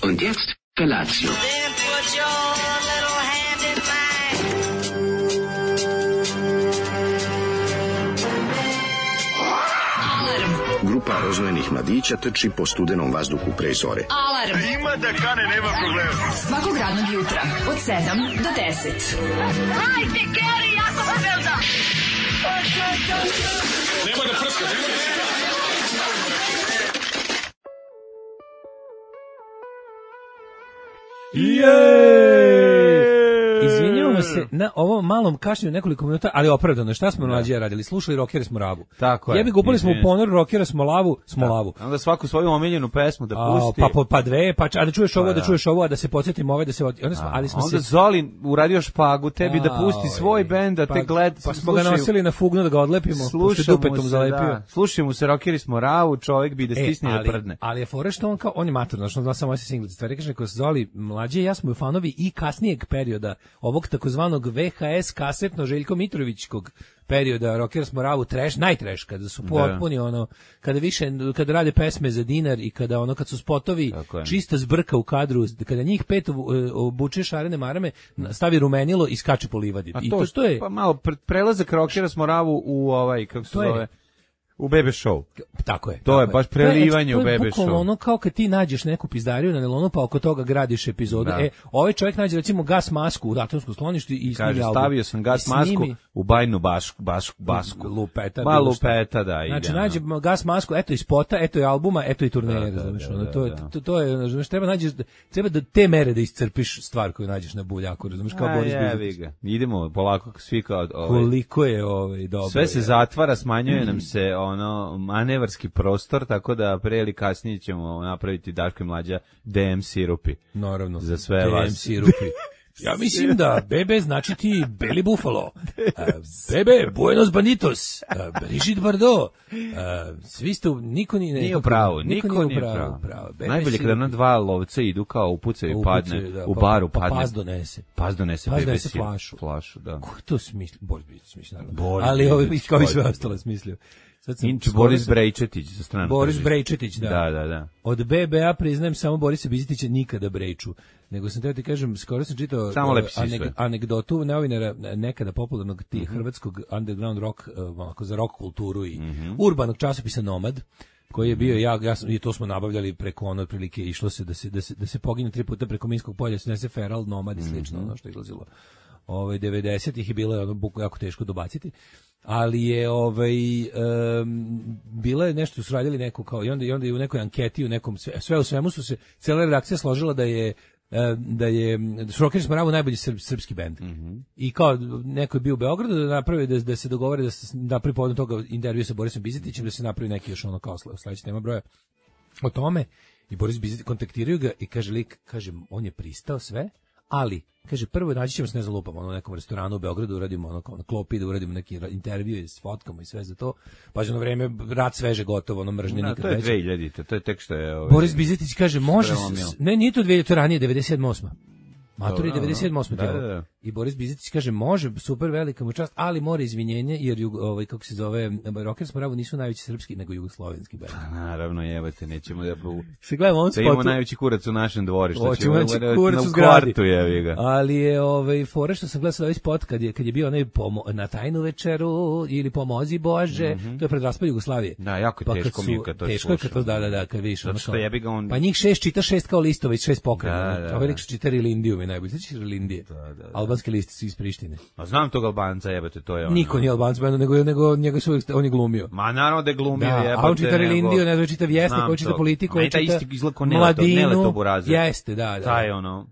Und jetzt Felatio. Then put your little hand in mine. Grupa rozvojenih mladića trči po studenom vazduhu pre zore. Alarm. Ima da kane, nema problema. Svakog radnog jutra od 7 do 10. Hajde, Geri, jako se velda. Nema da prska, nema da prska. Izvinjavamo se na ovom malom kašnjenju nekoliko minuta, ali opravdano. Šta smo mlađi radili? Slušali Rockeri smo Ravu. Tako je. Jebi gupali smo u ponor Rockera smo Lavu, smo Lavu. Onda svaku svoju omiljenu pesmu da pusti. Pa dve, a da čuješ ovo, da čuješ ovo, a da se podsjetimo ove, da se onda se Zoli uradio špagu tebi da pusti svoj bend, da te gled. Pa smo ga nosili na fugnu da ga odlepimo, slušamo dupetom zalepio. Slušajmo se Rockeri smo Ravu, čovjek bi da stisne da prdne. Ali je fora što on je maturno, što zna samo se singlice stvari, kaže kako se Zoli mlađi i ja smo fanovi i kasnijeg perioda ovog takozvanog VHS kasetno Željko Mitrovićkog perioda Rockers Moravu trash, najtrash, kada su potpuni ono, kada rade pesme za dinar i kada ono, kad su spotovi čista zbrka u kadru, kada njih pet obuče šarene marame, stavi rumenilo i skače po livadi. I to je pa malo prelazak Rockers Moravu u ovaj, kako se zove, u Bebe Show. Tako je. To je baš prelivanje u Bebe Show. To je ono kao kad ti nađeš neku pizdariju na nelonu, pa oko toga gradiš epizodu. Ovaj čovjek nađe recimo gas masku u atomskom skloništu i kaže, stavio sam gas masku u bajnu basku. Lupeta. Lupeta, da. Znači, nađe gas masku, eto i spota, eto i albuma, eto i turneje. To je, razumiješ, treba da te mere da iscrpiš stvar koju nađeš na buljaku, razumiješ, kao Boris Bizetić. Idemo polako svi kao... Koliko je dobro. Sve se zatvara, smanjuje nam se manevarski prostor, tako da pre ili kasnije ćemo napraviti Daško i Mlađa DM sirupi. Naravno. Za sve vas. DM sirupi. Ja mislim da Bebe znači ti Beli Buffalo, Bebe Buenos Banditos, Brigitte Bardot, svi ste, niko nije u pravu, niko nije u pravu. Najbolje kada na dva lovca idu kao upucaju i padne, u baru padne. Pa pas donese Bebe flašu, da. Ko to smisli? Boris Brejčetić smisli, naravno. Ali kao i sve ostalo smislio. Boris Brejčetić za stranu. Boris Brejčetić, da. Da. Od BBA priznajem samo Borisa Bizetića nikada Brejču. Nego sam teo ti kažem, skoro sam čitao anegdotu novinara nekada popularnog hrvatskog underground rock, onako za rock kulturu i urbanog časopisa Nomad, koji je bio i to smo nabavljali preko ono otprilike, išlo se da se pogine 3 puta preko Minskog polja, se nese Feral, Nomad i slično, ono što je izlazilo 90-ih i bilo je ono jako teško dobaciti. Ali je bilo je nešto su radili neko kao i onda je u nekoj anketi, u nekom sve u svemu su se cela redakcija složila da je Rockers Moravu najbolji srpski bend. I kao neko je bio u Beogradu da napravi da se dogovore da se napravi povodom toga intervju sa Borisom Bizetićem, da se napravi neki još ono kao sledeći tema broja o tome. I Boris Bizetić kontaktiraju ga i kaže on je pristao sve, ali kaže, prvo naći ćemo se, ne zalupamo, na nekom restoranu u Beogradu, uradimo ono kao na klopi, da uradimo neki intervju s fotkama i sve za to. Pa na vreme, rat sveže gotovo, ono mržnje nikad veće. To je 2000, to je tek što je... Boris Bizetić kaže, može... Ne, nije to 2000, to ranije, 97-8. Matori 97-8. Da. I Boris Bizetić kaže, može, super, velika mu čast, ali mora izvinjenje, jer kako se zove, Rockers Moravu nisu najveći srpski, nego jugoslovenski band. Naravno, jebate, nećemo da... Se gledamo on spotu. Da imamo najveći kurac u našem dvorištu. Hoćemo najveći kurac u zgradi. Ali je fore što sam gledao ovaj spot, kad je bio onaj na tajnu večeru, ili pomozi Bože, to je pred raspad Jugoslavije. Da, jako je teško mi kad to slušam. Teško je kad to, da, kad vidiš. Pa njih 6 čita 6 kao listova, 6 pokreta. Ovaj lik što čita Rilindiju, najbolje. Znači Rilindije. Albanski listi su iz Prištine. A znam tog Albanca, jebate, to je ono. Niko nije Albanc, nego njega su on je glumio. Ma naravno da je glumio, jebate. A on čita Rilindiju, ne čita Vjesnik, on čita Politiku, on čita Mladinu. Jeste, da. Taj ono.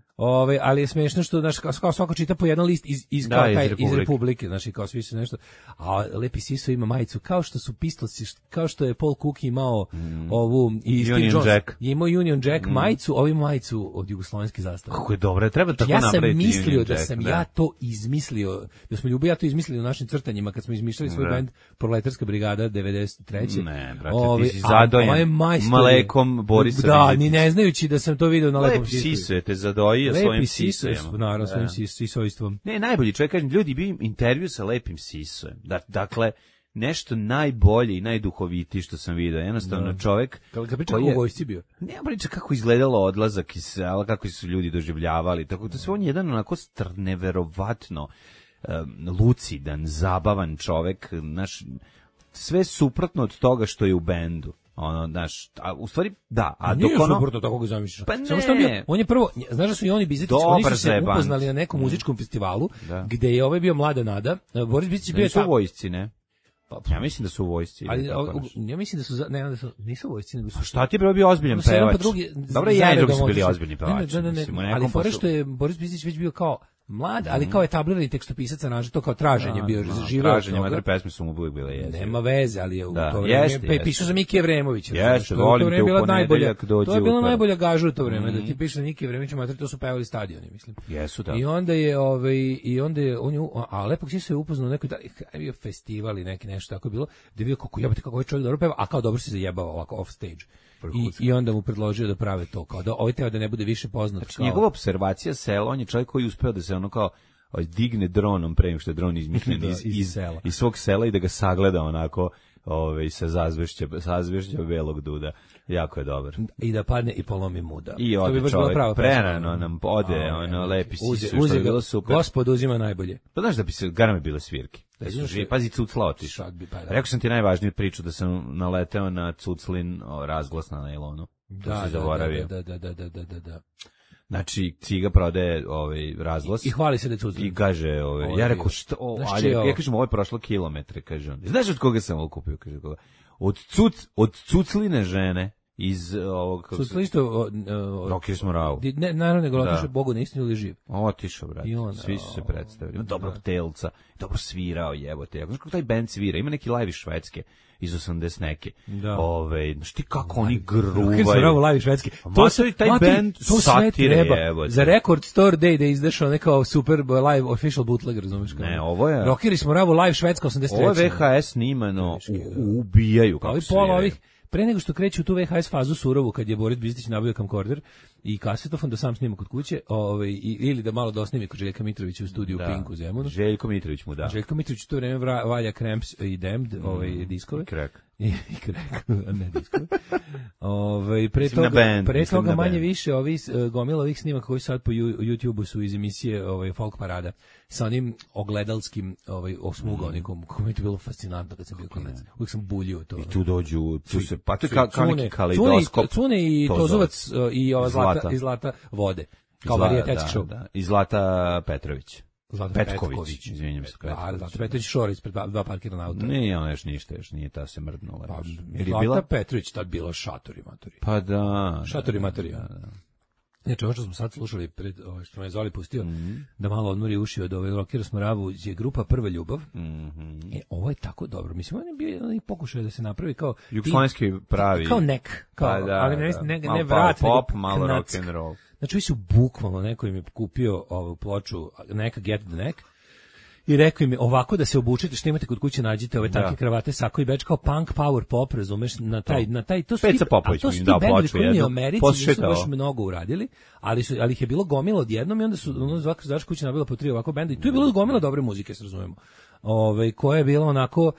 Ali je smešno što kao svako čita po jedan list iz Republike, znači kao svi su nešto. A Lepi Siso ima majicu kao što su Pistolsi, kao što je Paul Cook imao ovu i Steve Jones. Je imao Union Jack majicu, ovi majicu od jugoslovenske zastave. Kako je dobro, treba tako napraviti. Ja sam mislio da sam ja to izmislio, da smo Ljubo ja to izmislili u našim crtanjima kad smo izmišljali svoj bend Proletarska brigada 93. Ne, brate, ti si zadojen malekom Borisa. Da, ni ne znajući da sam to video na Lepom Sisu. Lepi Siso je te zadojio svojim Sisojem. Naravno, svojim sisojstvom. Ne, najbolji čovjek, kažem, ljudi bi intervju sa Lepim Sisojem. Dakle, nešto najbolje i najduhovitije što sam vidio. Jednostavno čovjek Kad ga priča koji kako u vojsci bio. nema priča kako izgledalo odlazak iz sela, kako su ljudi doživljavali. Tako da sve on je jedan onako neverovatno lucidan, zabavan čovjek, znaš, sve suprotno od toga što je u bendu. Ono, znaš, a u stvari, da, a dok nije ono... suprotno tako ga zamišljaš. Pa ne. Samo što on je prvo, znaš da su i oni Bizetić, oni su se upoznali na nekom muzičkom festivalu, gde je ovaj bio Mlada Nada, Boris Bizetić bio nisu u vojsci, ne? Ja mislim da su u vojsci. Ali ja mislim da su nisu u vojsci, nego su. Šta ti je bio ozbiljan pevač? Dobro, ja i drugi su bili ozbiljni pevači. Ali fora što je Boris Bizetić već bio kao mlad, ali kao etablirani tekstopisac, aranžer, to kao traženje bio živeo. Traženje, mater pesme su mu uvijek bile jeste. Nema veze, ali je u to vreme pisao za Miki Evremovića. Jeste, volim te u ponedeljak dođi. To je bila najbolja gaža u to vreme, da ti piše za Miki Evremovića, mater, to su pevali stadioni, mislim. Jesu, da. I onda je on je a lepo si se upoznao nekoj bio festival i neki nešto tako je bilo, da je bio kako jebote kako ovaj čovjek dobro peva, a kao dobro se zajebava ovako off stage. I onda mu predložio da prave to, kao da ovaj teo da ne bude više poznat. Znači, njegova observacija sela, on je čovjek koji uspeo da se ono kao digne dronom pre nego što je dron izmišljen iz svog sela i da ga sagleda onako sa zazvešća belog duda. Jako je dobar. I da padne i polomi muda. I ode čovjek, prerano nam ode, lepi si što je bilo super. Gospod uzima najbolje. Pa znaš da bi se, garame bile svirke. Pazi, Cucla otišao. Rekao sam ti najvažniju priču da sam naleteo na Cuclin razglas na najlonu. Da. Znači, Ciga prodaje razglas. I hvali se da je Cuclin. I kaže, ja rekao, što, ja kažem, ovo je prošlo kilometre, kaže on. Znaš od koga sam ovo kupio, kaže koga? Od Cucline žene iz ovog... Cuclin isto... Rocker Smorau. Ne, naravno, nego otišao Bogu na istinu ili živ. Otišao, brate. Svi su se predstavili. Ima dobrog telca, dobro svirao, jebote. Znaš kako taj band svira? Ima neki live iz Švedske iz 80 neke. Da. Znaš ti kako oni gruvaju. Rocker Smorau live iz Švedske. To se taj band satire, jebote. Za Record Store Day da je izašao nekao super live official bootleg, razumiješ kao? Ne, ovo je... Rocker Smorau live Švedska 83. Ovo je VHS snimano, ubijaju kako sviraju. Pre nego što kreću u tu VHS fazu surovu, kad je Boris Bizetić nabavio kamkorder i kasetofon da sam snima kod kuće, ili da malo dosnimi kod Željka Mitrovića u studiju Pink u Zemunu. Željko Mitrović mu da. Željko Mitrović u to vreme valja Cramps i Damned, diskove. I Crack. I Crack, ne diskove. Pre toga manje više gomila ovih snimaka koji sad po YouTubeu su iz emisije Folk Parada sa onim ogledalskim osmugonikom, koji mi je to bilo fascinantno kad sam bio klinac. Uvijek sam buljio to. I tu dođu, pa to je kao neki kaleidoskop. Cune i Tozovac i ova Zlata vode. Kao varijetetski show. I Zlata Petrović. Zlata Petković, izvinjam se. Zlata Petrović šor ispred dva parkirana auta. Nije ona još ništa, još nije ta se mrdnula. Zlata Petrović tad bila šatori matori. Pa da. Šatori matori, Znači, ovo što smo sad slušali pred što me je Zoli pustio, da malo odmori uši od Rockera Smoravu, je grupa Prva ljubav. Ovo je tako dobro. Mislim, on je bio pokušaj da se napravi kao... Jugoslovenski pravi. Kao nek. Ali ne vrat, pop, malo rock and roll. Znači, ovi su bukvalno, neko im je kupio ovu ploču, neka Get the Neck, i rekao im ovako da se obučite, što imate kod kuće, nađite ove takve kravate, sako i beč kao punk power pop, razumeš, na taj to su Peca Popović mi dao ploču jednu. U Americi nisu baš mnogo uradili, ali ih je bilo gomila odjednom i onda su zaš kuće nabila po 3 ovako benda i tu je bilo gomila dobre muzike, se razumemo. Koja je bila onako,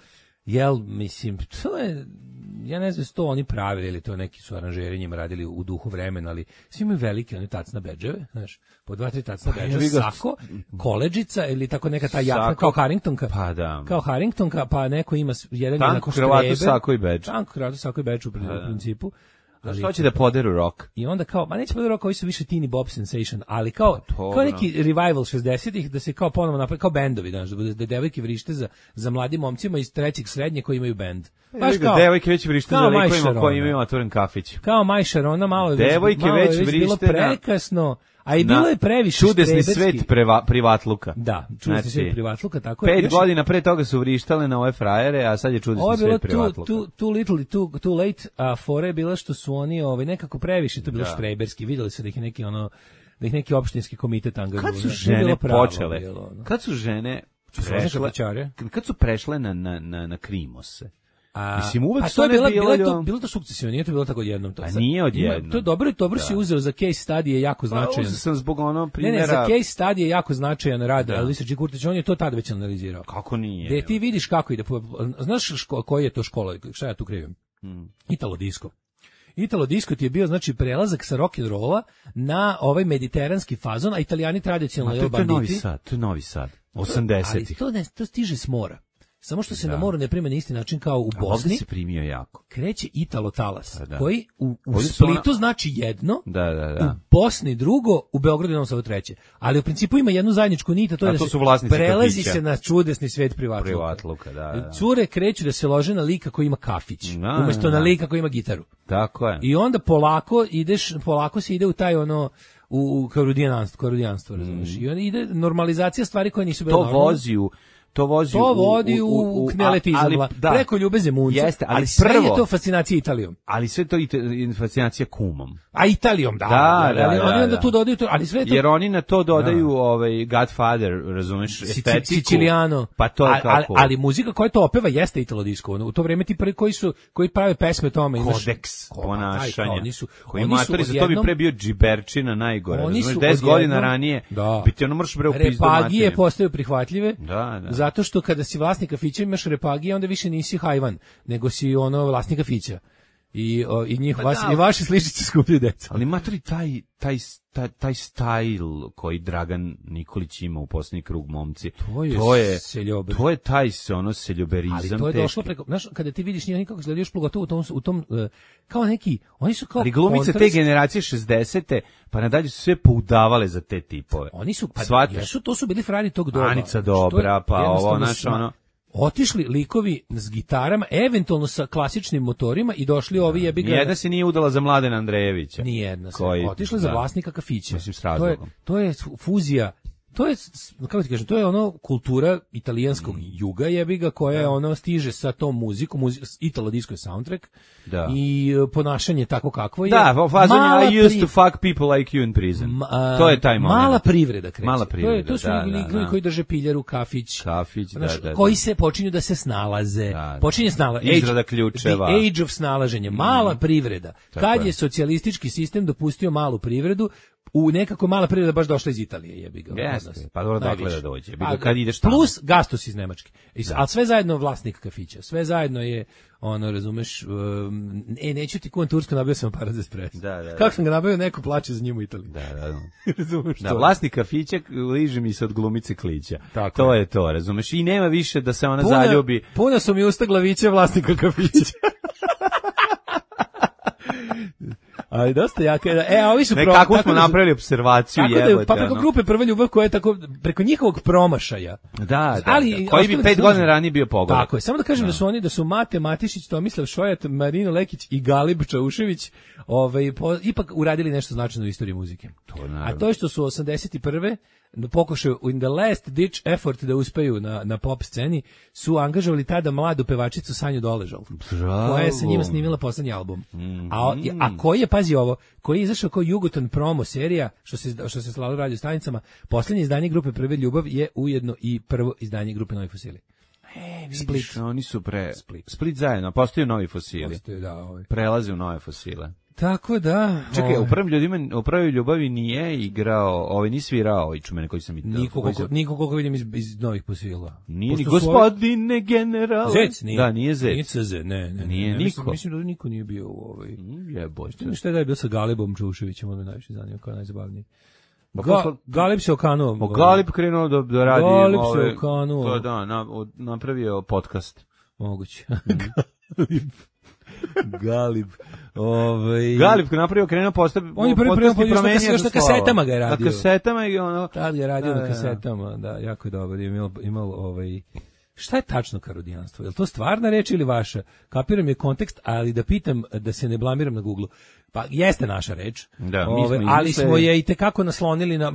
mislim, to je, ja ne znam što oni pravili ili to neki su aranžeri njima radili u duhu vremena, ali svi imaju velike one tacna bedževe, znaš, po 2-3 tacna bedževe, sako, koledžica ili tako neka ta jakna kao Harringtonka. Pa da. Kao Harringtonka, pa neko ima jedan tanko kravatu, sako i bedž. Tanko kravatu, sako i bedž u principu. Što će da poderu rock? I onda kao, neće poderu rock, ovi su više teeny bop sensation, ali kao neki revival 60-ih, da se kao ponovo napravi, kao bendovi, znaš, da devojke vrište za mladim momcima iz 3. srednje koji imaju bend. Baš kao devojke već vrište za likovima koji imaju otvoren kafić. Kao Maj Sharona, malo devojke već vrište bilo prekasno, a i bilo je previše čudesni svet privatluka. Da, čudesni svet privatluka, tako je. 5 godina pre toga su vrištale na ove frajere, a sad je čudesni svet privatluka. Too little i too late, a fore je bila što su oni nekako previše, to je bilo štreberski, vidjeli su da ih neki da ih neki opštinski komitet angažuju. Kad su žene počele? Kad su žene prešle na krimose? Mislim, uvek pa su to je one bilo to sukcesivno, nije to bilo tako odjednom. A nije odjednom. To je dobro si uzeo za case study je jako značajan. Uzeo sam zbog ono primjera. Ne, za case study je jako značajan rad Elvisa G. Kurtića, on je to tada već analizirao. Kako nije? Gde ti vidiš kako ide, znaš koji je to škola, šta ja tu krivim? Italo disco. Italo disco ti je bio znači prelazak sa rock and rolla na ovaj mediteranski fazon, a Italijani tradicionalno banditi. To je Novi Sad. 80-ih. Ali to stiže s mora. Samo što se na moru ne prima na isti način kao u Bosni. Ovdje se primio jako. Kreće Italo talas, koji u Splitu znači jedno, u Bosni drugo, u Beogradu i Novom Sadu treće. Ali u principu ima jednu zajedničku nit, a to je da se prelazi se na čudesni svet privatluka. Cure kreću da se lože na lika koji ima kafić, umjesto na lika koji ima gitaru. Tako je. I onda polako se ide u taj ono u karudijanstvo, razumiješ? I onda ide normalizacija stvari koje nisu bile normalne. To vodi u kneletizam, preko Ljube Zemunca, ali sve je to fascinacija Italijom. Ali sve to fascinacija kumom. A Italijom, oni onda tu dodaju to, ali sve to... Jer oni na to dodaju Godfather, razumeš, estetiku. Siciliano. Pa to je kako... Ali muzika koja to opeva jeste Italo disco. U to vrijeme ti prvi koji prave pesme tome. Kodeks ponašanja. Koji matori, za to bi pre bio džiberčina najgore. Razumeš, 10 godina ranije, biti ono mrš bre u pizdu materiju. Repagije postaju prihvatljive. Da. Zato što kada si vlasnik kafića imaš repagije, onda više nisi hajvan, nego si ono vlasnik kafića. I vaši sličice skupljaju deca. Ali matori, taj stajl koji Dragan Nikolić ima u posljednji krug momci, to je taj seljoberizam. Ali to je došlo preko, znaš, kada ti vidiš njih kako izgledaju još pogotovo u tom kao neki, oni su kao ali glumice te generacije 60-te, pa nadalje su sve poudavale za te tipove. Oni su, to su bili frajeri tog doba. Anica Dobra, pa ovo, znaš, ono... Otišli likovi s gitarama, eventualno sa klasičnim motorima i došli ovi jebiga. Nijedna se nije udala za Mladena Andrejevića. Nijedna se. Otišli za vlasnika kafića. Mislim, s razlogom. To je fuzija. To je, kako ti kažem, to je ono kultura italijanskog juga jebiga koja ono stiže sa tom muzikom, Italo disco je soundtrack i ponašanje tako kakvo je. Da, fazon I used to fuck people like you in prison. To je taj moment. Mala privreda kreće. Mala privreda, to su ljudi koji drže piljaru, kafić, da. koji se počinju da se snalaze. Počinje izrada ključeva. The age of snalaženja. Mala privreda. Kad je socijalistički sistem dopustio malu privredu, u nekako mala privreda baš došla iz Italije, jebi ga. Jeste, pa dobro dakle da dođe. Kad ideš tamo. Plus Gastos iz Nemačke. Ali sve zajedno vlasnik kafića. Sve zajedno je, ono, razumeš, neću ti kuvan Tursku, nabio sam aparat za espresso. Da. Kako sam ga nabio, neko plače za njim u Italiji. Da. Razumeš to? Da, vlasnik kafića liže mi se od glumice Klića. To je to, razumeš. I nema više da se ona zaljubi. Puna su mi usta glaviće vlasnika kafića. Ali dosta jaka je. Ovi su kako smo napravili observaciju jebote. Pa preko grupe Prva ljubav koja je tako preko njihovog promašaja. Da. Koji bi 5 godina ranije bio pogodak. Tako je. Samo da kažem da su Mate Matišić, Tomislav Šojat, Marino Lekić i Galib Čaušević ipak uradili nešto značajno u istoriji muzike. A to je što su 81. pokušaju in the last ditch effort da uspeju na pop sceni, su angažovali tada mladu pevačicu Sanju Doležal, koja je sa njima snimila poslednji album. A koji je, pazi ovo, koji je izašao kao Jugoton promo serija, što se slalo radio stanicama, poslednje izdanje grupe Prve ljubav je ujedno i prvo izdanje grupe Novi fosili. Split. Oni su Split zajedno, postaju Novi fosili. Prelaze u Nove fosile. Tako da... Čekaj, u Prvoj ljubavi nije igrao, nije svirao čumene koji sam... Niko koliko vidim iz Novih fosila. Nije ni gospodine general. Zec nije. Da, nije Zec. Nije CZ, ne. Nije niko. Mislim da niko nije bio u ovoj... Jebote. Šta je bio sa Galibom Čuševićem, ono najviše zanima, kao najzabavniji. Galib se okanuo. Galib krenuo da radi... Galib se okanuo. To da, napravio podcast. Moguće. Galib. Galib napravio, krenuo postaviti. On je prvi promenio na kasetama ga je radio. Na kasetama i ono. Tad je radio na kasetama, da, jako je dobar. Imao šta je tačno karudijanstvo? Je li to stvarna reč ili vaša? Kapiram je kontekst, ali da pitam, da se ne blamiram na Google. Pa jeste naša reč, ali smo je i tekako naslonili na...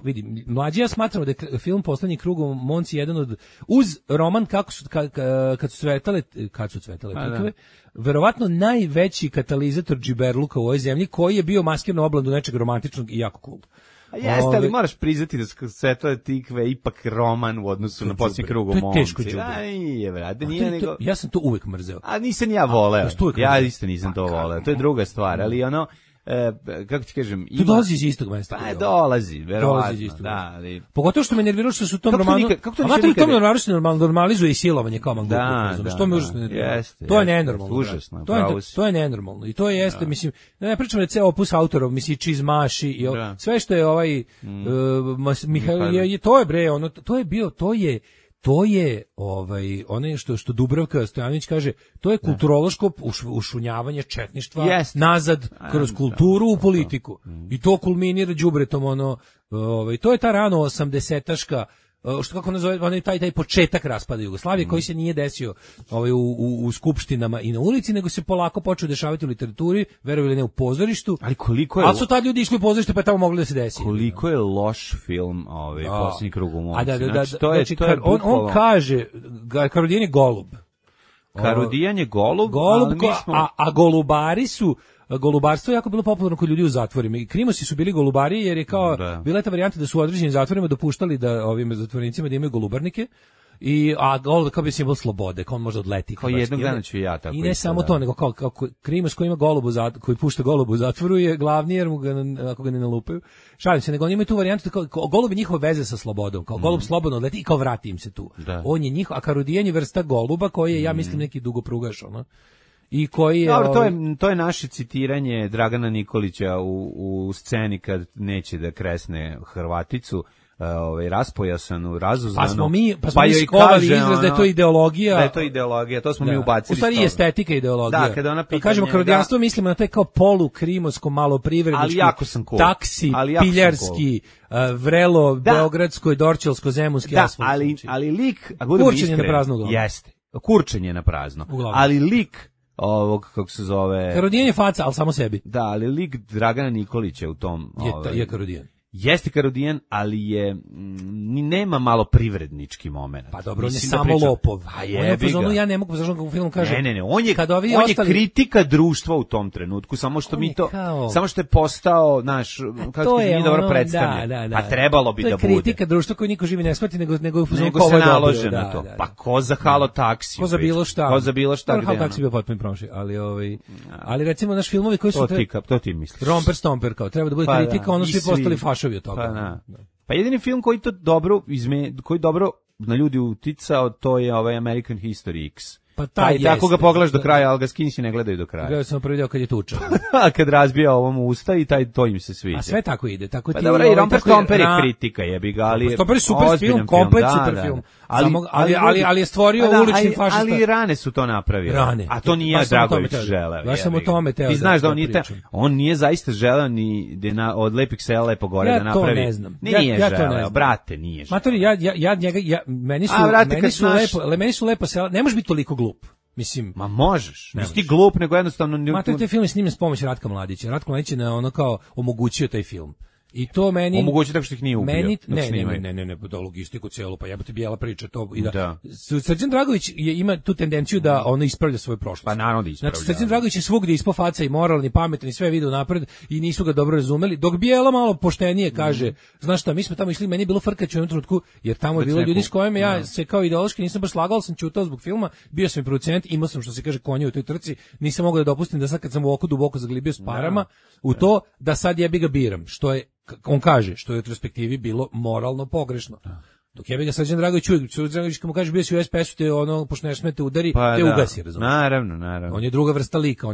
Vidi, mlađi ja smatramo da je film Poslednji krug u Monci jedan od... Uz roman kad su cvetale pikove, verovatno najveći katalizator džiberluka u ovoj zemlji, koji je bio maskirno oblandu nečeg romantičnog i jako cool. A jeste, ali moraš priznati da Svetove tikve ipak roman u odnosu na Posljednji krug u momci. To je teško đubre. Aj, brate, nije nego... Ja sam to uvek mrzeo. A nisam ja voleo. Ja isto nisam to voleo. To je druga stvar, ali ono... kako ti kažem, ima... Tu dolazi iz istog mesta. Pa dolazi, verovatno. Da, ali... Pogotovo što me nerviralo što su u tom romanu... Kako to romanu se normalizuje i silovanje kao Mangoku. Što me užasno nerviralo. To je nenormalno. Užasno, to je nenormalno. I to jeste, mislim, ne pričam da ceo opus autorov, mislim, Čizmaši i sve što je ovaj... To je bre, ono, to je ono što Dubravka Stojanović kaže, to je kulturološko ušunjavanje četništva nazad kroz kulturu u politiku. I to kulminira đubretom to je ta rano 80-taška što kako nazove, onaj taj početak raspada Jugoslavije koji se nije desio u skupštinama i na ulici, nego se polako počeo dešavati u literaturi, verovali ili ne u pozorištu. Ali koliko je... Ali su tad ljudi išli u pozorište pa je tamo mogli da se desi. Koliko je loš film Posljednji krug u momci. Znači, on kaže, Karudijan je golub. Karudijan je golub, a golubari su... Golubarstvo je jako bilo popularno kod ljudi u zatvorima i Krimosi su bili golubari jer je kao bila je ta varijanta da su u određenim zatvorima dopuštali da ovim zatvorenicima da imaju golubarnike a golub kao bi simbol slobode, kao on može odleti. Kao jednog dana ću ja tako. I ne samo to, nego kao Krimos koji ima koji pušta golubu u zatvoru je glavni jer mu ga ako ga ne nalupaju. Šalim se, nego oni imaju tu varijantu kao golub je njihova veze sa slobodom, kao golub slobodno odleti i kao vrati im se tu. On je njihov, a Karudijan je vrsta goluba koji je ja mislim neki dugoprugaš, i koji je... Dobro, to je naše citiranje Dragana Nikolića u sceni kad neće da kresne Hrvaticu, raspojasanu, razuzvanu. Pa smo mi skovali izraz da je to ideologija. Da je to ideologija, to smo mi ubacili. U stvari estetika ideologija. Da, kada ona pitanje... Kažemo, karudijanstvo mislimo na taj kao polu-krimosko, malo privrednički, taksi, piljarski, vrelo, beogradsko i dorčelsko-zemunski asfalt. Ali lik... Kurčenje na prazno glavu. Jeste, kurčenje na prazno. Ali lik ovog, kako se zove... Karudijan je faca, ali samo sebi. Da, ali lik Dragana Nikolića u tom... Je Karudijan. Jeste Karudijan, ali je nema malo privrednički moment. Pa dobro, on je samo lopov. A jebi ga. Ja ne mogu, zašto u filmu kaže... Ne, on je kritika društva u tom trenutku, samo što samo što je postao, kako nije dobro predstavljen. A trebalo bi da bude. To je kritika društva koju niko živi ne shvati, nego se nalože na to. Pa ko za Halo taksi? Ko za bilo šta. Ko za bilo šta. Halo taksi bio potpuno promašaj, ali recimo naš filmovi koji su... To ti misliš. Romper Stomper, kao treba da bude kritika, ono svi postali fašovi od toga. Pa jedini film koji dobro na ljudi uticao, to je American History X. Pa taj tako ga pogledaš do kraja, ali ga Skinsi ne gledaju do kraja. Gledao sam prvi deo kad je tuča. A kad razbija ovom usta i to im se sviđa. A sve tako ide, tako ti. Pa dobro, i Romper Stomper je kritika, jebi ga, ali Stomper je super film, komplet super film. Ali je stvorio ulični fašista. Ali rane su to napravili. A to nije Dragović želeo. Ja sam o tome teo. Ti znaš da on nije zaista želeo ni od lepih sela lepo gore da napravi. Ja to ne znam. Nije želeo, brate, nije želeo. Matori, meni su lepo sela, ne može biti toliko glup. Mislim, ma možeš. Nisi ti glup, nego jednostavno... Matori, taj film je snimljen s pomoći Ratka Mladića. Ratko Mladić je kao omogućio taj film. I to meni omogući tako što ih nije ubio. Ne, da logistiku celu, pa jebote bijela priča to i da. Srđan Dragović ima tu tendenciju da ono ispravlja svoju prošlost. Pa naravno da ispravlja. Znači Srđan Dragović je svugdje ispao faca i moralni, pametan i sve vide unapred i nisu ga dobro razumeli. Dok bijela malo poštenije kaže, znaš šta, mi smo tamo išli, meni je bilo frkać u jednom trenutku, jer tamo je bilo ljudi s kojima ja se kao ideološki nisam baš slagao, sam ćutao zbog filma, bio sam i producent, imao sam što se kaže konje u toj trci, nisam mogao da dopustim da sad kad sam u oko duboko zaglibio s parama u to da sad jebi ga biram, što je on kaže, što je u retrospektivi bilo moralno pogrešno. Dok jebi ga Srđan Dragović kad mu kaže bio si u SPS-u, te pošto ne smete udari, te ugasi, razumiješ? Naravno. On je druga vrsta lika,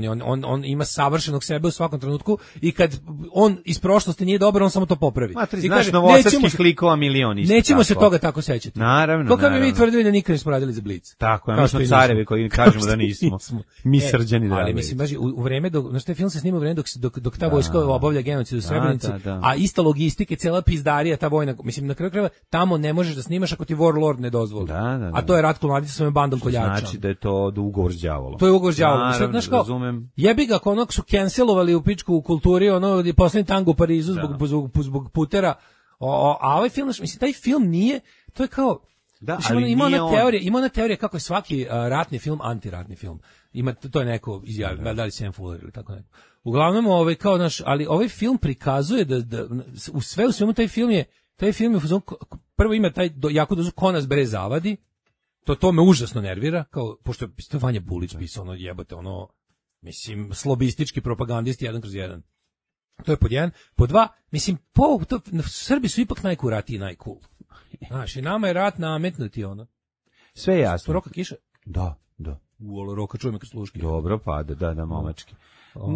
on ima savršenog sebe u svakom trenutku i kad on iz prošlosti nije dobar, on samo to popravi. I znaš, novosadskih likova milion isto. Nećemo se toga tako sećati. Naravno. Kako bi mi tvrdili da nikad nismo radili za Blic. Tako, mi smo carevi koji kažemo da nismo. Mi Srđani Dragović. Ali mislim, baš u vreme, znaš, taj film se snima u vreme dok ta vojska obavlja genocid u Srebrenici, a ista logistika, cela pizdarija, ta vojna, mislim, na kraju krajeva, tamo ne možeš da snimaš ako ti Warlord ne dozvoli. A to je Ratko Mladić sa svojom bandom koljača. Znači da je to ugovor s đavolom. To je ugovor s đavolom. Znaš kao, jebi ga, ako onog su cancelovali u pičku u kulturi, poslednji tango u Parizu zbog putera, a ovaj film, mislim, taj film nije, to je kao, Da, Znači, ali ima nije ona on. teorija, ima ona teorija kako je svaki ratni film antiratni film. Ima to je neko izjavio, da li Sam Fuller ili tako neko. Uglavnom kao ali ovaj film prikazuje da u svemu taj film je u fazonu, prvo ima taj jako dozu ko nas bre zavadi. To me užasno nervira, kao pošto je Vanja Bulić pisao ono jebote mislim slobistički propagandist 1/1. To je pod jedan. Pod dva, mislim, Srbi su ipak najkuratiji i najcool. Znaš, i nama je rat nametnuti, Sve je jasno. Roka kiša? Da. Roka čuje me kad sluški. Dobro, pa da, momački.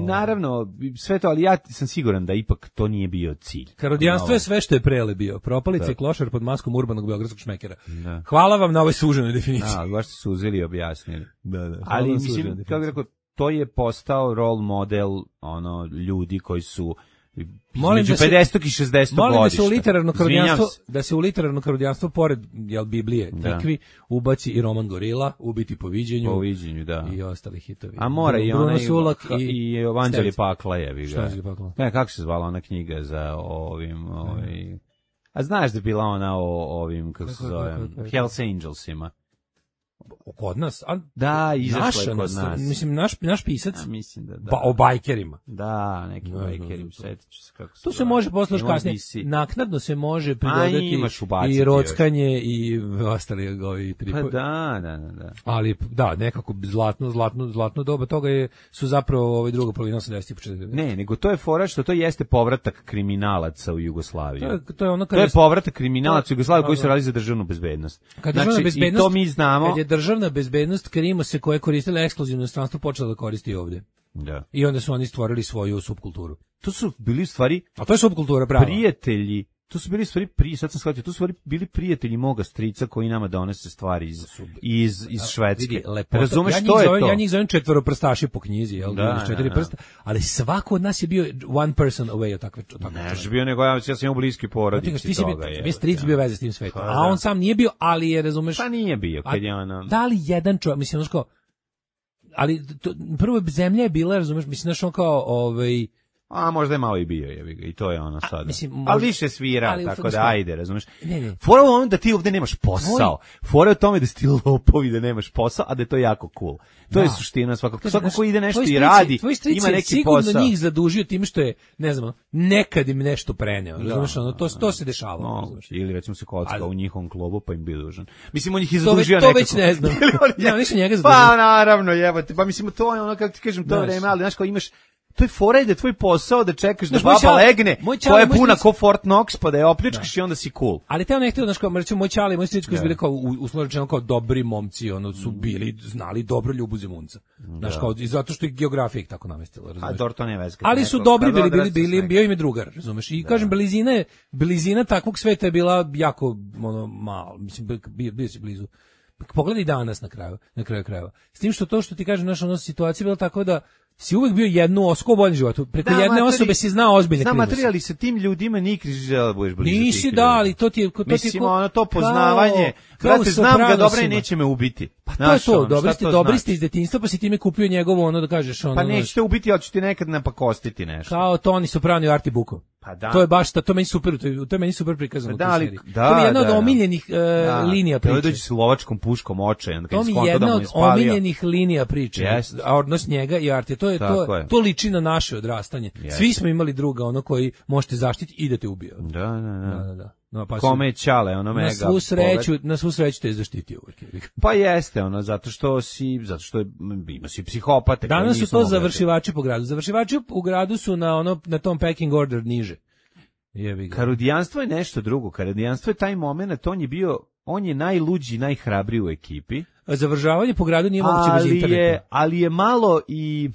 Naravno, sve to, ali ja sam siguran da ipak to nije bio cilj. Karodijanstvo je sve što je prele bio. Propalice i klošar pod maskom urbanog beogradskog šmekera. Da. Hvala vam na ovoj suženoj definiciji. Da, baš ste suzili i objasnili. Da. Ali, mislim, kako bih rekao, to je postao role model ljudi koji su između 50. i 60. godišta. Molim da se u literarno karodijanstvo pored Biblije, Tikvi, ubaci i roman Gorila, Ubiti po viđenju. Po viđenju, da. I ostali hitovi. A mora i Bruno onaj Sulak i Evanđelje pakla je. Šta je pakla? Ne, kako se zvala ona knjiga za A znaš da je bila ona o ovim, kako se zove, Hells Angelsima? Kod nas? Da, izašla je kod nas. Mislim, naš pisac? Mislim da. O bajkerima. Da, neki bajkerima, setit ću se kako se to se može posle kasnije. Naknadno se može pridodati i rockanje i ostali ovi tripovi. Pa da. Ali, da, nekako zlatno doba toga su zapravo druga polovina 80 i početak. Ne, nego to je fora što to jeste povratak kriminalaca u Jugoslaviju. To je povratak kriminalaca u Jugoslaviju koji su radili za državnu bezbednost. Znači, i to mi znamo. Kad je državna bezbednost Krimo se koja je koristila ekskluzivno inostranstvo počela da koristi ovdje. Da. I onda su oni stvorili svoju subkulturu. To su bili u stvari... A to je subkultura, pravo. Prijatelji. To su bili u stvari sad sam shvatio, to su bili prijatelji moga strica koji nama donose stvari iz Švedske. Vidi, razumeš što je to? Ja njih zovem četvoroprstaši po knjizi, jel? Da, četiri prsta, ali svako od nas je bio one person away od takve. Ne, je bio nego ja sam imao bliski porodici toga. Ti stric bio veze s tim svetom, a on sam nije bio, ali je, razumeš? Pa nije bio, kad je ono... Da li jedan čovjek, mislim, ono ali prvo zemlja je bila, razumeš, mislim, znaš, on kao, A možda je malo i bio, i to je ono sada. Mislim, ali više svira, tako da ajde, razumeš. Ne. Fora je ono da ti ovde nemaš posao. Fora je u tome da si ti lopovi da nemaš posao, a da je to jako cool. To je suština svakako. Svako ko ide nešto i radi, ima neki posao. Sigurno njih zadužio tim što je, ne znam, nekad im nešto preneo. Razumeš, ono, to se dešava. Ili recimo se kocka u njihovom klubu pa im bio dužan. Mislim, on ih je zadužio nekako. To već ne znam. Ja, nisu njega zadužio. Pa naravno, jebote. Pa mislim, to je ono, kako ti kažem, to vreme, ali znaš kao imaš. To je fora da je tvoj posao da čekaš da baba legne, koja je puna ko Fort Knox, pa da je opljačkaš i onda si cool. Ali te ne htio, znaš, kao, recimo, moj čale i moj stric koji su bili kao, uslovno kao dobri momci, su bili, znali dobro Ljubu Zemunca. Znaš, kao, i zato što je geografija ih tako namestila, razumeš? A to ne veze. Ali su dobri bio im je drugar, razumeš? I kažem, blizina takvog sveta je bila jako, malo, mislim, bio si blizu. Pogledaj danas na kraju krajeva. S tim što to što ti kažem, naša situacija bila tako da si uvek bio jednu osobu bolji životu. Preko jedne osobe si znao ozbiljne krive. Materijali sa tim ljudima nikad žele budeš blizu. Nisi da, ali to ti je mislim, ono to poznavanje. Brate, znam ga dobro i neće me ubiti. Pa to je to, dobri ste iz detinjstva, pa si time kupio njegovo ono da kažeš ono. Pa nećete ubiti, ali ću ti nekad napakostiti nešto. Kao Toni Soprano i Arti Bukov. Pa da. To je baš to meni super, to je meni super prikazano u toj seriji. To je jedna od omiljenih linija priče. Dođe s lovačkom puškom očajan, to mi je jedna od omiljenih linija priče. A odnos njega i Arti, to liči na naše odrastanje. Svi smo imali druga ono koji možete zaštititi i da te ubije. Da. No, pa kome je čale, ono mega. Na svu sreću te je zaštitio uvijek. Pa jeste, ono, zato što ima si psihopate. Danas su to završivači po gradu. Završivači u gradu su na tom packing order niže. Karudijanstvo je nešto drugo. Karudijanstvo je taj moment, on je najluđi, najhrabriji u ekipi. Završavanje po gradu nije moguće bez interneta. Ali je malo i...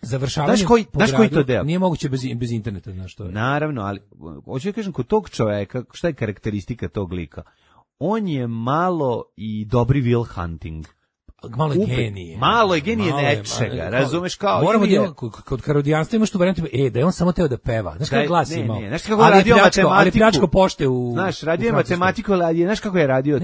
Završavanje znaš koji to deo? Nije moguće bez interneta, znaš što je. Naravno, ali hoću da kažem, kod tog čoveka, šta je karakteristika tog lika? On je malo i dobri Will Hunting. Malo je genije nečega, razumeš kao... Moramo kod karodijanstva imaš tu varijantu, da je on samo teo da peva. Znaš kako glas imao? Znaš kako je radio matematiku? Ali pljačko pošte u... Znaš, radio je matematiku, ali znaš kako je radio?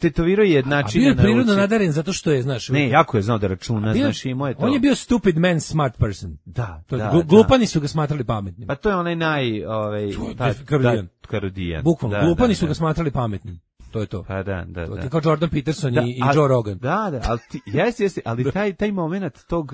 Tetovirao je jednačine na ruci. A bio je prirodno nadaren zato što je, znaš... Ne, jako je znao da računa, znaš, imao je to. On je bio stupid man, smart person. Da. Glupani su ga smatrali pametnim. Pa to je onaj Karodijan. Karodijan. Bukvalno, glupani su ga smatrali pametnim. to je to. Pa da. To je kao Jordan Peterson i Joe Rogan. Da, ali jeste, ali taj moment tog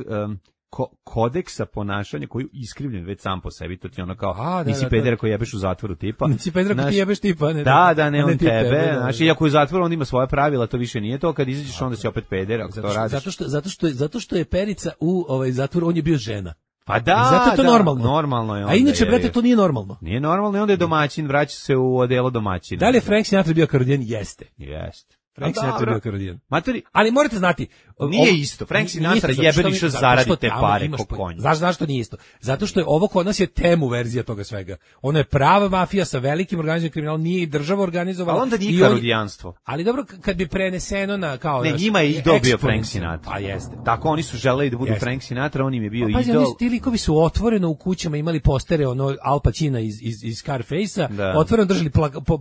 kodeksa ponašanja koji je iskrivljen već sam po sebi, to ti ono kao, nisi pedera koji jebeš u zatvoru tipa. Nisi pedera koji ti jebeš tipa, ne. Ne on tebe, znaš, iako je u zatvoru, on ima svoja pravila, to više nije to, kad izađeš onda si opet peder, ako to radiš. Zato što je Perica u zatvoru, on je bio žena. Pa da, zato je to normalno. Normalno je onda. A inače, brate, to nije normalno. Nije normalno i onda je domaćin, vraća se u odelo domaćina. Da li je Frank Sinatra bio karodijan? Jeste. Frank Pa Sinatra bio karodijan. Matori, ali morate znati, nije isto. Frank Sinatra jebeni što zaradi te pare ko konj. Znaš zašto nije isto? Zato što je ovo kod nas je temu verzija toga svega. Ono je prava mafija sa velikim organizovanim kriminalom, nije i država organizovala. Ali onda nije karodijanstvo. Ali dobro, kad bi preneseno na kao ne, njima je idol bio Frank Sinatra. A jeste. Tako oni su želeli da budu Frank Sinatra, on im je bio idol. Pa ti likovi su otvoreno u kućama imali postere ono Al Pacina iz Scarface-a, otvoreno držali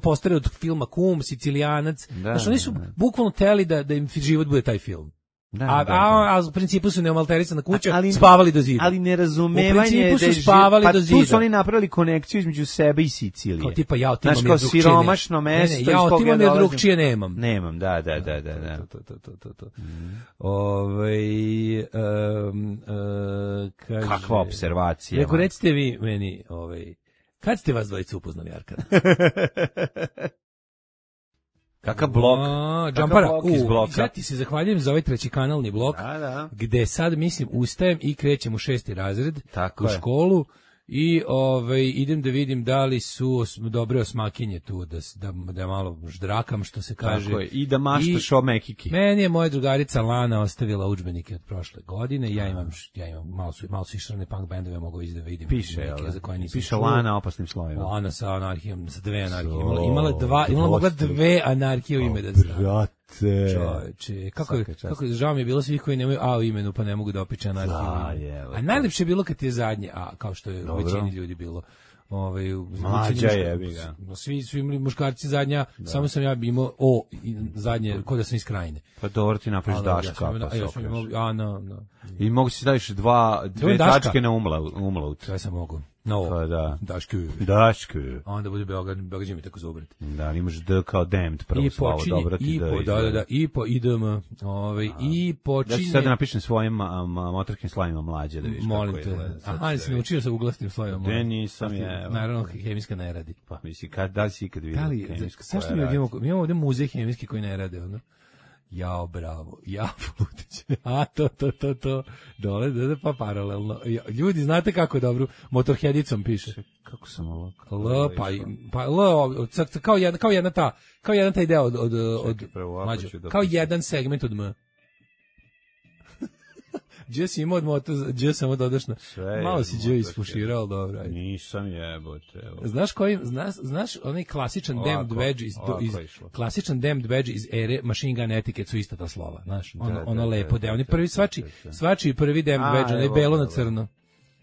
postere od filma Kum, Sicilijanac. Znači oni su bukvalno teli da im život bude taj film. A u principu su neomalterisana kuća, spavali do zida. Ali nerazumevanje u principu su spavali do zida. Tu su oni napravili konekciju između sebe i Sicilije. Kao tipa ja otimam je drugčije. Siromašno mesto. Ja otimam je drugčije nemam. Nemam, da. Kakva observacija. Reko, recite vi meni, kad ste vas dvojice upoznali, Arkada? Kakav blok? Džampara. Iz bloka. Sad ti se zahvaljujem za ovaj treći kanalni blok, gde sad, mislim, ustajem i krećem u 6. razred u školu i idem da vidim da li su dobre osmakinje tu, da malo ždrakam, što se kaže. Tako je, i da maštaš o mekiki. Meni je moja drugarica Lana ostavila udžbenike od prošle godine, ja imam malo su išrane punk bendove, mogu vidjeti da vidim. Piše Lana opasnim slovima. Lana sa anarhijom, sa 2 anarhije. Imala mogla 2 anarhije u ime da stavim. Čoveče, kako žao mi je bilo svih koji nemaju A u imenu, pa ne mogu da opiče anarhiju. A najlepše je bilo kad je zadnje A, kao što je u većini ljudi bilo. Mlađa je, svi imali muškarci zadnja, samo sam ja imao O zadnje, kod da sam iz Krajine. Pa dobro, ti napraviš Daška, pa se okreši. I mogu si staviš dve tačke na umlaut. Sve sam mogu. No, pa da. Daške. A onda bude Beograd mi tako zubrat. Da, imaš D kao damned, prvo slovo, dobro ti da. I po idem, i počinje. Ja ću sad napišem svojim motorskim slovima mlađe, da vidiš kako je. Aha, si naučio sa uglasnim slovima. Ne, nisam je. Naravno, hemijska ne radi. Pa misli, da li si ikad vidio hemijska koja radi? Mi imamo ovdje muzej hemijski koji ne rade, ono. Jao, bravo, Flutić, to, dole, pa paralelno. Ljudi, znate kako je dobro, Motorheadicom piše. Kako sam ovo? Kao jedan taj deo od mlađe, kao jedan segment od M. Gdje si imao od moto, gdje sam dodašno. Malo si gdje isfuširao, dobro. Nisam jebote. Znaš onaj klasičan damned badge iz ere Machine Gun Etiquette su ista ta slova, znaš, ono lepo deo. Oni prvi svačiji prvi damned badge, onaj belo na crno.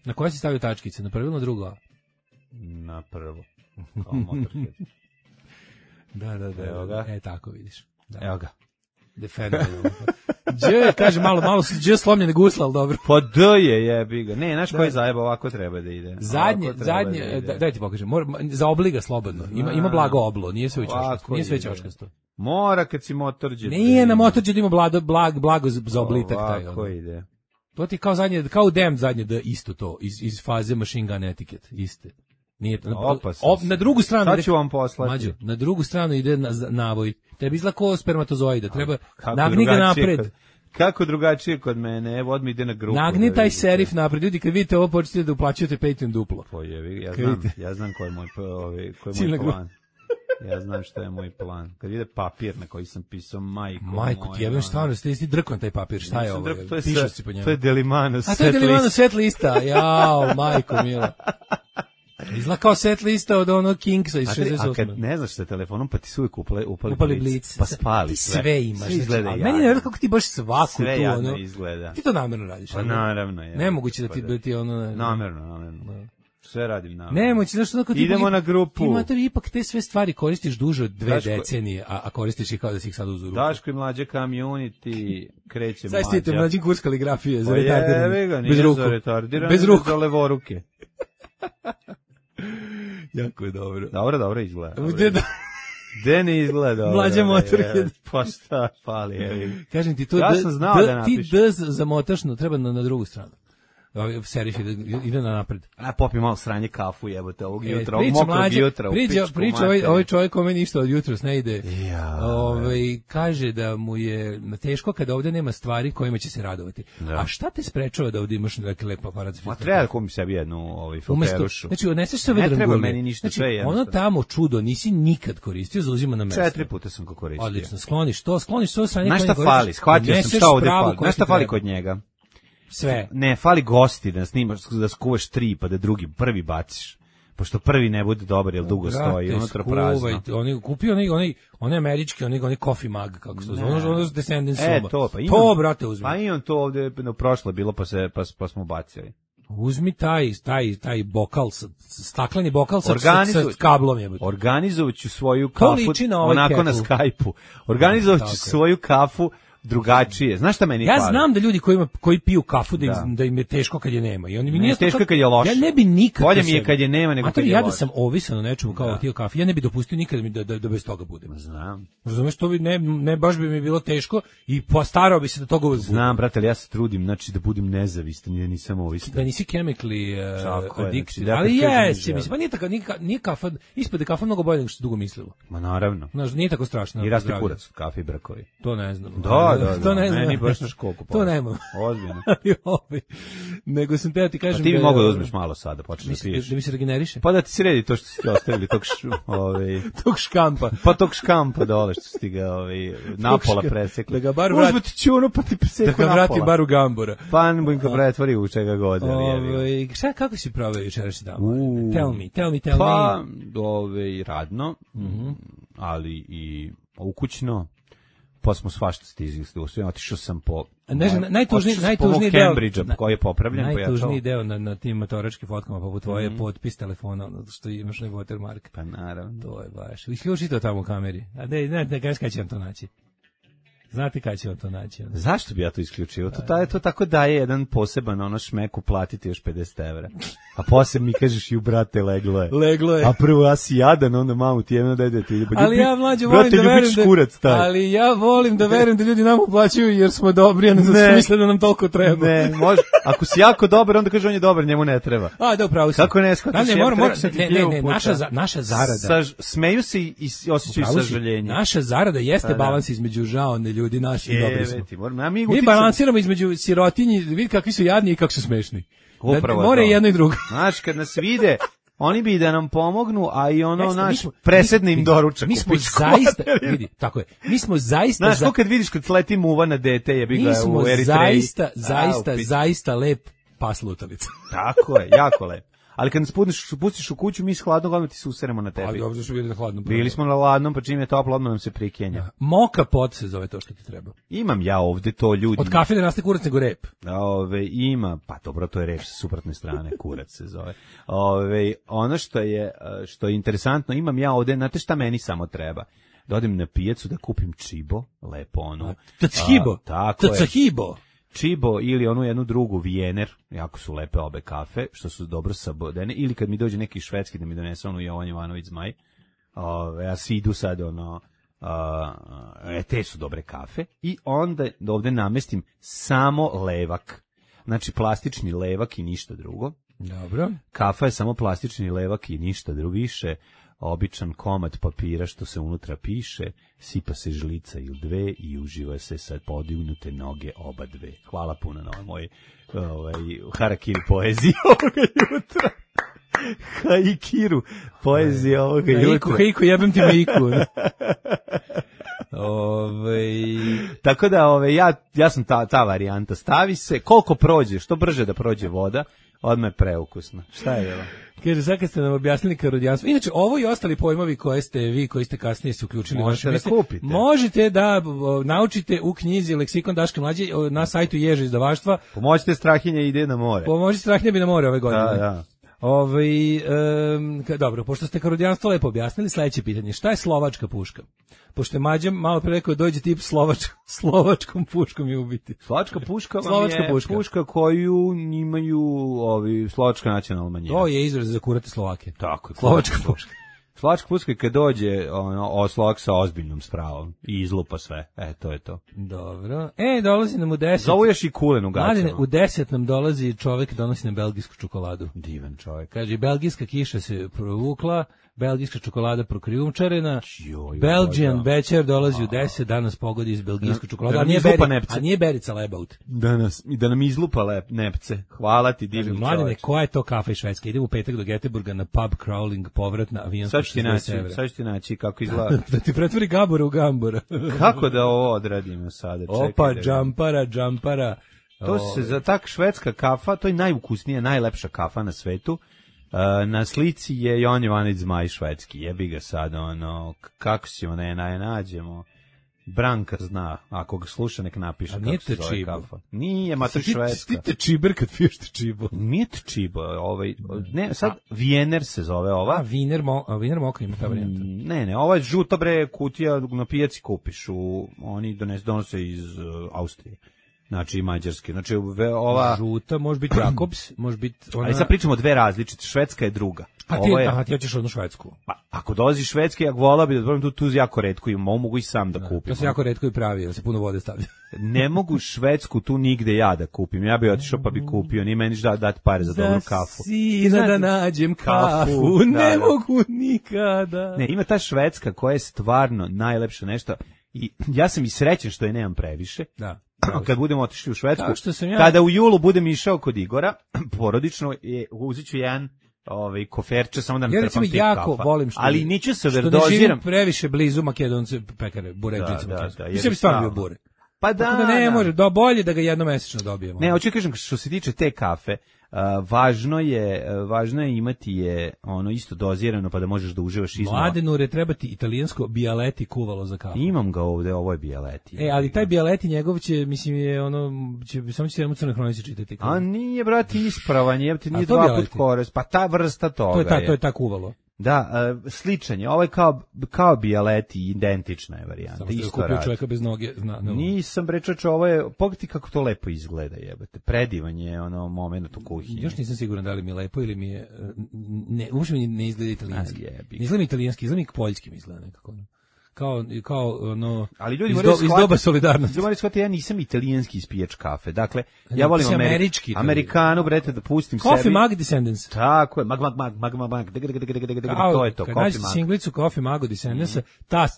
Na koje si stavio tačkice, na prvo ili na drugo? Na prvo. Kao Motorhead. Da. Tako vidiš. Evo ga. Kaže malo su slomljene gusle, ali dobro. Pa D je jebi ga. Ne, znaš koji zajeba ovako treba da ide. Zadnje, daj ti pokažem. Za obliga slobodno. Ima blago oblo, nije sve čoškasto. Mora kad si motorđe. Nije na motorđe da ima blago za oblitak taj. Ovako ide. To ti kao zadnje, kao Damned zadnje da isto to iz faze Machine Gun Etiquette, iste. Nije na drugu stranu. Sad ću vam poslati. Mađo, na drugu stranu ide navoj. Tebi izgleda kao spermatozoida, treba nagni ga napred. Kako drugačije kod mene, evo odmah ide na grupu. Nagni taj serif napred, ljudi kad vidite ovo počnete da uplaćujete Patreon duplo. Ja znam koji je moj plan. Ja znam šta je moj plan. Kad vide papir na koji sam pisao Majko, ti jebem stvarno, ste drkon taj papir, šta je ovo? Pišeš si po njemu. To je Delimano set list. A to je Delimano set lista, jao, majko mila. Izgleda kao set lista od onog Kingsa iz 68. A kad ne znaš sa telefonom, pa ti su uvijek upali blic. Pa spali sve. Sve imaš. Izgleda meni ne vjerujem kako ti baš svaku sve tu, jadno izgleda. Ti to namjerno radiš. Pa naravno je. Nemoguće da ti ono... Namjerno. Sve radim naravno. Nemoguće, znaš što... Idemo na grupu. Ti mater ipak te sve stvari koristiš duže od 2 decenije, a koristiš ih kao da si ih sad uzu ruku. Daško i mlađe community, kreće mlađa. Sad stite mlađi kurs kaligrafije za retardirane. Bez ruku. Bez ruku. Za levoruke. Jako je dobro. Dobro izgleda. De ne izgleda dobro. Mlađa Motorhead. Pa šta fali, evi. Kažem ti, to Ja sam znao da ti napišem. D zamotaš, no treba na drugu stranu. Serif ide na napred. A popi malo sranje kafu, jebote, ovog jutra, ovog Priča mokrog mlađe, jutra. priča ovaj čovjek kome ništa od jutros ne ide. Ja. Kaže da mu je teško kada ovdje nema stvari kojima će se radovati. Da. A šta te sprečava da ovdje imaš neki lep aparat za Ma filter? treba da kupim sebi jednu filterušu. Znači, odneseš se Ne vedran treba gulje. meni ništa, Znači, sve je jednostavno. ono tamo čudo nisi nikad koristio, zauzima na mesto. 4 puta sam ga koristio. Odlično, skloniš sve strane. Znaš šta fali? Shvatio sam šta ovde fali. Znaš šta fali kod njega? Sve. Ne, fali gosti da snimaš, da skuvaš 3 pa da prvi baciš. Pošto prvi ne bude dobar, jer dugo stoji, unutra prazno. Oni kupio onaj američki, onaj coffee mug, kako se zove, ono Descendants soba. To, pa imam. To, brate, uzmi. Pa imam to ovde, prošlo bilo, pa smo bacili. Uzmi taj bokal, stakleni bokal sa kablom je. Organizovaću svoju kafu, onako na Skype-u. Organizovaću svoju kafu drugačije. Znaš šta meni fali? Ja znam da ljudi koji piju kafu da im je teško kad je nema. I oni mi nije teško kad je loše. Ja ne bi nikad. Bolje mi je kad je nema nego kad je loše. Ja da sam ovisan o nečemu kao tio kafe, ja ne bi dopustio nikad da bez toga budem. Znam. Razumeš, to bi ne baš bi mi bilo teško i postarao bi se da toga uvek budem. Znam, brate, ali ja se trudim, znači da budem nezavistan i da nisam ovisan. Da nisi chemically addicted. Znači, ali jesi, mislim, pa nije kafa, ispade kafa mnogo bolje nego što dugo mislilo. Ma naravno. Znaš, nije tako strašno. I raste kurac od kafe i brkovi. To ne znam. Da. To ne znam. Meni baš na školku. To nemam. Ozbiljno. Nego sam te ti kažem. A ti bi mogao da uzmeš malo sada, počneš da piješ. Da mi se regeneriše? Pa da ti sredi to što si ti ostavili, tog škampa. Pa tog škampa dole što si ti ga napola presekli. Da ga bar vrati. Uzme ti čunu pa ti preseku napola. Da ga vrati bar u Gambora. Pa ne ga pretvori u čega god. Šta, kako si proveo jučerašnji dan? Tell me. Pa, radno, ali i ukućno. Pa smo svašta stizili, otišao sam po najtužniji deo Cambridge-a koji je popravljen. Najtužniji deo na tim motoračkim fotkama poput tvoje potpis telefona, što imaš na watermark. Pa naravno. To je baš. Isključi to tamo u kameri. A ne kažeš kada će vam to naći. Znate kada će vam to naći? Zašto bi ja to isključio? To tako daje jedan poseban šmeku, platiti još 50 evra. A posle mi kažeš, ju brate, leglo je. A prvo ja si jadan, onda mamu ti jedno dajde ti. Ali ja mlađe volim da verujem da ljudi nam uplaćuju jer smo dobri, a ne zato misle da nam toliko treba. Ne, može. Ako si jako dobar, onda kaže on je dobar, njemu ne treba. A, da, upravo si. Kako ne shvataš? Ne, naša zarada. Smeju se i osjećaju sažaljenje. Naša zarada jeste balans između žaone ljudi, naši i dobri smo. Mi balansiramo između sirotinji, vidi kakvi su jadni i kako su smešni. Upravo more jedno i drugo. Znaš, kad nas vide, oni bi da nam pomognu, a i presedne im doručak. Mi smo zaista, vidi, tako je, mi smo zaista... Znaš, kad vidiš kad sleti muva na dete, jebi ga u Eritreji. Mi smo zaista lep pas lutalica. Tako je, jako lep. Ali kad nas pustiš u kuću, mi s hladnog odmah ti se useremo na tebi. Ali ovdje su bili na hladnom. Bili smo na hladnom, pa čim je toplo, odmah nam se prikenja. Moka pot se zove to što ti treba. Imam ja ovde to, ljudi. Od kafe ne raste kurac nego rep. Ima, pa dobro, to je rep sa suprotne strane, kurac se zove. Ono što je interesantno, imam ja ovde, znate šta meni samo treba? Da odem na pijacu, da kupim čibo, lepo ono. Tchibo. Čibo ili onu jednu drugu Vijener, jako su lepe obe kafe, što su dobro sabodene, ili kad mi dođe neki švedski da mi donese onu Jovan Jovanović Zmaj, ja svi idu sad te su dobre kafe, i onda ovde namestim samo levak, znači plastični levak i ništa drugo. Dobro. Kafa je samo plastični levak i ništa drugo, više običan komad papira što se unutra piše, sipa se žlica ili dve i uživa se sa podignute noge oba dve. Hvala puno na moj harakiri poeziji ovoga jutra. Haikiru poezija ovoga jutra. Haiku, jebem ti Haiku. Tako da ja sam ta varijanta. Stavi se, koliko prođe, što brže da prođe voda, odmah je preukusno. Šta je bilo? Kaže, sad kad ste nam objasnili karodijanstvo. Inače, ovo i ostali pojmovi koje ste vi, koji ste kasnije se uključili. Možete da naučite u knjizi Leksikon Daška Mlađe na sajtu Ježe izdavaštva. Pomoćite Strahinja ide na more. Pomoćite Strahinja bi na more ove godine. Da. Dobro, pošto ste karodijanstvo lepo objasnili, sledeće pitanje. Šta je slovačka puška? Pošto je Mađa malo pre rekao dođe tip slovačkom puškom i ubiti. Slovačka puška vam je puška koju imaju slovačka nacionalna manjina. To je izraz za kurate Slovake. Tako, slovačka puška. Slačka pucka kad dođe oslog sa ozbiljnom spravom i izlupa sve. To je to. Dobro. Dolazi nam u 10. Zovu još i kulen u gaćama. Mladine, u 10 nam dolazi čovjek, donosi nam belgijsku čokoladu. Divan čovjek. Kaže, belgijska kiša se provukla, belgijska čokolada prokrijumčarena, Belgian Becher dolazi u 10, danas pogodi iz belgijsku čokoladu, a nije Berica Lebaut. Da nam izlupa nepce. Hvala ti, divni čovječ. Mladine, koja je to kafa iz Švedske? Idemo u petak do Göteborga na pub crawling, povrat na avijansko 60 evra. Sad ću ti naći kako izgleda. Da ti pretvori Gabora u Gambora. Kako da ovo odradimo sada? Opa, džampara. To se za tak švedska kafa, to je najukusnija, najlepša kafa na svetu. Na slici je Jon Jovanović Zmaj švedski. Jebi ga sad, kako ćemo ne nađemo. Branka zna, ako ga sluša nek napiše kako se zove kafa. Nije, mater švedska. Ti te čiber kad piješ te čibo. Nije te čibo, ne, sad Viener se zove ova. Wiener Moka ima ta varijanta. Ne, ova je žuta bre kutija, na pijaci kupiš, oni donose iz Austrije. Znači i mađarske. Znači ova žuta može biti Jakobs, može biti ona. Ali sad pričamo dve različite, švedska je druga. Ti hoćeš onu švedsku. Pa ako dolazi švedski, ja vola bi da probam tu jako retko i mogu i sam da kupim. To se jako retko i pravi, da se puno vode stavlja. Ne mogu švedsku tu nigde ja da kupim. Ja bih otišao pa bi kupio, ni meni dati pare za dobru kafu. Sina da nađem kafu, ne mogu nikada. Ne, ima ta švedska koja je stvarno najlepša nešto i ja sam i srećan što je nemam previše. Da. Kad budemo otišli u Švedsku, kada u julu budem išao kod Igora, porodično, uzet ću jedan koferče, samo da nam trpam tih kafa. Volim ali neću se verdoziram. Što ne živim previše blizu Makedonce pekare, buređicama. Mislim stvarno bio bure. Pa da ne može, bolje da ga jednomesečno dobijemo. Ne, hoću kažem, što se tiče te kafe, važno je imati je isto dozirano pa da možeš da uživaš iznova. Mladenure, treba ti italijansko Bialetti kuvalo za kafu. Imam ga ovde, ovo je Bialetti. Ali taj Bialetti njegov će, mislim, je samo će jednom crnoj hronici čitati. A nije, brati, ispravan, jebate, nije dva put kores, pa ta vrsta toga to je ta kuvalo. Da, sličan je, ovo je kao Bialetti, identična je varijanta. Samo što je kupio čovjeka bez noge. Nisam brečača, ovo je, pogledajte kako to lepo izgleda, jebate, predivan je moment u kuhinji. Još nisam siguran da li mi je lepo ili mi je, uopšte mi ne izgleda italijanski. Izgleda mi italijanski, izgleda mi poljski mi izgleda nekako. Kao ali ljudi iz doba solidarnosti. Moraju shvatiti, ja nisam italijanski ispijač kafe. Dakle, ja volim Amerikanu, brete, da pustim sebi. Coffee Mag Descendants. Tako je, mag. To je to, Kad nađete singlicu Coffee Mag Descendants,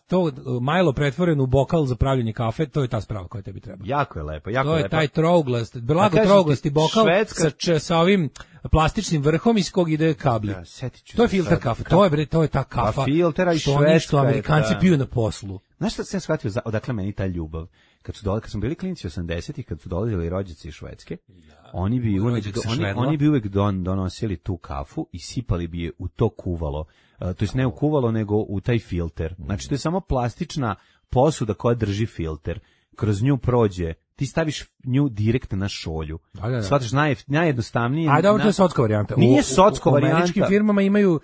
to Milo pretvoren u bokal za pravljenje kafe, to je ta sprava koja tebi treba. Jako je lepo, To je taj trouglasti bokal sa ovim plastičnim vrhom iz kog ide kabli. To je filter kafe. To je ta kafa. Filtera i švedska. Što Amerikanci piju na poslu. Znaš šta sam shvatio, odakle meni ta ljubav? Kad smo bili klinci 80-ih, kad su dolazili rođaci iz Švedske, oni bi uvek donosili tu kafu i sipali bi je u to kuvalo. To jest ne u kuvalo, nego u taj filter. Znači, to je samo plastična posuda koja drži filter. Kroz nju prođe, ti staviš nju direktno na šolju. Shvataš, najjednostavnije. A dobro, to je socko varijanta. Nije socko varijanta. U američkim firmama imaju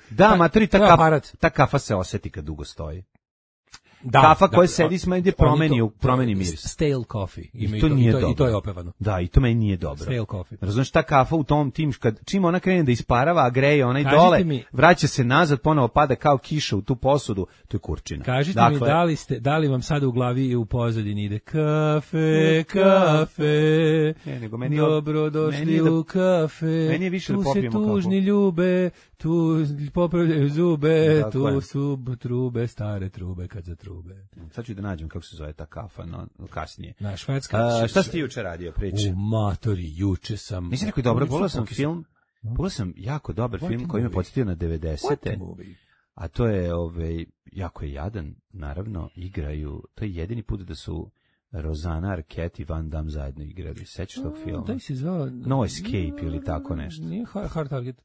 ta kafa se oseti kad dugo stoji. Kafa koja sedi s meni promeni miris. Stale coffee. I to je opevano. Da, i to meni nije dobro. Stale coffee. Razumiješ, ta kafa u tom tim, čim ona krene da isparava, a greje onaj dole, vraća se nazad, ponovo pada kao kiša u tu posudu, to je kurčina. Kažite mi, da li vam sada u glavi i u pozadini ide kafe, dobrodošli u kafe, meni je više da popijemo kafu. Tu se tužni ljube, tu popravljaju zube, tu su trube, stare trube kad za trube. Sad ću da nađem kako se zove ta kafa, kasnije. Na švedska. Šta si ti juče radio, priči? U matori, juče sam. Nisi rekao dobro, pogledao sam jako dobar film koji me podsjetio na 90-te. A to je, jako je jadan, naravno, igraju, to je jedini put da su Rosanna Arquette i Van Damme zajedno igrali. Sećaš tog filma? Da se zvao No Escape ili tako nešto. Nije Hard Target.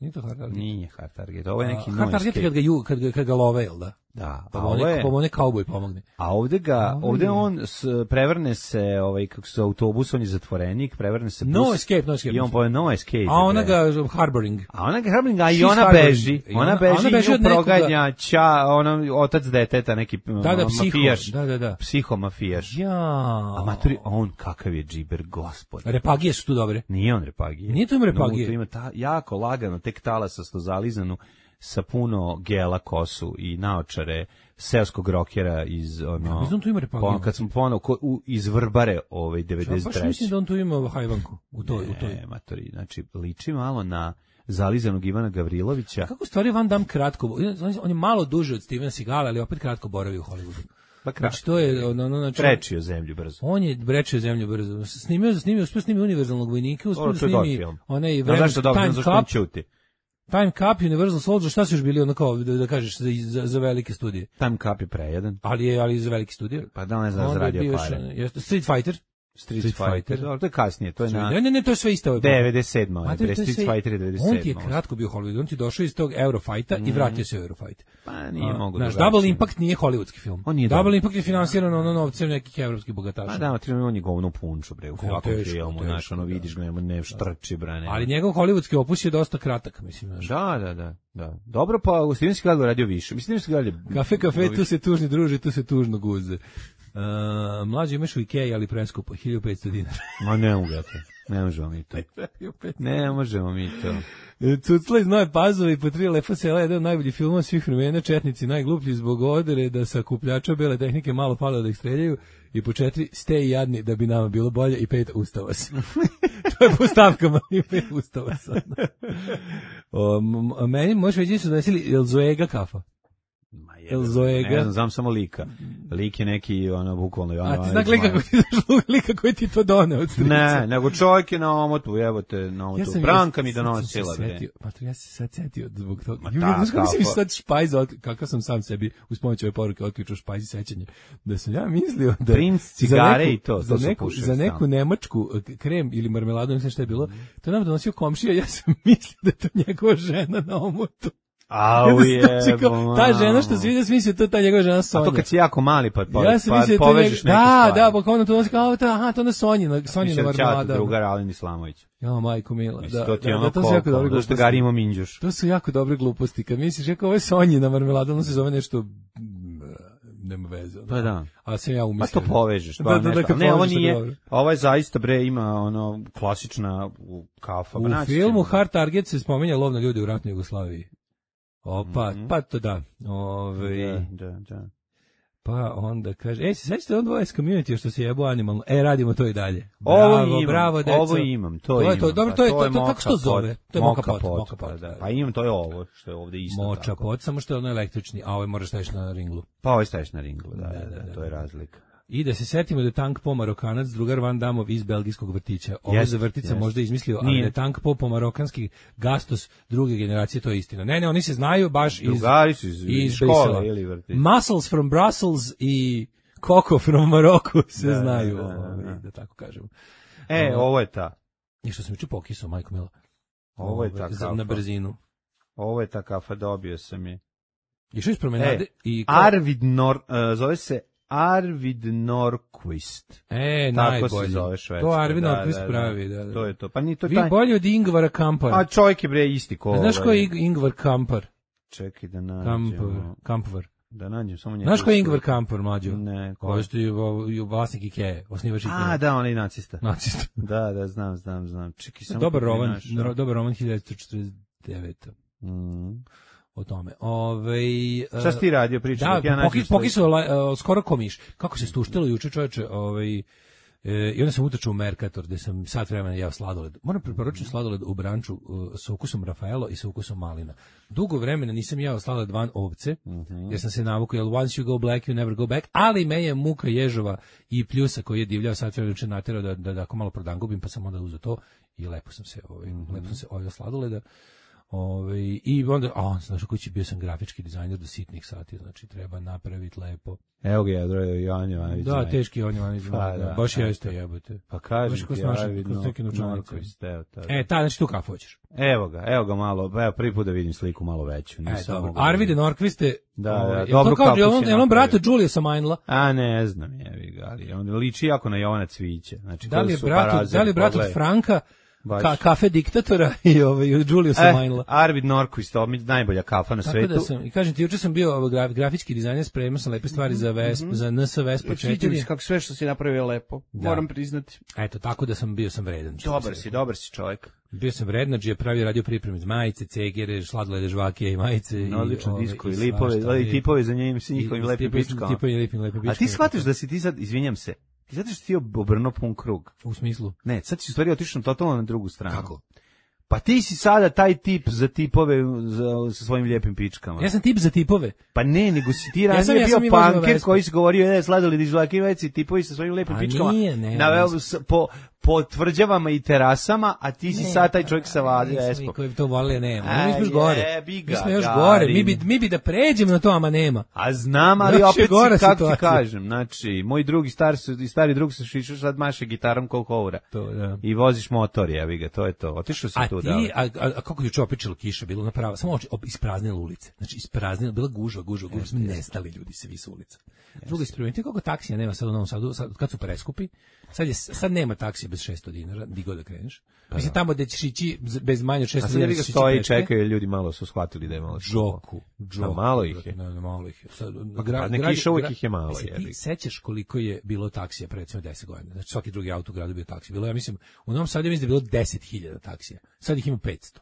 Nije to Hard Target. Nije Hard Target. Ovo je neki Hard Target kad ga love, jel da? Da. Pa mu ne kauboj pomogne. A ovde on prevrne se, kako se autobus, on je zatvorenik, prevrne se bus. No Escape. I on poje No Escape. A ona ga harboring. A i ona beži. Ona beži i proganja otac deteta, neki mafijaš. Da. Psihomafijaš. A maturi, on kakav je džiber, gospod. Repagije su tu dobre. Nije on repagije. Nije to im repagije. To ima jako lagano, tek talasasto zalizanu sa puno gela kosu i naočare seoskog rokera iz ono Mislim, tu ima repagiju. kad sam ponovo iz Vrbare 93. Baš mislim da on tu ima hajvanku u toj. Matori, znači liči malo na zalizanog Ivana Gavrilovića. Kako stvari Van Damme kratko, on je malo duže od Stevena Seagala, ali opet kratko boravi u Hollywoodu. Pa Znači to je znači prečio zemlju brzo. On je brečio zemlju brzo. Snimio univerzalnog vojnika, uspio da snimi onaj Time Cup, Universal Soldier, šta su još bili ono kao da kažeš za velike studije? Time Cup je prejedan. Ali za velike studije. Pa da ne znam zaradio pare. Street Fighter. To je kasnije, to je na... Ne, to je sve isto. 97. Street Fighter je 97. On ti je kratko bio Hollywood, on ti došao iz tog Eurofighta i vratio se u Eurofight. Pa nije mogu da... Double Impact nije hollywoodski film. Double Impact je finansiran novcem nekih evropskih bogataša. Pa da, on je govno punču, bre, u ovakvom filmu, znaš, ono vidiš ga, ne štrči, bre. Ali njegov hollywoodski opus je dosta kratak, mislim. Da. Dobro, pa u Steven Seagal radio više. Mislim da Seagal je... Kafe, tu se tužni druži, tu se tužno guze. Mlađe imaš u Ikea, ali preskupo, 1500 dinara. Ma ne možemo mi to. Cucla iz Nove Pazove i po 3 lepa sela, jedan od najboljih filmova svih vremena, četnici najgluplji zbog odere da sa kupljača bele tehnike malo palo da ih streljaju, i po 4 ste i jadni da bi nama bilo bolje, i 5 ustava se. To je po stavkama, i 5 ustava se. Meni možeš reći su donesili Elzoega kafa. Ne znam samo lika. Lik je neki, bukvalno... A ti znak lika koji ti to doneo od strica? Ne, nego čovjek je na omotu, Branka mi donosila. Ja se sad setio zbog toga. Znaš kako si sad špajza, kakav sam sam sebi uz pomoć ove poruke otključao špajzi sećanje. Da sam ja mislio da... Princ, cigare i to. Za neku nemačku krem ili marmeladu, ne znam šta je bilo, to nam donosio komšija, ja sam mislio da je to njegova žena na omotu. Ta žena što se vidi smislio, to je ta njegova žena Sonja. A to kad si jako mali pa povežeš neke stvari. Da, pa ono to nosi kao, to ona Sonjina marmelada. Drugar Alen Islamović. Ja, majko mila. To ti je ono koliko, što Garimo Minđuš. To su jako dobre gluposti. Kad misliš, ovo je Sonjina marmelada, ono se zove nešto... nema veze. Pa da. A sam ja umislio. Pa to povežeš. Ne, ovo nije, ovo je zaista, bre, ima klasična kafa. U filmu Hard Target se spominja lov na ljudi u ratnoj Jugoslaviji. Pa to da. Da. Pa onda kaže, se sećate on dvoje s community što se jebo animalno. Radimo to i dalje. Bravo, deco. Ovo imam, to imam. Dobro, to je kako se to zove? To je moka pot. Pa imam, to je ovo, što je ovdje isto. Moča pot, samo što je ono električni, a ovo moraš staviš na ringlu. Pa ovo staviš na ringlu, da, to je razlika. I da se setimo da je Tank Po Marokanac, drugar Van Damov iz belgijskog vrtića. Ovo za vrtica možda izmislio, ali da je Tank Po marokanski gastos druge generacije, to je istina. Ne, oni se znaju baš iz škole ili vrtića. Muscles from Brussels i Coco from Maroko se znaju, da tako kažem. Ovo je ta. I što sam juče pokisao, majko mila. Ovo je ta kafa. Na brzinu. Ovo je ta kafa, dobio sam je. Išao iz promenade i... Zove se Arvid Norquist. Najbolje. Tako se zove Švedska. To Arvid Norquist pravi, da. To je to. Pa ni to vi bolje od Ingvara Kampara. A čovjek je bre isti ko. Znaš ko je Ingvar Kampar? Čekaj da nađem. Kampar. Da nađem samo njega. Znaš ko je Ingvar Kampar, mlađo? Ne. Ko je vlasnik Ikea, osnivač Ikea. Da, on je nacista. Da, znam. Čekaj samo. Dobar roman 1949. O tome. Šta si ti radio, pričao? Da, pokisao skoro komiš. Kako se stuštilo juče, čoveče, i onda sam utrčao u Mercator, gde sam sat vremena jeo sladoled. Moram preporučiti sladoled u branču sa ukusom Rafaelo i sa ukusom malina. Dugo vremena nisam jeo sladoled van ovce, jer sam se navukao, jer once you go black, you never go back, ali me je muka ježova i pljusa koji je divljao sat vremena juče naterao da ako malo prodangubim, pa sam onda uzeo to i lepo sam se ovio sladoleda. I onda, znaš u kući bio sam grafički dizajner do sitnih sati, znači treba napraviti lepo. Evo ga je Jovan Jovanović. Da, teški Jovan Jovanović. Baš jeste jebote. Pa kažeš ti, Arvid Norquist. Znači tu kafu hoćeš. Evo ga malo, prvi put da vidim sliku malo veću. Arvid Norquist. Da, dobro kafu si napravio. Je on brata Juliusa Mainla? A ne znam, jevi ga, ali on liči jako na Jovana Cviće. Da li je brat od Franka? Kafe diktatora i Juliusa Mainla. Arvid Norquist, najbolja kafa na svetu. Tako da i kažem ti, juče sam bio grafički dizajner, spremao sam lepe stvari za NS Vespa 4. Sviđa mi se kako sve što si napravio lepo, moram priznati. Eto, tako da sam vredan. Dobar si čovjek. Bio sam vrednađe, pravio radio pripreme iz majice, cegere, sladolede, žvake i majice. Odlično disko i lipove, i tipove za njim s njihovim lepim pičkama. A ti shvatiš da si ti sad, izvinjam se, ti zato što ti obrnuo pun krug. U smislu? Ne, sad si u stvari otišao totalno na drugu stranu. Kako? Pa ti si sada taj tip za tipove sa svojim lijepim pičkama. Ja sam tip za tipove. Pa ne, nego si ti ranije bio punker koji si govorio, sladoledi, žvake, veci, tipovi sa svojim lijepim pičkama. Po tvrđavama i terasama, a ti si sad taj čovjek sa Espom. Mi koji to vole nema. Mi smo još gore. Mi smo još gore. Mi bi da pređemo na to, ama nema. A znam, ali opet si, kako ti kažem, znači, moj drugi stari drug se šišao, sad maše gitarom koliko ovra. I voziš motor, jebi ga, to je to. Otišao si tu da. A kako juče opičilo kiša, bilo na prava, samo ispraznile ulice. Znači, ispraznile, bila gužva, smo nestali ljudi svi s ulica. Drugo isprimenite koliko taksija nema sad u Novom Sadu, kad su preskupi, sad nema taksija bez 600 dinara, di god da kreneš. Mislim, tamo gde ćeš ići bez manje od 600 dinara. A sad jebi ga stoji i čekaju, ljudi malo su shvatili da je malo Džoku. Malo ih je. Malo ih je. Pa ne kiša uvijek ih je malo. Ti sećaš koliko je bilo taksija pre recimo 10 godina? Znači svaki drugi auto u gradu bio taksija. Bilo, ja mislim, u Novom Sadu mislim da je bilo 10.000 taksija. Sad ih ima 500.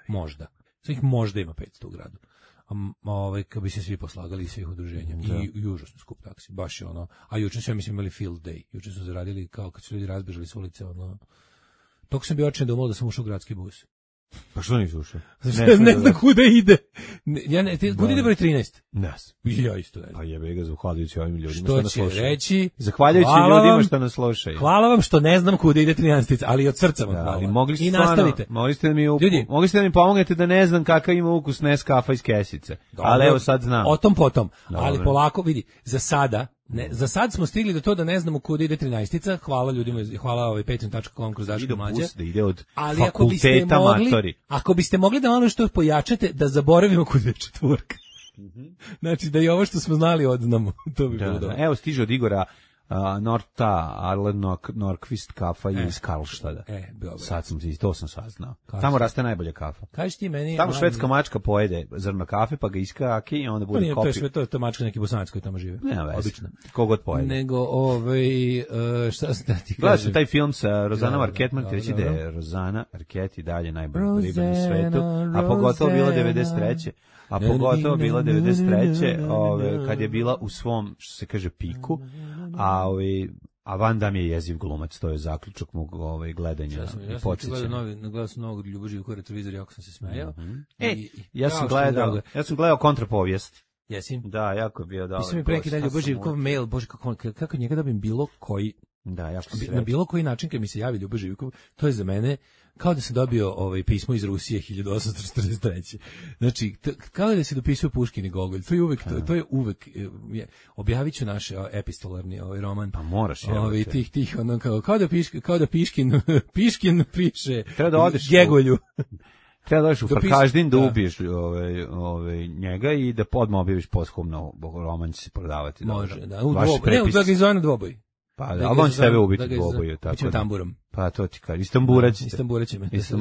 Možda. Sad ih možda ima 500 u gradu. Kad bi se svi poslagali iz svih udruženja i užasno skup taksi, baš je ono, a juče su, ja mislim, imali field day, juče su zaradili kao kad su ljudi razbežali s ulice, ono, toko sam bio očin da umalo da sam ušao u gradski bus. Pa što nisi ušao? Ne znam kuda ide. Kuda ide broj 13? Nas. Ja isto ne znam. Pa jebe ga, zahvaljujući ovim ljudima što nas slušaju. Reći, zahvaljujući ljudima što nas slušaju. Hvala vam što ne znam kuda ide 13, ali od srca vam hvala. I nastavite. Mogli ste da mi pomognete da ne znam kakav ima ukus Nescafa iz kesice. Ali evo sad znam. O tom potom. Ali polako, vidi, za sad smo stigli do to da ne znamo kuda ide 13-ica, hvala ljudima, hvala patreon.com kroz Daško Mlađe. Da ide od ali fakulteta matori. Ako biste mogli da malo što pojačate, da zaboravimo kuda je četvorka. Znači da i ovo što smo znali odznamo, to bi bilo dobro. Evo stiže od Igora Norta, Arlen Norkvist kafa iz Karlštada. Sad to sam saznao. Tamo raste najbolje kafa. Kažeš ti meni... Tamo švedska mačka pojede zrno kafe, pa ga iskaki i onda bude kopi. To je mačka neki Bosanac koji tamo žive. Nema veze. Kogod pojede. Nego, šta sam da ti kažem? Gledao sam taj film sa Rozanom Arquette, morate reći da je Rozana Arquette i dalje najbolji ribar u svetu, a pogotovo bila 93. A pogotovo bila 93. Kad je bila u svom, što se kaže, piku, a Van Damme je jeziv glumac, to je zaključak mog gledanja i podsjećanja. Gledao sam novog Ljubo Živkova retrovizor, jako sam se smejao. Ja sam gledao kontrapovijest. Jesi? Da, jako je bio dobro. Pisao mi pre neki dan Ljubo Živkov mail, bože, kako njega dobim bilo koji, na bilo koji način kad mi se javi Ljubo Živkov, to je za mene kao da sam dobio pismo iz Rusije 1843. Znači, kao da se dopisuje Puškin i Gogolj. To je uvek objavit ću naš epistolarni roman. Pa moraš, tih ono kao da Piškin piše treba da odeš Gegolju. Treba da odeš u Farkaždin da ubiješ njega i da odmah objaviš posthumno roman će se prodavati. Može, da. Da ga izvane dvoboj. Pa, ali on će tebe ubiti dvoboju. Bićemo tamburom. Pa, to ti kažem. Istamburaćete.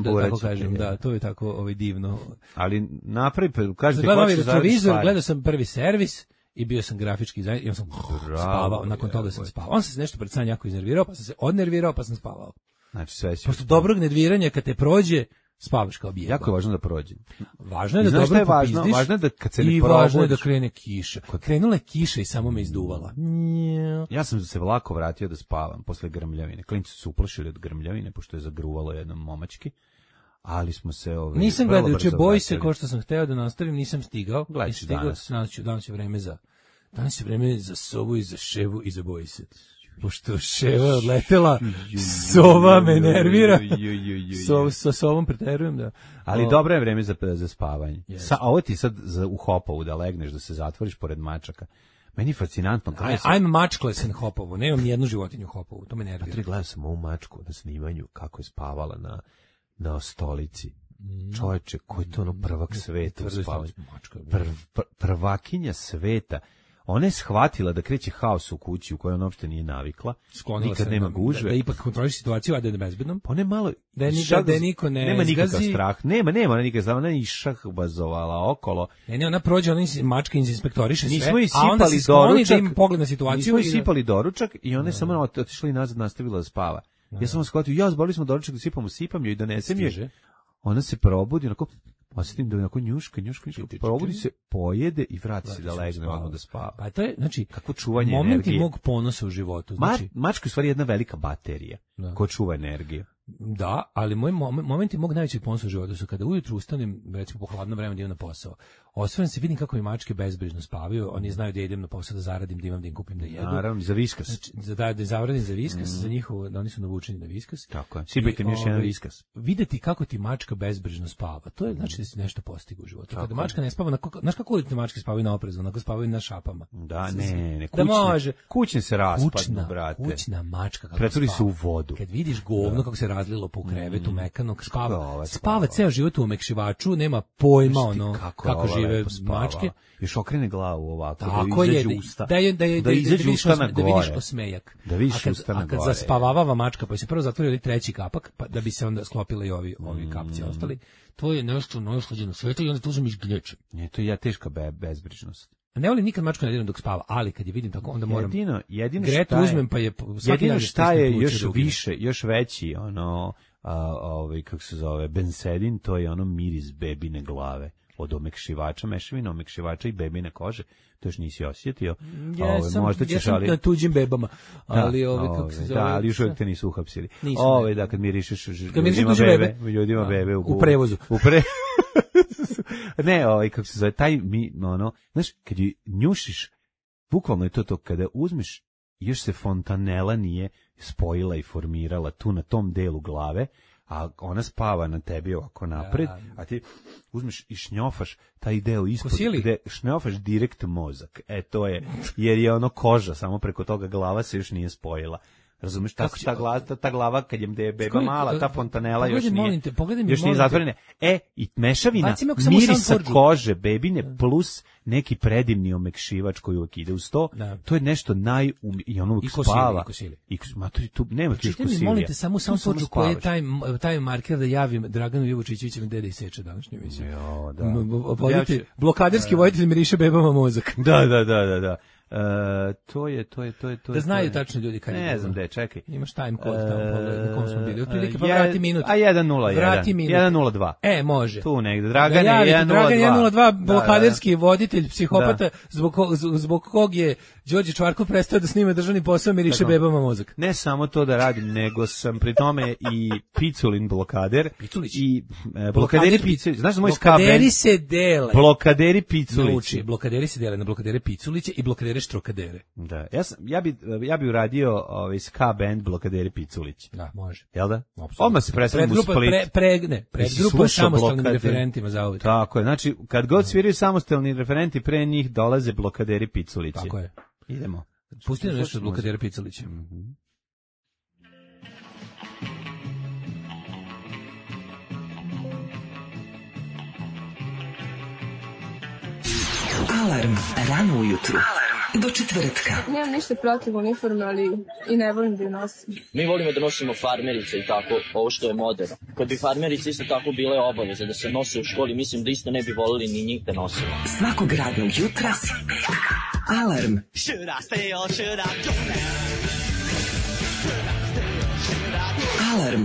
Da tako kažem, da, to je tako divno. Ali napravi, kažete, hoće retrovizor, gledao sam Prvi servis i bio sam grafički dizajner i on sam spavao, nakon toga sam spavao. On se nešto pred san jako iznervirao, pa sam se odnervirao, pa sam spavao. Znači, sve si... Pošto dobrog nerviranja, kad te prođe, spavaš kao bijeba. Jako je važno da prođe. Važno je da dobro popizdiš. Važno je da kad se ne i važno je da krene kiša. Krenula je kiša i samo me izduvala. Ja sam se vlako vratio da spavam posle grmljavine. Klinci su uplašili od grmljavine, pošto je zagruvalo jednom momački. Ali smo se nisam gledao juče Boj se, kao što sam hteo da nastavim, nisam stigao. Gledaću danas. Danas je vreme za Sovu i za Ševu i za Boj se. Pošto Ševa je odletela, Sova me nervira. Sa Sovom preterujem, da. Ali dobro je vreme za spavanje. A ovo ti sad u Hopovu da legneš, da se zatvoriš pored mačaka. Meni je fascinantno. I'm matchless in Hopovu. Nemam nijednu životinju u Hopovu. To me nervira. Gledam sam ovu mačku na snimanju kako je spavala na stolici. Čovječe, koji je to ono prvak sveta u spavanju? Prvakinja sveta. Ona je shvatila da kreće haos u kući u kojoj ona uopšte nije navikla. Sklonila nikad se nema gužve. Da ipak kontroliš situaciju, a da je bezbednom. Pa ne malo... Da niko ne nema nikakav strah. Nema nikakav strah. Ona je išahbazovala okolo. Ne, ona prođe, ona mačka inspektoriše sve, a onda se skloni da ima pogled na situaciju. Nismo isipali doručak i ona je samo otišla i nazad nastavila da spava. Ja sam shvatio, zbali smo doručak da sipam joj i donesem joj. Ona se probudi, onako, osjetim da je onako njuška, probudi se, pojede i vrati se da legne odmah da spava. Pa to je, znači, kako čuvanje momenti energije. mog ponosa u životu. Znači, mačka je u stvari jedna velika baterija ko čuva energiju. Da, ali moj momenti mog najvećeg ponosa u životu su kada ujutru ustanem, recimo po hladno vreme da idem na posao. Osvrnem se, vidim kako mi mačke bezbrižno spavaju, oni znaju da idem na posao da zaradim, da imam da im kupim da jedu. Naravno, za Viskas. Znači, da zaradim za Viskas, za njihovo, da oni su navučeni na Viskas. Tako je. Sipajte mi još jedan Viskas. Videti kako ti mačka bezbrižno spava, to je znači da si nešto postigao u životu. Kada mačka ne spava, znaš kako te mačke spavaju na oprezu, onako spavaju na šapama. Da, ne, kućne. Da može. Kućne se raspadnu, brate. Kućna mačka kako pretvori se u vodu. Kad vidiš govno kako se razlilo po krevetu mekanog, spava ceo život u omekšivaču, nema pojma ono kako žive mačke. Još okrene glavu ovako, tako da izađe usta. Da izađe usta na gore. Da vidiš osmejak. Da vidiš usta na gore. A kad zaspavava mačka, pa se prvo zatvori treći kapak, pa da bi se onda sklopili ovi kapci ostali. To je nešto najslađe na svetu i onda tu uzmeš glječe. Ne, to je teška bezbrižnost. Ne volim nikad mačku ne diram dok spava, ali kad je vidim tako, onda moram. Jedino Gretu uzmem, pa je jedino šta je još veći, kako se zove, bensedin, to je ono miris bebine glave. Od omekšivača, mešavina omekšivača i bebine kože, to još nisi osjetio. Možda ćeš, ali na tuđim bebama, ali kako se zove. Da, ali još uvijek te nisu uhapsili. Da, kad mirišeš ljudima bebe u prevozu. Ne, kako se zove, znaš, kad ju njušiš, bukvalno je to, kada uzmeš, još se fontanela nije spojila i formirala tu na tom delu glave, a ona spava na tebi ovako napred, a ti uzmeš i šnjofaš taj deo ispod, gde šnjofaš direkt mozak. To je, jer je ono koža, samo preko toga glava se još nije spojila. Razumeš, ta glava kad je beba mala, ta fontanela još nije zatvorena. I mešavina mirisa kože bebine plus neki predivni omekšivač koji uvijek ide uz to, to je nešto i ono uvijek spava. Nema tu još kosilija. Molim te, samo pođu koji je taj marker da javim Draganu Jovučićevićem dede Seče današnju emisiju. Blokaderski voditelj miriše bebama mozak. Da. To je. Da znaju tačno ljudi kad je. Ne znam gde, čekaj. Imaš time code tamo, na kom smo bili. Otprilike pa vrati minut. A 101. 102. Može. Tu negde. Dragan 102. Dragan 102, blokaderski voditelj, psihopata, zbog kog je Đorđe Čvarkov prestao da snima državni posao, miriše bebama mozak. Ne samo to da radim, nego sam pri tome i Piculin blokader. I blokaderi Piculić. Znaš da moj ska band? Blokaderi se dele. Blokaderi Piculić. Blokaderi se dele na blokadere Piculiće i blokadere Štrokadere. Da, ja bi uradio ska band Blokaderi Piculić. Da, može. Jel da? Odmah se predstavim u Split. Predgrupa samostalnim referentima za uvijek. Tako je, znači kad god sviraju samostalni referenti, pre njih dolaze Blokaderi Piculići. Tako je. Idemo. Pusti nam nešto od Blokadera Piculića. Alarm, rano ujutru. Do četvrtka. Nemam ništa protiv uniforme, ali i ne volim da je nosim. Mi volimo da nosimo farmerice i tako, ovo što je moderno. Kad bi farmerice isto tako bile obaveze da se nose u školi, mislim da isto ne bi volili ni njih da nosimo. Svakog radnog jutra. Alarm. Alarm.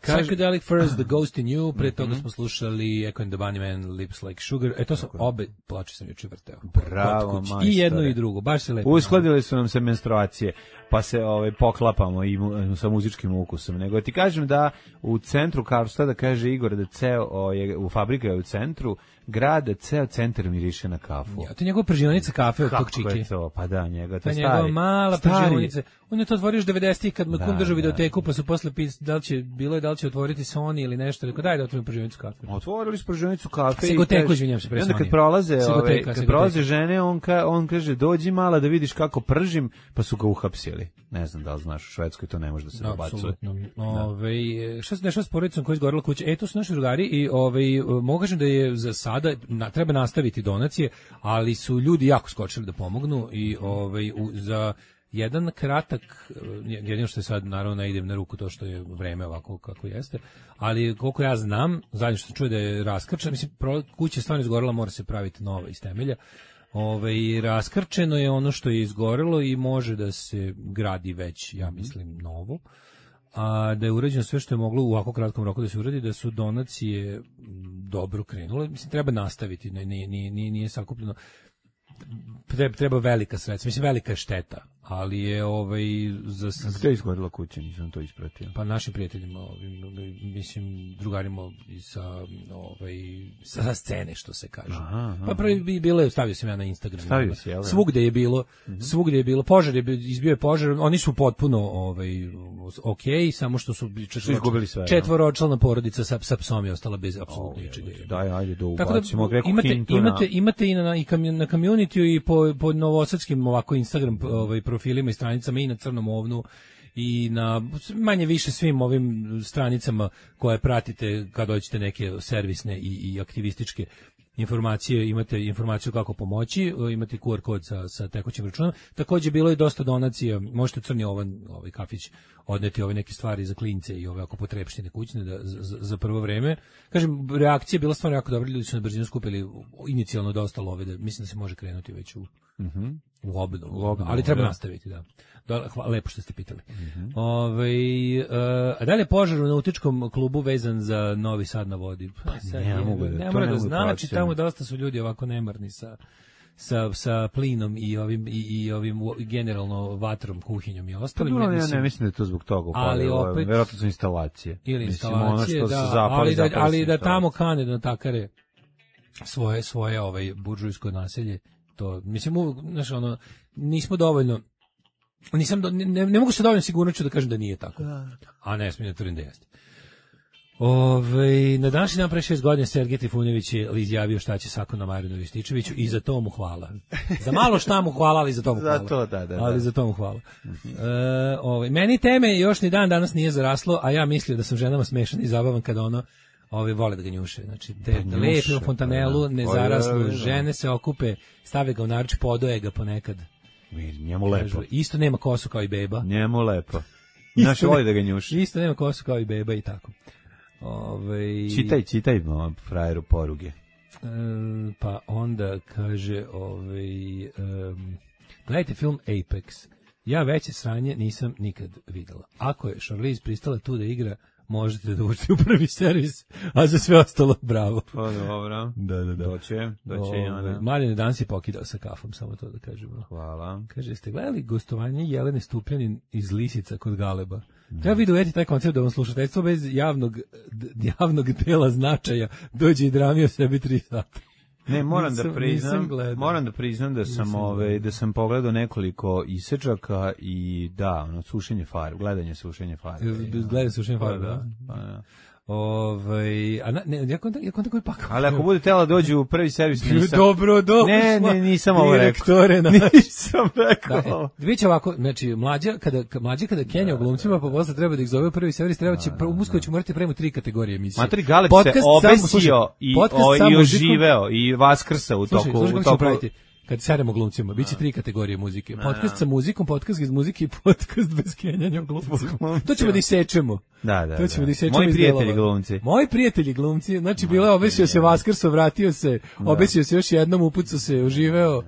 Psychedelic First, The Ghost in You, pre toga smo slušali Echo and the Bunnymen, Lips Like Sugar, to su obe ploče sam juče vrteo. Bravo, majstore. I jedno i drugo, baš se lepo. Uskladili su nam se menstruacije, pa se poklapamo i sa muzičkim ukusom. Nego ti kažem da u centru Karlstada, kaže Igor, da u fabrika je u centru grada, ceo centar miriše na kafu. Ja, to je njegova pržionica kafe od tog čiki. Kako je to? Pa da, njega, to je stari. Njegova mala pržionica. On je to otvorio još 90-ih kad mu kum držao videoteku, pa su posle da li će otvoriti Sony ili nešto. Rekao, daj da otvorim pržionicu kafe. Otvorili su pržionicu kafe. Sigoteku, izvinjam se, pre Sony. I onda kad prolaze žene, on kaže, dođi mala da vidiš kako pržim, pa su ga uhapsili. Ne znam da li znaš, u Švedskoj to ne može da se nabacuje. Šta se dešava s porodicom koja je izgorela kuća? To su naši drugari i mogu kažem da je za sada treba nastaviti donacije, ali su ljudi jako skočili da pomognu i za jedan kratak, jedino što je sad, naravno ne idem na ruku to što je vreme ovako kako jeste, ali koliko ja znam, zadnje što čuje da je raskrčan, mislim, kuća je stvarno izgorela, mora se praviti nova iz temelja, Raskrčeno je ono što je izgorelo i može da se gradi već, ja mislim, novo. A da je urađeno sve što je moglo u ovako kratkom roku da se uradi, da su donacije dobro krenule. Mislim, treba nastaviti, nije sakupljeno. Treba velika sredstva, mislim, velika je šteta, ali je Gde je izgorila kuća, nisam to ispratio. Pa našim prijateljima, mislim, drugarima sa scene, što se kaže. Aha. Pa prvi bi bilo, stavio sam ja na Instagram. Stavio si, jel? Svugde je bilo, požar je izbio je požar, oni su potpuno okej, samo što su izgubili sve. Četvoročlana porodica sa psom je ostala bez apsolutno ničega. Daj, ajde da ubacimo. Imate i na community i po novosadskim ovako Instagram profilima i stranicama i na Crnom ovnu i na manje više svim ovim stranicama koje pratite kad dođete neke servisne i aktivističke informacije, imate informaciju kako pomoći, imate QR kod sa tekućim računom. Takođe bilo je dosta donacija, možete Crni Ovan, kafić, odneti ove neke stvari za klince i ove ako potrebštine kućne za prvo vreme. Kažem, reakcija je bila stvarno jako dobra, ljudi su na brzinu skupili inicijalno dosta love, da mislim da se može krenuti već u obnovu, ali treba nastaviti, da. Lepo što ste pitali. A dalje požar u nautičkom klubu vezan za Novi Sad na vodi. Ne mora da znači, tamo dosta su ljudi ovako nemarni sa plinom i ovim generalno vatrom, kuhinjom i ostalim. Ja ne mislim da je to zbog toga upalilo, verovatno su instalacije. Ili instalacije, ali da tamo kane da natakare svoje buržujsko naselje, to, mislim, nismo dovoljno, ne mogu se dovoljno sigurnoću da kažem da nije tako, a ne smijem da tvrdim da jeste. Na današnji dan pre 6 godina Sergej Trifunović je izjavio šta će Sakonu Marinu Rističeviću i za to mu hvala. Za malo šta mu hvala, ali za to mu hvala. Za to, da. Ali za to mu hvala. Meni teme još ni dan danas nije zaraslo, a ja mislio da sam ženama smešan i zabavan kada vole da ga njuše. Znači, lepe u fontanelu, nezaraslu, žene se okupe, stave ga u naruč, podoje ga ponekad. Njemu lepo. Isto nema kosu kao i beba. Njemu lepo. Znaš, voli da ga njuši. Isto nema kosu kao i beba i tako. Čitaj frajeru poruge. Pa onda kaže, gledajte film Apex. Ja veće sranje nisam nikad videla. Ako je Charlize pristala tu da igra, možete da uđete u prvi servis, a za sve ostalo bravo. Pa dobro. Da. Doće i ona. Mladen danas je pokidao sa kafom, samo to da kažemo. Hvala. Kaže, ste gledali gostovanje Jelene Stupljanin iz Lisica kod Galeba? Treba vidjeti taj koncept da vam slušateljstvo bez javnog dela značaja dođe i dramio sebi 3 sata. Ne, moram da priznam da sam pogledao nekoliko isečaka i sušenje farbe, gledanje sušenje farbe. Gledanje sušenje farbe, da. Ja kontam koji pak. Ali ako bude tela dođu u prvi servis, nisam. Dobro. Ne, nisam ovo rekao. Nisam rekao. Vidite ovako, znači mlađa kada Kenja u glumcima, pa posle treba da ih zove u prvi servis, uskoro će morati prema 3 kategorije emisije. Matri Galeb se obesio i oživeo i vaskrsao u toku. Slušaj, kad seremo glumcima, biće 3 kategorije muzike. Podcast sa muzikom, podcast iz muzike i podcast bez kenjanja glumcima. To ćemo da isečemo. Da. To ćemo da isečemo. Moji prijatelji glumci. Znači, bilo je obesio se Vaskrso, vratio se, obesio se još jednom, upucao se, oživeo.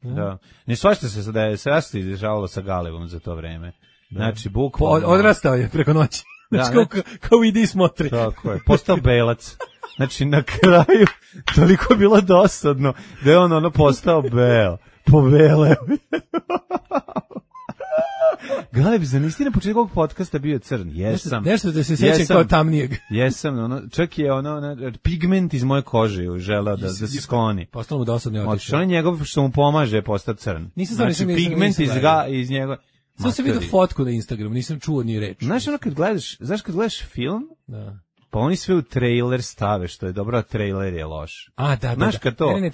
Da. Ne svašta se da je se izdržavalo sa Galebom za to vreme. Znači, bukvalno. Odrastao je preko noći. Znači, kao idi i smotri. Tako je, postao belac. Znači, na kraju, toliko je bilo dosadno da je on postao beo. Pobeleo. Galeb, zar nisi na početku ovog podcasta bio crn? Jesam. Nešto da se sjećam kao tamnijeg. Jesam, čak je pigment iz moje kože želeo da se skloni. Postalo mu dosadno i otišao. On je njegov što mu pomaže postati crn. Znači, pigment iz njega. Samo sam vidio fotku na Instagramu, nisam čuo ni reč. Znaš kad gledaš film? Da. Pa oni sve u trailer stave, što je dobro, a trailer je loš. Da. Znaš kad to? Ne,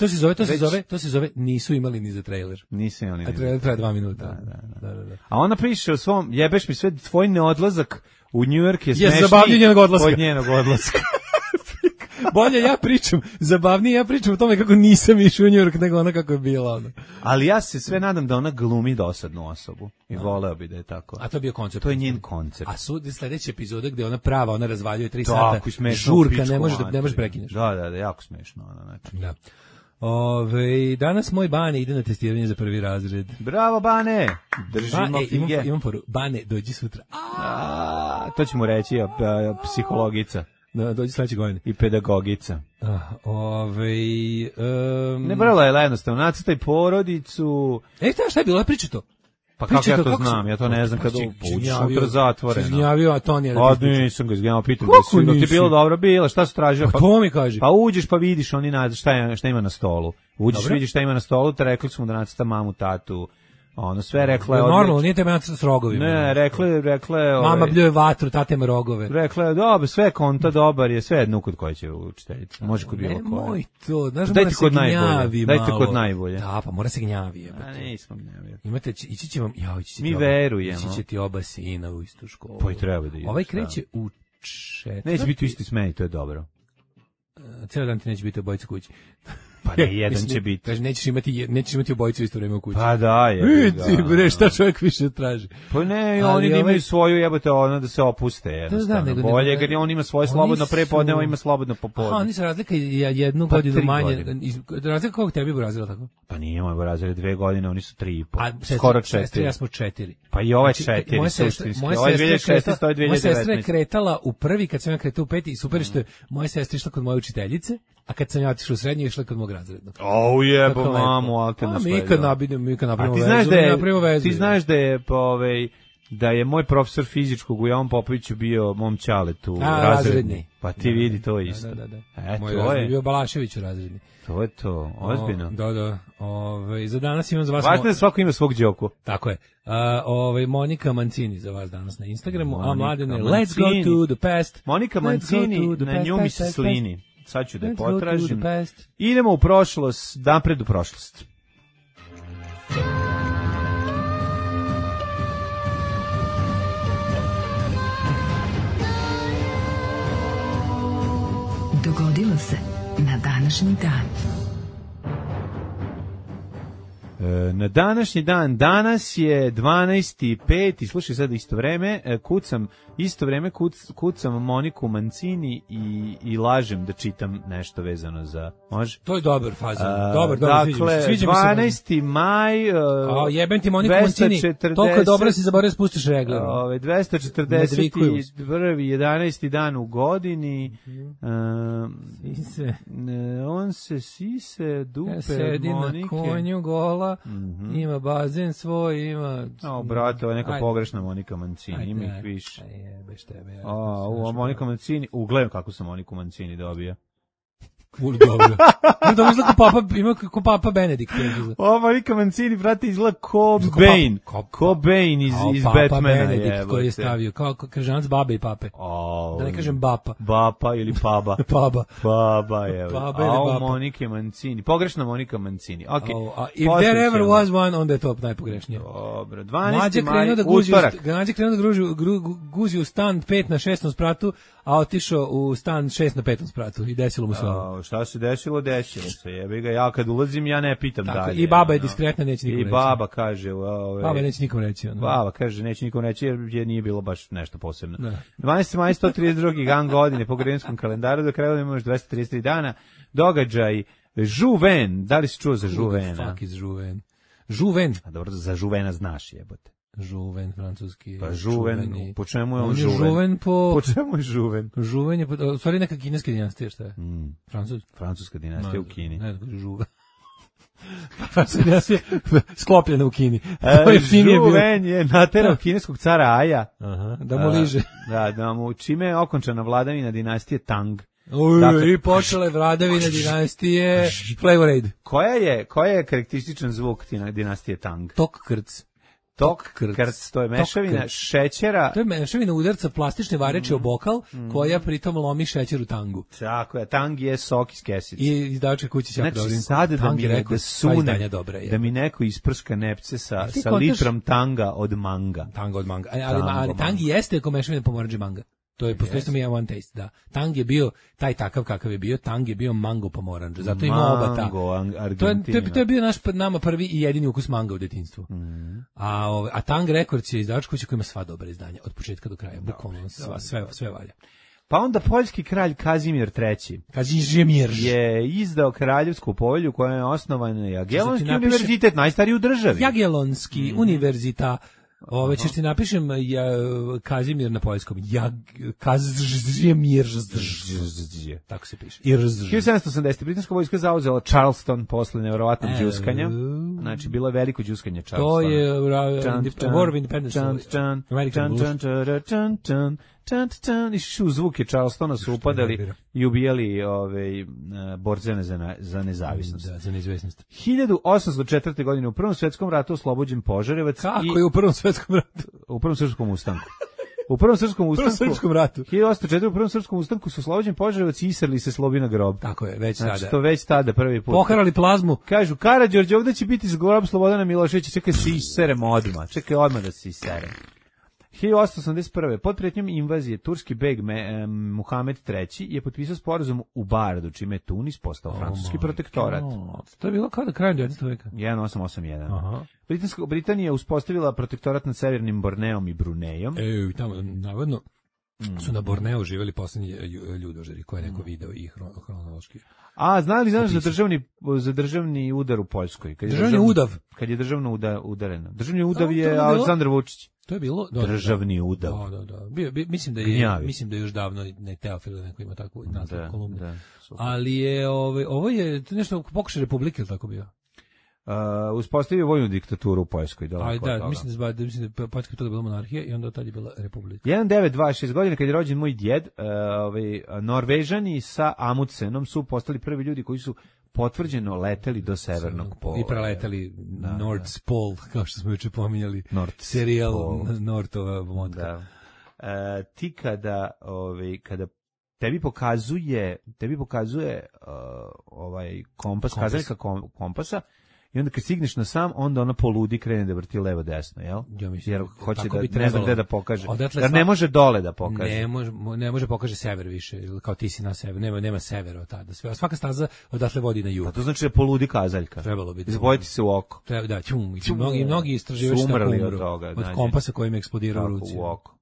to se zove nisu imali ni za trailer. Nisu imali ni za trailer. A trailer traje 2 minuta. Da. A ona piše u svom, jebeš mi sve, tvoj neodlazak u New York je smešniji zabavnije od njenog odlaska. Bolje zabavnije ja pričam o tome kako nisam išao u New York nego ona kako je bila. Ali ja se sve nadam da ona glumi dosadnu osobu i voleo bi da je tako. A to je bio koncept. To je njen koncept. A sljedeća epizoda gde ona prava, ona razvaljuje 3 sata. Žurka, ne možeš prekineš. Da, jako smešno. Da. Danas moj Bane ide na testiranje za prvi razred. Bravo, Bane! Držimo fige. Imam poru. Bane, dođi sutra. To će mu reći psihologica. Da, dođi sledeće godine. I pedagogica. Ne brala je jednostavno, nacrtaj porodicu. Šta je bilo, priča to? Pa kako ja to znam, ja to ne znam kada uđeš unutra zatvoreno. Si izgnjavio, a to nije. Nisam ga izgnjavio, pitam da ti je bilo dobro, bilo, šta su tražio? Pa to mi kaži. Pa uđeš pa vidiš oni šta ima na stolu. Uđeš, vidiš šta ima na stolu, te rekli su mu da nacrta mamu, tatu. Ono sve rekla je normalno, nije tebe nacrta s rogovima. Ne, rekla je mama bljuje vatru, tate ima rogove. Rekla je, dobro, sve konta dobar je, sve jedno kod koje će učiteljica. Može kod bilo koje. Moj to, znaš, mora se gnjavi malo. Dajte kod najbolje. Da, pa mora se gnjavi. Nismo gnjavi. Ići će vam, mi verujemo. Ići će ti oba sina u istu školu. Pa i treba da ide. Ovaj kreće u 4. Neće biti u isti smeni, to je dobro. Cijeli dan ti neće biti obojica kući. Pa ne, jedan će biti. Kaže, nećeš imati obojicu isto vreme u kući. Pa da, je. Bre, šta čovjek više traži? Pa ne, oni imaju svoju, jebote, ono da se opuste, jednostavno. Bolje, jer on ima svoje slobodno prepodne, on ima slobodno popodne. Oni se razlika jednu godinu manje. Razlika kog tebi Brazila tako? Pa nije moj Brazil 2 godine, oni su 3,5. Skoro 4. Sestre, ja smo 4. Pa i ovaj 4, suštinski. Ovaj 2016, to je 2019. Moja sestra je kretala u prvi, kad sam ja kretao u 5. i super što je moja sestra išla kod moje učiteljice, a kad sam ja otišao u srednje, išla kod mog razrednog. Jebo mamu, alterna sve. Mi kad napravimo vezu. Ti znaš da je moj profesor fizičkog u Jovan Popoviću bio mom ćaletu razredni. Pa ti vidi to isto. Da. Moj razredni bio Balašević u razredni. To je to, ozbiljno. Da. Za danas imam za vas... Važno je svako ima svog đoku. Tako je. Monika Mancini za vas danas na Instagramu, a Mladene, let's go to the past. Monika Mancini, na nju mi se slini. Sad ću da je potražim. Idemo u prošlost, napred u prošlost. Dogodilo se na današnji dan. Na današnji dan, danas je 12.05 i slušaj sad isto vreme kucam Moniku Mancini i lažem da čitam nešto vezano za, može? To je dobar fazan, dobar, dakle, sviđa mi se. 12. maj, jebem ti Moniku Mancini, toliko dobro si zaboravio spustiš regle. 241. 11. dan u godini, on se sise, dupe, sedi Monike. Na konju gola, ima bazen svoj, ima... brate, ovo je neka pogrešna Monika Mancini, ima ih više. Monika Mancini, ugledam kako sam Moniku Mancini dobio. Dobro. Da izgleda ko Papa Benedikt. Monika Mancini, brate, izgleda ko Bane. Ko Bane iz Batmana. Papa Benedikt koji je stavio, kao križanac babe i pape. Da ne kažem bapa. Bapa ili paba. Paba, evo. Monike Mancini. Pogrešna Monika Mancini. If there ever was one, onda je to najpogrešnije. Dobro. 12. maj, utorak. Mlađe krenuo da guzi u stan 5 na 6. spratu, a otišao u stan 6 na 5. spratu i desilo mu se ovo. Šta se desilo se, jebi ga, ja kad ulazim, ja ne pitam tako, dalje. I baba je diskretna, neće nikom reći. I baba kaže... Baba neće nikom reći. Baba kaže, neće nikom reći, jer nije bilo baš nešto posebno. 12. maj, 132. dan godine po gregorijanskom kalendaru, do kraja imamo još 233 dana. Događaj Žuven, da li si čuo za Žuvena? Fuck is Žuven. Žuven. A dobro, za Žuvena znaš, jebote. Žuven, francuski. Pa Žuven, po čemu je on Žuven? Po čemu je Žuven? Žuven je, u stvari neka kineska dinastija, šta je? Francuska dinastija u Kini. Ne, Žuven. Francuska dinastija sklopljena u Kini. Žuven je naterao kineskog cara Aja. Da mu liže. Da mu, čime je okončana vladavina dinastije Tang. I počela je vladavina dinastije Flavor Aid. Koja je karakterističan zvuk dinastije Tang? Tok krc. Krc, to je mešavina šećera. To je mešavina udarca plastične vareče o bokal, koja pritom lomi šećer u tangu. Tako je, tang je sok iz kesice. I izdavačka kuća će znači, sada da mi neko isprska nepce sa litrom tanga od manga. Tanga od manga. Ali tang jeste ako mešavina pomoranđe manga. To je postoji mi one taste, da. Tang je bio taj takav kakav je bio, tang je bio mango pomoranđe. Zato ima oba ta. To je bio nama prvi i jedini ukus manga u detinjstvu. A Tang Records je izdavač kuća koja ima sva dobra izdanja od početka do kraja, bukvalno sve valja. Pa onda poljski kralj Kazimir III. Kazimir je izdao kraljevsku povelju koja je osnovan Jagelonski univerzitet, najstariji u državi. Jagelonski univerzita. Ove ćeš ti napišem Kazimir na poljskom. Kazimir. Tako se piše. 1780. britanska vojska zauzela Charleston posle nevjerovatnog đuskanja. Znači, bilo je veliko đuskanje Charlestona. To je War of Independence. I zvuke Charlestona su upadali i ubijali borcene za nezavisnost. Da, za neizvesnost. 1804. godine u Prvom svetskom ratu oslobođen Požarevac. Kako je u Prvom svetskom ratu? U Prvom srpskom ustanku. U Prvom srpskom ratu. 1804. u Prvom srpskom ustanku su oslobođen Požarevac i isrli se Slobina grob. Tako je, već znači, tada. To već tada prvi put. Poharali plazmu. Kažu, Karađorđe, ovdje će biti grob Slobodana Miloševića, čekaj se iseremo odmah. Čekaj odmah da se iseremo. 1881. pod pretnjom invazije turski beg Muhamed III je potpisao sporazum u Bardu, čime je Tunis postao francuski protektorat. To je bilo kao da krajem 19. veka. 1881. Aha. Britanija je uspostavila protektorat nad severnim Borneom i Brunejom. I tamo, navodno, su na Borneu živjeli poslednji ljudožeri, koje je neko video i hronološki. A, znaš za državni udar u Poljskoj? Državni udav? Kad je državno udareno. Državni udav je Aleksandar Vučić. To je bilo državni udav. Da. Mislim da je još davno ne Teofil neko ima takvu naslov kolumnu. Ali je ovo je nešto pokušaj republike ili tako bio. Uspostavio vojnu diktaturu u Poljskoj. Mislim da Poljska to je bila monarhija i onda tad je bila republika. 1926 godine kad je rođen moj djed, Norvežani sa Amundsenom su postali prvi ljudi koji su potvrđeno leteli do severnog pola. I preleteli North Pole, kao što smo juče pominjali. Serijal Northova vodka. Ti kada tebi pokazuje kompas, kazaljka kompasa, i onda kad stigneš na sam, onda ona poludi, krene da vrti levo desno, jel? Ja mislim, jer hoće da ne znam gde da pokaže. Jer ne može dole da pokaže. Ne može pokaže sever više, kao ti si na sever, nema severa od tada. Svaka staza odatle vodi na jug. Pa to znači da poludi kazaljka. Trebalo bi. Zabojiti se u oko. Da, mnogi istraživači tako umru od kompasa kojim eksplodirao u ruci. U oko.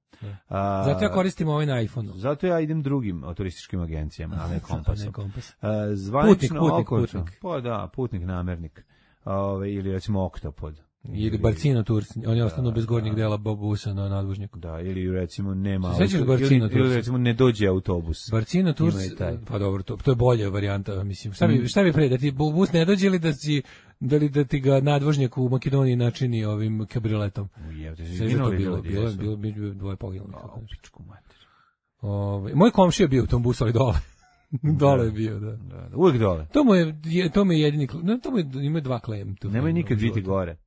Zato ja koristim ovaj na iPhone-u. Zato ja idem drugim turističkim agencijama, a ne kompasom. Putnik. Pa da, putnik namernik. Ili recimo Oktopod. Ili Barcino Tours, oni ostanu bez gornjeg dela busa na nadvožnjaku. Da, ili recimo nema ili recimo ne dođe autobus. Barcino Tours, pa dobro, to je bolja varijanta, mislim. Šta bi pre, da ti bus ne dođe ili da ti ga nadvožnjak u Makedoniji načini ovim kabrioletom? Bilo dvoje poginulih. Moj komšija je bio u tom busu, ali dole. Dole je bio, da. Uvijek dole. To mu je jedini, ima dva klem. Nemoj nikad biti gore.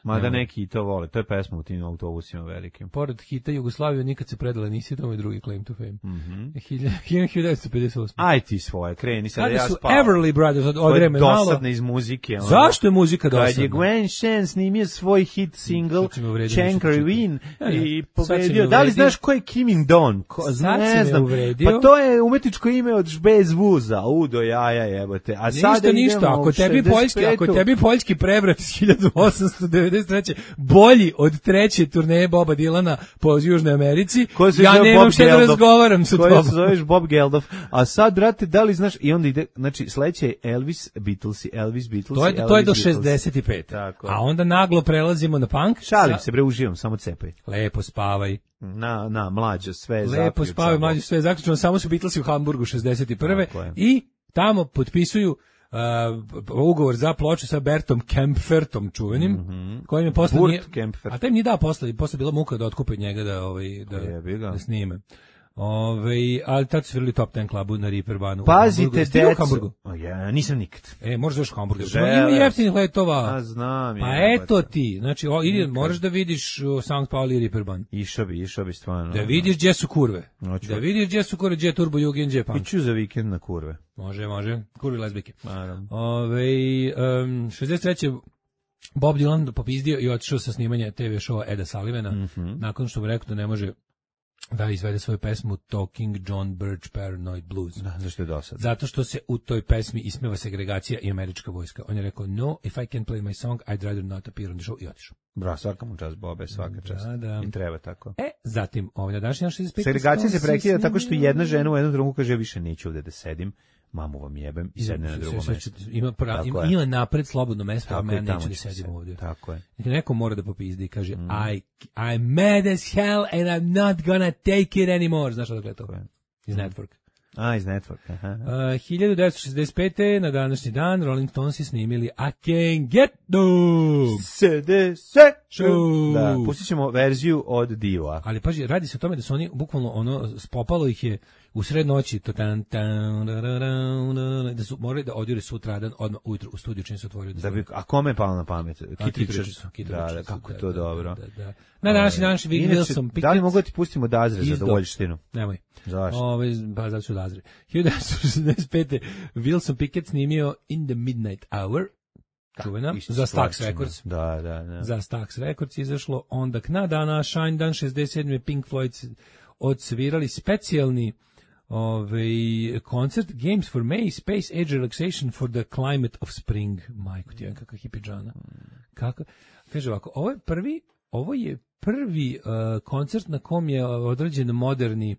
Mada neki i to vole. To je pesma u tim autobusima velikim. Pored hita Jugoslaviju nikad se predala nisi, to je drugi claim to fame. 1958. Aj ti svoje, kreni sad da ja spavam. Kada su Everly Brothers od vremena malo. Dosadne iz muzike. Zašto je muzika dosadna? Kad je Gwen Shan snimio svoj hit single Chankry Win i pobedio. Da li znaš ko je Kim In-don? Ne znam. Pa to je umetničko ime od Bez Vuza. Udo jaja jebote. A sada ništa. Ako tebi poljski prevrat iz 1893. bolji od treće turneje Boba Dylana po Južnoj Americi, ja nemam šta da razgovaram sa tobom. Koji se zoveš Bob Geldof. A sad, brate, da li znaš, i onda ide, znači, sledeće je Elvis Beatles. To je do 65. Tako. A onda naglo prelazimo na punk. Šalim se, bre, uživam, samo cepaj. Lepo spavaj. Mlađo, sve je zaključno. Lepo spavaj, mlađo, sve je zaključno. Samo su Beatlesi u Hamburgu 61. I tamo potpisuju ugovor za ploču sa Bertom Kempfertom čuvenim, kojim je posle a taj mi nije dao posle bila muka da otkupe od njega da snime. Ali tad su svirali Top Ten klubu na Reeperbahnu. Pazite, u Hamburgu. Ja, nisam nikad. Možeš doći u Hamburgu. Ima jeftinih letova. A znam. Pa eto ti. Znači, moraš da vidiš St. Pauli i Reeperbahn. Išao bi stvarno. Da vidiš gdje su kurve. Da vidiš gdje su kurve, gdje je Turbo Jugend, gdje je punk. Iću za vikend na kurve. Može. Kurve lezbike. 63. Bob Dylan popizdio i otišao sa snimanja TV showa Eda Sullivana, nakon što mu rekao da ne može da izvede svoju pesmu Talking John Birch Paranoid Blues. Da, zašto je dosadno? Zato što se u toj pesmi ismeva segregacija i američka vojska. On je rekao, no, if I can play my song, I'd rather not appear on the show, i otišao. Bra, svaka mu čast, Bobe, svaka čast. Da. I treba tako. Zatim, na današnji 65. Segregacija se prekida tako što jedna žena u jednom trenutku kaže, ja više neću ovde da sedim, mamu vam jebem i sedne na drugo mesto. Ima napred slobodno mesto, a ja neću da sedim ovdje. Tako je. Neko mora da popizdi i kaže, I'm mad as hell and I'm not gonna take it anymore. Znaš odakle to? Iz Network. Iz Network, aha. 1965. na današnji dan Rolling Stonesi snimili I Can't Get No. Da, pustit ćemo verziju od Diva. Ali paži, radi se o tome da su oni bukvalno spopalo ih je u sred noći da su morali da odjure sutradan odmah ujutro u studiju čim se otvorio. A kome je palo na pamet? Kit Richards. Da, kako to dobro. Na današnji dan Wilson Pickett. Da li mogu da ti pustimo Dazre za dovoljštinu? Nemoj. Zašto? Pa zato ću Dazre. 1965. Wilson Pickett snimio In the Midnight Hour. Čuvena, za Stax Records. Da. Za Stax Records izašlo. Onda na dana Shine Dan 67. Pink Floyd odsvirali specijalni koncert Games for May, Space Age Relaxation for the Climate of Spring. Majko ti, kakva hipidžana. Kako? Kaže ovako, ovo je prvi koncert na kom je određen moderni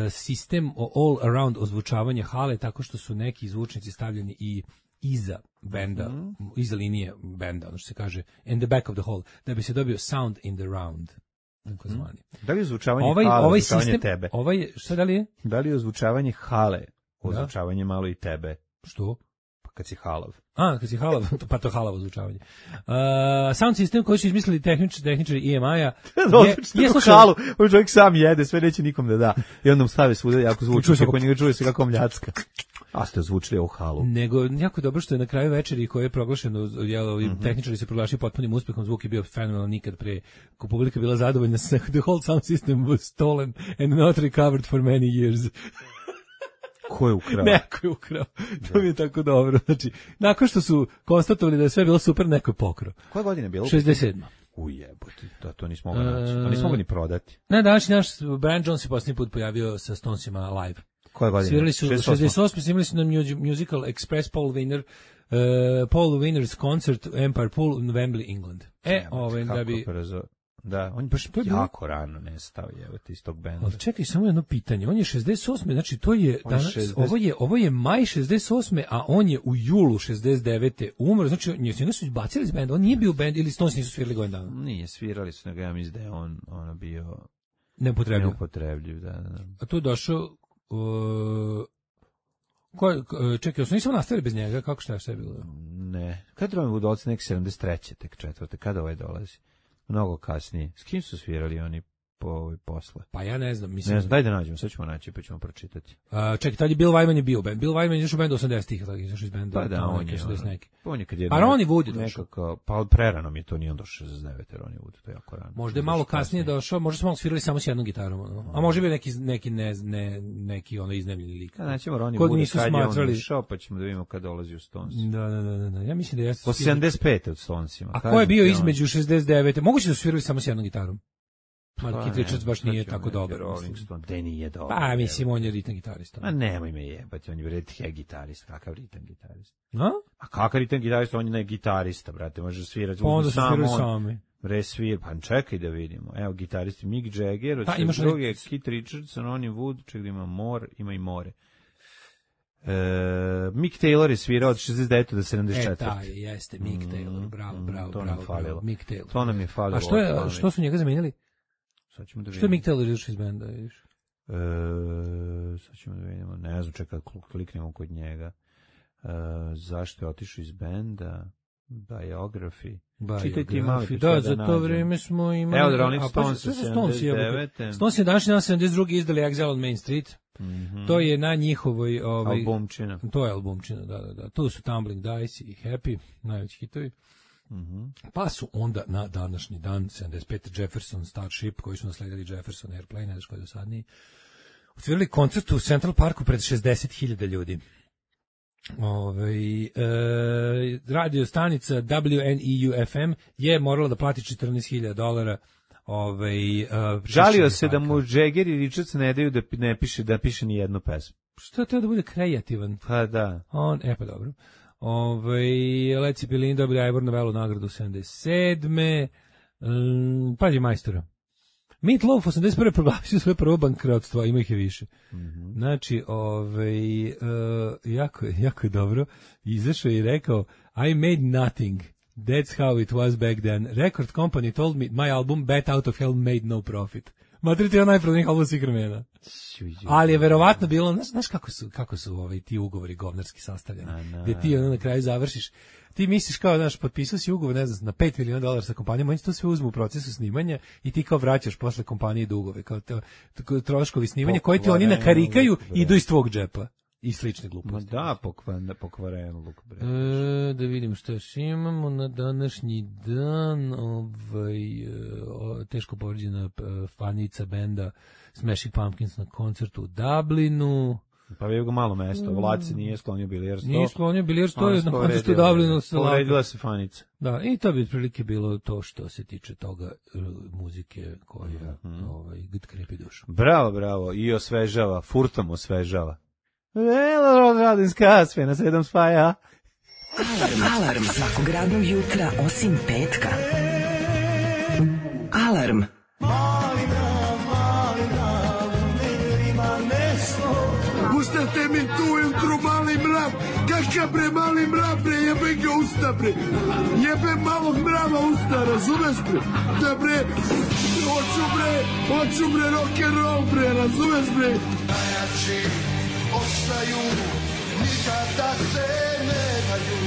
sistem all around ozvučavanja hale, tako što su neki zvučnici stavljeni i iza benda, iza linije benda, ono što se kaže in the back of the hall, da bi se dobio sound in the round. Da li je ozvučavanje hale ozvučavanje tebe? Šta da li je? Da li je ozvučavanje hale ozvučavanje malo i tebe? Što? Pa kad si halav. Kad si halav, pa to halavo ozvučavanje. Sound sistem koji su izmislili tehničari EMI-a je halu, on čovjek sam jede, sve neće nikom da da. I onda mu stave svuda jako zvuči, kako njega čuje se kako mljacka. A ste ozvučili ovu halu. Nego, jako dobro što je na kraju večeri koje je proglašeno, tehničari se proglašili potpunim uspehom, zvuk je bio fenomenalan nikad pre. Ko publika bila zadovoljna, the whole sound system was stolen and not recovered for many years. Ko je ukrao? Neko je ukrao. To mi je tako dobro. Znači, nakon što su konstatovali da je sve bilo super, neko je pokrao. Koje godine je bilo? 67. Ujebote, to nismo mogli naći. To nismo mogli ni prodati. Na današnji naš Brian Jones se posljednji put pojavio sa Stonesima live. Koje godine? Svirali su 68. Snimali su na musical Express Paul Winner's Concert Empire Pool u Wembley, England. Da bi... Da, on je baš jako rano nestao, iz tog benda. Ali čekaj, samo jedno pitanje. On je 68. Znači, to je danas, ovo je maj 68. a on je u julu 69. umro. Znači, njega su izbacili iz benda. On nije bio u bendu ili Stones nisu svirali godin dana? Nije, svirali su, nego ja mislim da je on bio neupotrebljiv. Da. A tu je došao... čekaj, su nisam nastavili bez njega? Kako šta je sve bilo? Ne. Kada Roman Wood nek 73. tek 4. Kada ovaj dolazi? Mnogo kasnije. S kim su svirali oni posle? Pa ja ne znam. Ne znam, daj da nađemo, sad ćemo naći pa ćemo pročitati. Čekaj, tad je Bill Wyman je bio band. Bill Wyman je izašao u bendu 80-ih, izašao iz benda. Pa da, on je kad je... A Ronnie Wood je došao. Pa prerano mi je to, nije on došao 69. Ronnie Wood, to je jako rano. Možda je malo kasnije došao, možda smo malo svirali samo s jednom gitarom. A može bi neki iznajmljeni lik. Kada naćemo Ronnie Wood, kad je on došao, pa ćemo da vidimo kad dolazi u Stones. Da. Ja mislim da jeste... Po 75. od Stonesima. A ko je bio između 69. Moguće da su svirali samo s jednom gitarom. Kit Richards baš nije tako dobar. Rolling Stone, da nije dobar. Pa, mislim, on je ritam gitarista. A nemoj me jebati, on je ritam gitarist. Kakav ritam gitarist? A kakav ritam gitarist? On je ne gitarista, brate, može svirati. Onda su svirali sami. Resvir, pa čekaj da vidimo. Evo, gitaristi Mick Jagger, od 62. Kit Richards, Ronnie Wood, čekaj da ima ima i more. Mick Taylor je svirao od 69. do 74. Jeste, Mick Taylor, bravo. To nam falilo. Mick Taylor. To nam je falilo. A što su njega zamenili? Što je Mick Taylor izašao iz benda? Sad ćemo da vidimo. Ne znam, čekaj, kliknemo kod njega. Zašto je otišao iz benda? Biografi. Čitaj ti malo. Da, za to vreme smo imali... Evo, Rolling Stones 79. Stones je današnji dan 72. izdali Exile on Main Street. To je na njihovoj... albumčina. To je albumčina, da. Tu su Tumbling Dice i Happy, najveći hitovi. Pa su onda na današnji dan 75. Jefferson Starship, koji su nasledili Jefferson Airplane, ne znaš koji je dosadniji, otvorili koncert u Central Parku pred 60.000 ljudi. Radio stanica WNEU-FM je morala da plati $14.000 Žalio se da mu Jagger i Richards ne daju da piše ni jednu pesmu. Što treba da bude kreativan? Pa da. Pa dobro. Led Zeppelin dobili Ivor Novellu nagradu 77. Pađi majstora. Meat Loaf 81. proglasio svoje prvo bankrotstvo, a ima ih je više. Znači, jako je dobro. Izašao je i rekao, I made nothing. That's how it was back then. Record company told me my album Bat Out of Hell made no profit. Matriti je najprodajnijih album svih vremena. Ali je verovatno bilo, znaš kako su ti ugovori govnarski sastavljeni, gde ti na kraju završiš, ti misliš kao, znaš, potpisao si ugovor, ne znam, na $5 miliona sa kompanijom, oni to sve uzmu u procesu snimanja i ti kao vraćaš posle kompanije dugove, kao troškovi snimanja koji ti oni nakarikaju i idu iz tvog džepa. I slične gluposti. Da, pokvareno Luka Bretić. Da vidim što još imamo na današnji dan. Teško povređena fanica benda Smashing Pumpkins na koncertu u Dublinu. Pa je ga malo mesto. Vlad se nije sklonio bilijarstvo. Nije sklonio bilijarstvo, to je na koncertu u Dublinu. Povredila se fanica. Da, i to bi otprilike bilo to što se tiče toga muzike koja krepi dušu. Bravo. I osvežava, furtom osvežava. Radinska sve na 7 spaja. Alarm svakog radnog jutra osim petka. Alarm. Pustate mi tu ujutru mali mrav. Kakav bre mali mrav bre, jebe ga usta bre. Jebe malog mrava usta, razumeš bre? Da bre, hoću bre rock'n'roll bre, razumeš bre? Najjači ostaju, nikada se ne daju.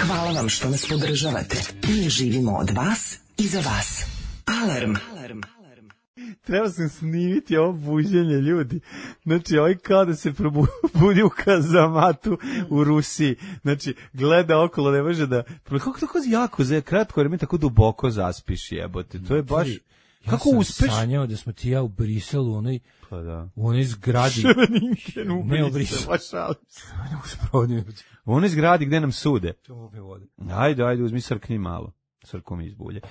Hvala vam što nas podržavate. Mi živimo od vas i za vas. Alarm. Treba sam snimiti ovo buđenje, ljudi. Znači, ovaj kao da se probudi u kazamatu u Rusiji. Znači, gleda okolo, ne može da... Kako tako jako, za kratko vreme tako duboko zaspiš, jebote. To je baš... Kako uspeš? Ja sam sanjao da smo ti ja u Briselu, u onoj zgradi. Ševeninken u Briselu, u onoj zgradi gde nam sude. Ajde, uzmi srkni malo. Srkom izbulje.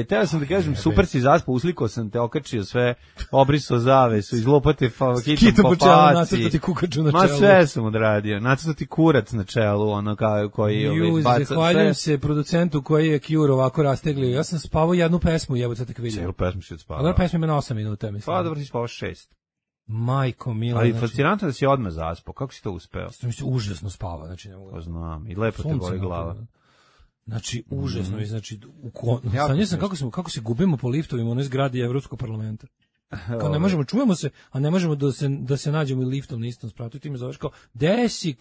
Teo sam da kažem, super si zaspao, uslikao sam te, okačio sve, obrisao zavesu, izlopate hitom po faci. Ma sve sam odradio, nacrtati kurac na čelu, ono koji baca. Zahvaljujem se producentu koji je Cure ovako rasteglio. Ja sam spavao jednu pesmu, jebo sad tako vidio. Cijelu pesmu si odspavao. Ali pesma ima na 8 minuta, mislim. Pa dobro si spavao 6. Majko mila. Ali fascinantno da si odmah zaspao, kako si to uspeo? Užasno spava, znači ne mogu. Znam, i lepo te boli glava. Znači, užasno je, znači, sanjao sam kako se gubimo po liftovima u onoj zgradi Evropskog parlamenta. Kao ne možemo, čujemo se, a ne možemo da se nađemo i liftom na istom spratu. I ti me zoveš kao, desi,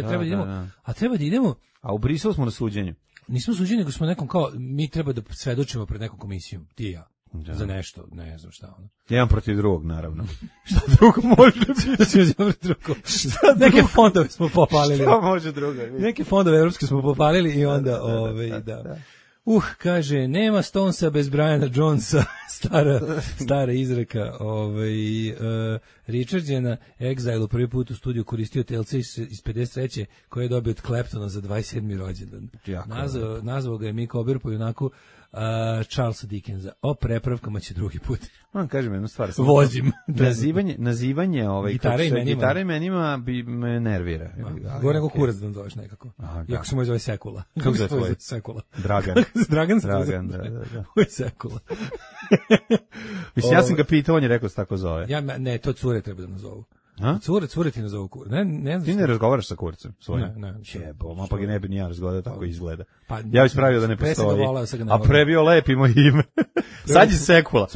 a treba da idemo. A treba da idemo. A u Briselu smo na suđenju. Nismo suđeni, nego smo nekom kao, mi treba da svedočimo pred nekom komisijom, ti i ja. Za nešto, ne znam šta ono. Jedan protiv drugog, naravno. Šta drugo može biti? Neke fondove smo popalili. Šta može drugo? Neke fondove evropske smo popalili i onda, da. Kaže, nema Stonesa bez Briana Jonesa, stara izreka. Richard je na Exilu prvi put u studiju koristio TLC iz 53. koje je dobio od Claptona za 27. rođendan. Nazvao ga je Mick Ober po junaku Charlesa Dickensa. O prepravkama će drugi put. Vam kažem jednu stvar. Vozim. Nazivanje gitare imenima bi me nervira. Gore nego kurac da zoveš nekako. Iako se moj zove Sekula. Kako se tvoj? Sekula. Dragan, da. Ovo je Sekula. Mislim, ja sam ga pitao, on je rekao se tako zove. Ne, to cure treba da nazovu. Cure ti nazovu kur. Ti ne razgovaraš sa kurcem svojim? Ne. Jebo, pa ga ne bi ni ja razgovarao, tako izgleda. Ja bih spravio da ne postoji. A pre bio lepi moj ime. Sad je Sekula.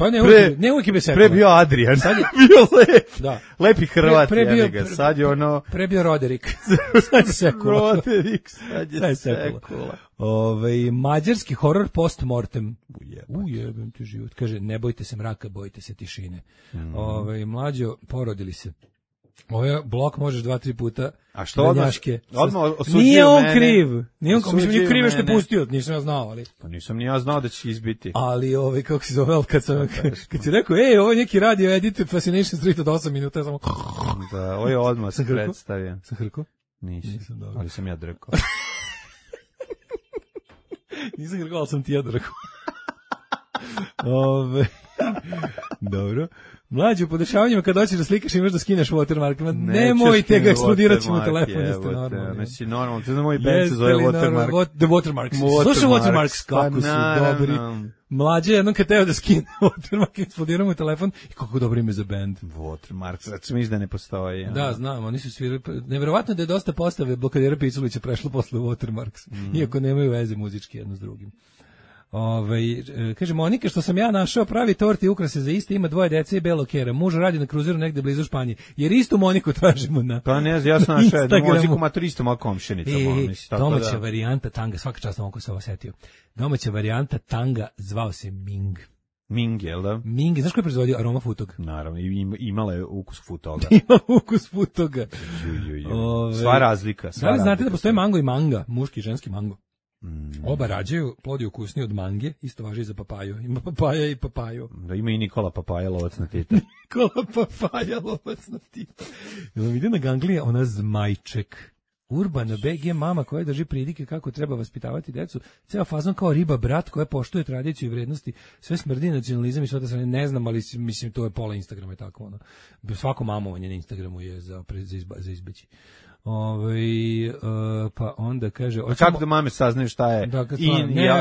Ne uvijek je bio Sekula. Pre bio Adrian. Sad je bio lep. Da. Lepi Hrvat. Sad je ono... Pre bio Roderik. Sad je Sekula. Roderik, sad je Sekula. Mađarski horor post mortem. Ujebem ti život. Kaže, ne bojte se mraka, bojte se tišine. Mlađo, porodili se. Ovaj blok možeš 2-3 puta. A što odmah osuđio nije on mene? Kriv. Nije kriv što je pustio, nisam ja znao, ali. Pa nisam ni ja znao da će izbiti. Ali kako se zove, kad si rekao, ovo je neki radio edit Fascination Street od 8 minuta, samo. Da, ovo je odmah se predstavio. Sam hrko? Nisam, ali sam ja drkao. Nisam ga rekao, ali sam ti ja rekao. Dobro. Mlađe, u podešavanjima kad hoćeš da slikaš imaš da skineš watermark. Nemojte ga eksplodirati mu telefon, jeste normalno. Mislim, normalno, to je moj band se zove Watermark. The Watermarks. Slušaj Watermarks, kako su dobri. Mlađe, jednom kad teo da skine Watermark, eksplodira mu telefon i kako dobro ime za band. Watermarks, znači misliš da ne postoji. Da, znam, oni su svirali. Neverovatno da je dosta postave Blokadera Piculića prešlo posle Watermarks, iako nemaju veze muzički jedno s drugim. Kaže Monika, što sam ja našao pravi tort i ukrase za iste, ima 2 dece i belo kera. Muž radi na kruzeru negde blizu Španije. Jer istu Moniku tražimo na Pa ne, ja sam našao jednu Moniku maturistu moja komšenica. Domaća varijanta tanga, svaka čast na se ovo setio. Domaća varijanta tanga zvao se Ming. Ming, jel da? Ming, znaš ko je proizvodio? Aroma Futog. Naravno, imala je ukus Futoga. Ima ukus Futoga. Sva razlika. Da li znate da postoje mango i manga, muški i ženski mango? Oba rađaju, plod je ukusniji od mange, isto važi i za papaju. Ima papaja i papaju. Da, ima i Nikola Papaja, lovac na Tita. Nikola Papaja, lovac na Tita. Jel ide na ganglije ona Zmajček. Urbana BG mama koja drži pridike kako treba vaspitavati decu. Ceo fazon kao riba brat koja poštuje tradiciju i vrednosti. Sve smrdi nacionalizam i sve da se ne znam, ali mislim to je pola Instagrama i tako ono. Svako mamovanje na Instagramu je za izbeći. Pa onda kaže kako da mame saznaju šta je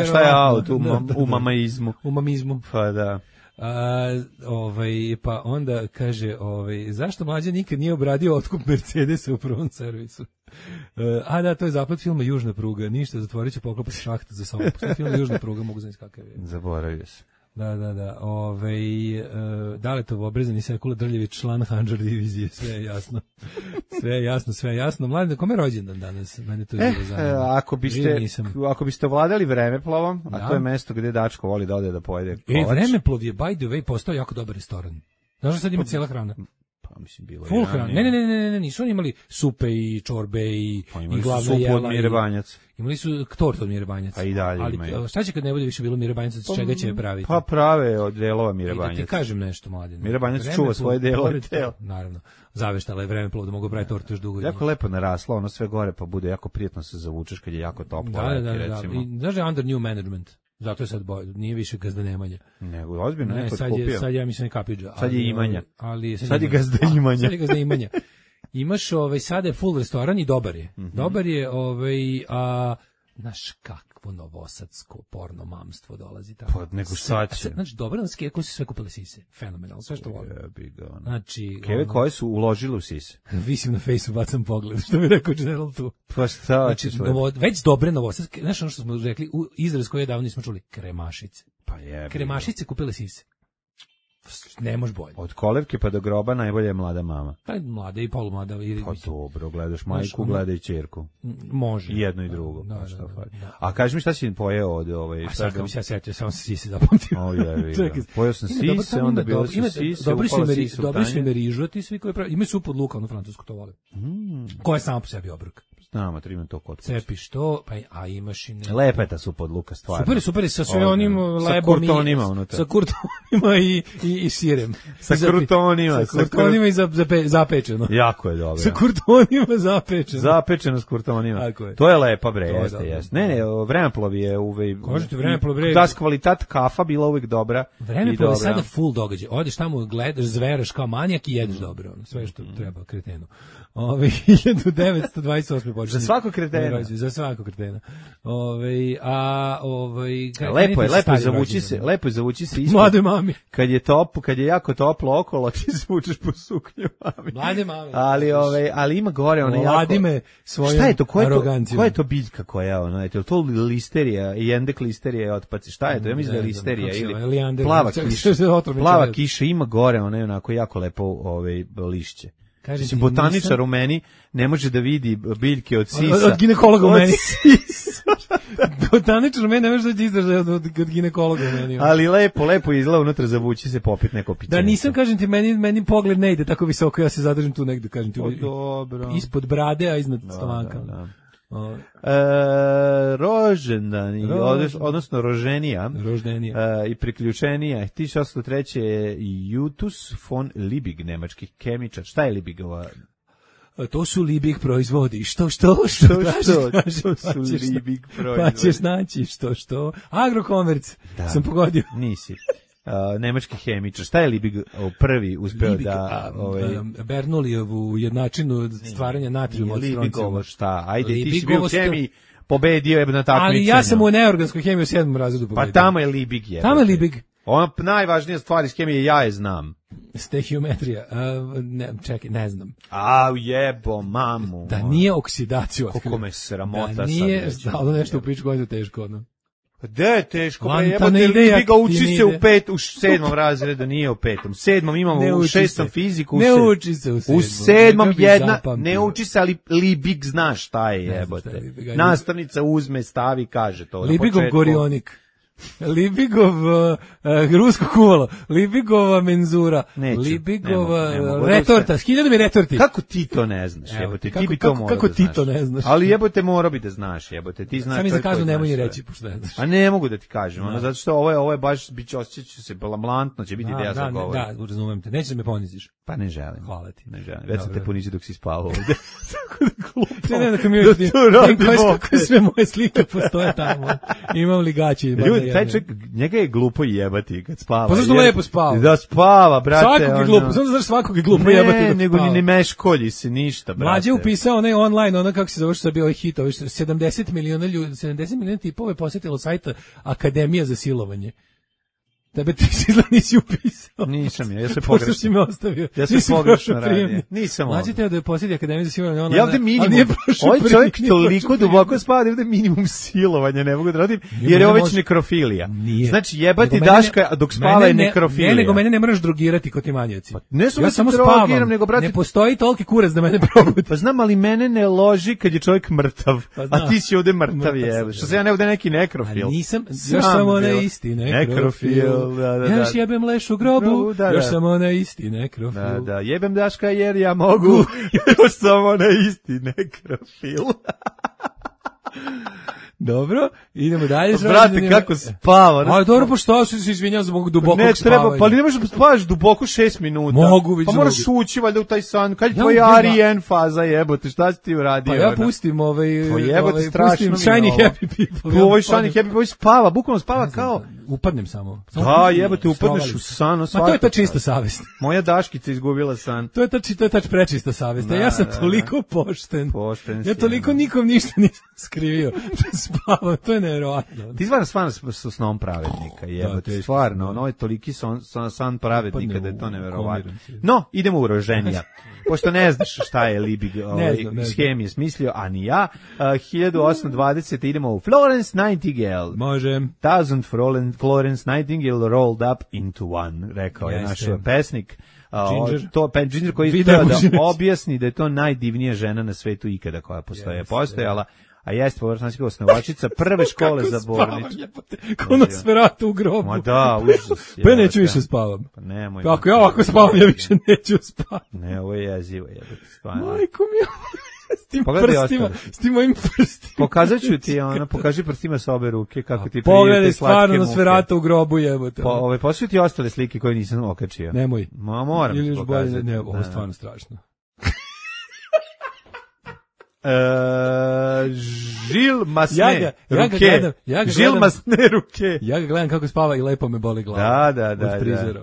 šta je out u mamaizmu. U mamizmu. Pa da. Pa onda kaže zašto mlađa nikad nije obradio otkup Mercedesa u prvom servisu? Da, to je zapad filma Južna pruga. Ništa, zatvorit će poklopati šahta za sobom. Postoji film Južna pruga, mogu znati kakav je. Zaboravio se. Da. Daletov obrezani Sekula Drljević, član Handžar divizije, sve je jasno. Sve je jasno. Mladen, kome je rođendan danas? Mene to je zanima. Ako biste ovladali Vremeplovom, a to je mesto gde Dačko voli da ode da pojede kolač. Vremeplov je, by the way, postao jako dobar restoran. Znaš da sad ima cijela hrana? Mislim bilo full hrana. Ne, nisu oni imali supe i čorbe i glavna jela. Supu od Mire Banjac. Imali su tort od Mire Banjac. A i dalje imaju. Ali šta će kad ne bude više bilo Mire Banjac, od čega će praviti? Pa prave od delova Mire Banjac. Da ti kažem nešto, Mladen. Mire Banjac čuva svoje delove. Naravno. Zaveštala je Vremeplov da mogu praviti tort još dugo. Jako lepo naraslo, ono sve gore, pa bude jako prijatno se zavučeš kad je jako toplo. Da. I znaš da je under new management. Zato je sad nije više Gazda Nemanja. Nego, ozbiljno neko kupio. Sad ja mislim Kapidža. Sad je Imanja. Sad je Gazda Imanja. Sad je Gazda Imanja. Imaš, sada je full restoran i dobar je. Dobar je, znaš kakvo novosadsko porno mamstvo dolazi tamo. Pa nego sad će. Znači, dobro, koji su sve kupili sise. Fenomenalno, sve što volim. Znači, keve koje su uložili u sise. Visim na fejsu, bacam pogled, što bi rekao General tu. Pa šta? Znači, već dobre novosadske, znaš ono što smo rekli, izraz koji je davno nismo čuli, kremašice. Pa je. Kremašice kupile sise. Ne može bolje. Od kolevke pa do groba najbolje je mlada mama. Pa mlada i polumlada. Pa dobro, gledaš majku, gledaj ćerku. Može. Jedno i drugo. Da. A kaži mi šta si pojeo od A sad kad mi se ja setio, samo se sise zapamtio. Pojeo sam sise, onda bilo su sise, upala sise. Dobri su ime rižu, ti svi koji pravi. Imaju supu od luka, ono francusku, to vole. Koja je sama po sebi obrok. Znam, imam to kod kuće. Cepiš to, a imaš i ne. Lepa je ta supa od luka, stvarno. Super, sa sve onim lebom sa kurtonima i sirem. Sa kurtonima. Sa kurtonima i zapečeno. Jako je dobro. Sa kurtonima zapečeno. Zapečeno s kurtonima. To je lepa, bre, jeste. Ne, Vremeplov je uvek. Kažete, Vremeplov, bre. Da, kvalitet kafa bila uvek dobra. Vremeplov je sada full događaj. Odeš tamo, gledaš, zveraš kao manijak i jedeš dobro. Sve što treba kretenu. 1928. Za svako kretena. Za svako kretena. Lepo je zavući se ispod. Mlade mami. Kad je jako toplo okolo, ti zvučeš po suknju mami. Mlade mami. Ali ima gore ona jako. Vladime svojom arogancijom. Koja je to biljka koja je ona? Je to listerija, jendek listerija otpaci? Šta je to? Ja mislim da je listerija ili plava kiša ima gore, ona je onako jako lepo lišće. Mislim, botaničar u meni ne može da vidi biljke od sisa. Od ginekologa u meni. Botaničar u meni ne može da izdraže od ginekologa u meni. Ali lepo izgleda unutra, zavući se popit neko pićenje. Da nisam, kažem ti, meni pogled ne ide tako visoko, ja se zadržim tu negde, kažem ti. Dobro. Ispod brade, a iznad stomaka. Da. Rođendani, odnosno roženija i priključenija 1803. je Justus von Liebig, nemački kemičar. Šta je Liebigova? to su Liebig proizvodi. Što? To Traži, su Liebig proizvodi. Pa ćeš naći što. Agrokomerc, sam pogodio. Nisi. Nemački hemičar. Šta je Liebig prvi uspeo Liebig, da... Bernoullijevu jednačinu stvaranja natrijuma od stronciuma. Liebig šta? Ajde, ti si Liebig bio u hemiji, pobedio je na takmičenju. Ali ja sam u neorganskoj hemiji u 7. razredu pobedio. Pa tamo je Liebig. Tamo je Liebig. Ona najvažnija stvar iz hemije, ja je znam. Stehiometrija. Čekaj, ne znam. Jebo, mamu. Da nije oksidaciju otkrio. Koliko me sramota da nije stalo nešto u pičku godinu teško, ono. Da je teško, jebote, Libiga uči se u 7. razredu, nije u 5. U 7. imamo u 6. fiziku. Ne uči se u 7. U 7. jedna, ne uči se, ali Libig zna šta je, jebote. Nastavnica uzme, stavi, kaže to. Libigov gorionik. Libigov rusko kuvalo, Libigova menzura, Libigova retorta, 1000 mi retorti. Kako ti to ne znaš, jebote, ti bi to morao da znaš. Kako ti to ne znaš? Ali jebote, mora bi da znaš, jebote, ti znaš. Sam mi za kaznu nemoj reći, pošto ne znaš. A ne mogu da ti kažem, ono, zato što ovo je baš, osjećat se blamantno, će biti ideja sa govorom. Da, razumem te, nećeš da me poniziš. Pa ne želim. Hvala ti. Ne želim, već sam te ponizio dok si spavao ovde. Tako da glupo. Ne, da mi kako sve moje slike postoje tamo. Imam ligače. Ljudi, taj čovjek, njega je glupo jebati kad spava. Pa zašto lepo spava? Da spava, brate. Svakog je glupo, samo znaš svakog je glupo jebati dok spava. Nego ni ne meškolji se ništa, brate. Mlađe upisao onaj online, ono kako se zove što je bio hit, 70 miliona tipova je posjetilo sajta Akademija za silovanje. Tebe ti si nisi upisao. Nisam ja se pogrešno. Si me ostavio. Ja sam pogrešno radio. Nisam ovdje. Mlađe teo da je posjeti Akademiju za silovanje. Ja ovdje minimum. Ovaj čovjek toliko duboko spada, ovdje minimum silovanja ne mogu da radim, jer je ovo već nekrofilija. Znači jebati Daška dok spava je nekrofilija. Nego mene ne moraš drogirati kod ti manjaci. Ja samo spavam, nego brate. Ne postoji toliki kurac da mene probudi. Pa znam, ali mene ne loži kad je čovjek mrtav. A ti si ovdje mrtav, je. Što se ja ne ovdje neki nekrofil. Nisam, još samo na isti nekrofil. Ja još jebem leš u grobu, još sam ona isti nekrofil. Da, jebem Daška jer ja mogu, još sam ona isti nekrofil. Dobro, idemo dalje. Brate, kako spava. Ali dobro, pa što se izvinjam zbog dubokog spavanja? Ne treba, pa ne možeš spavaš duboko 6 minuta. Mogu, vidim. Pa moraš ući valjda u taj san. Kad je tvoj Arijen faza, jebote, šta si ti uradio? Pa ja pustim pustim Shiny Happy People. Ovo je Shiny Happy People spava, bukvalno spava kao... Upadnem samo. Da, jebote, upadneš u san. Ma to je ta čista savest. Moja Daškica izgubila san. To je ta prečista savest. Ja sam toliko pošten. Ja toliko nikom ništa nisam skrivio. Spavam, to je nevjerovatno. Ti stvarno sa snom pravednika, jebote, stvarno, ono je toliki san pravednika da je to nevjerovatno. No, idemo u roženja. Pošto ne znaš šta je Liebig iz hemije smislio, a ni ja, 1820 idemo u Florence Nightingale. Može. Thousand Florence Nightingale rolled up into one, rekao je naš pesnik. Ginger koji je da objasni da je to najdivnija žena na svetu ikada koja postojala. A jeste površanska osnovačica prve škole za bolničke. Ko nas vrata u grobu. Ma da, užas. Pa neću više spavam. Pa nemoj. Ako ja ovako spavam, ja više neću spavati. Ne, ovo je jezivo. Majko mi, s tim mojim prstima. Pokazat ću ti, pokaži prstima sa obe ruke kako ti prijete slatke muke. Pogledaj, stvarno nas vrata u grobu jebote. Poslušaj ti ostale slike koje nisam okačio. Nemoj. Moram ti pokazati. Ne, ovo je stvarno strašno. Žil masne ruke. Žil masne ruke. Ja ga gledam kako spava i lepo me boli glava. Da.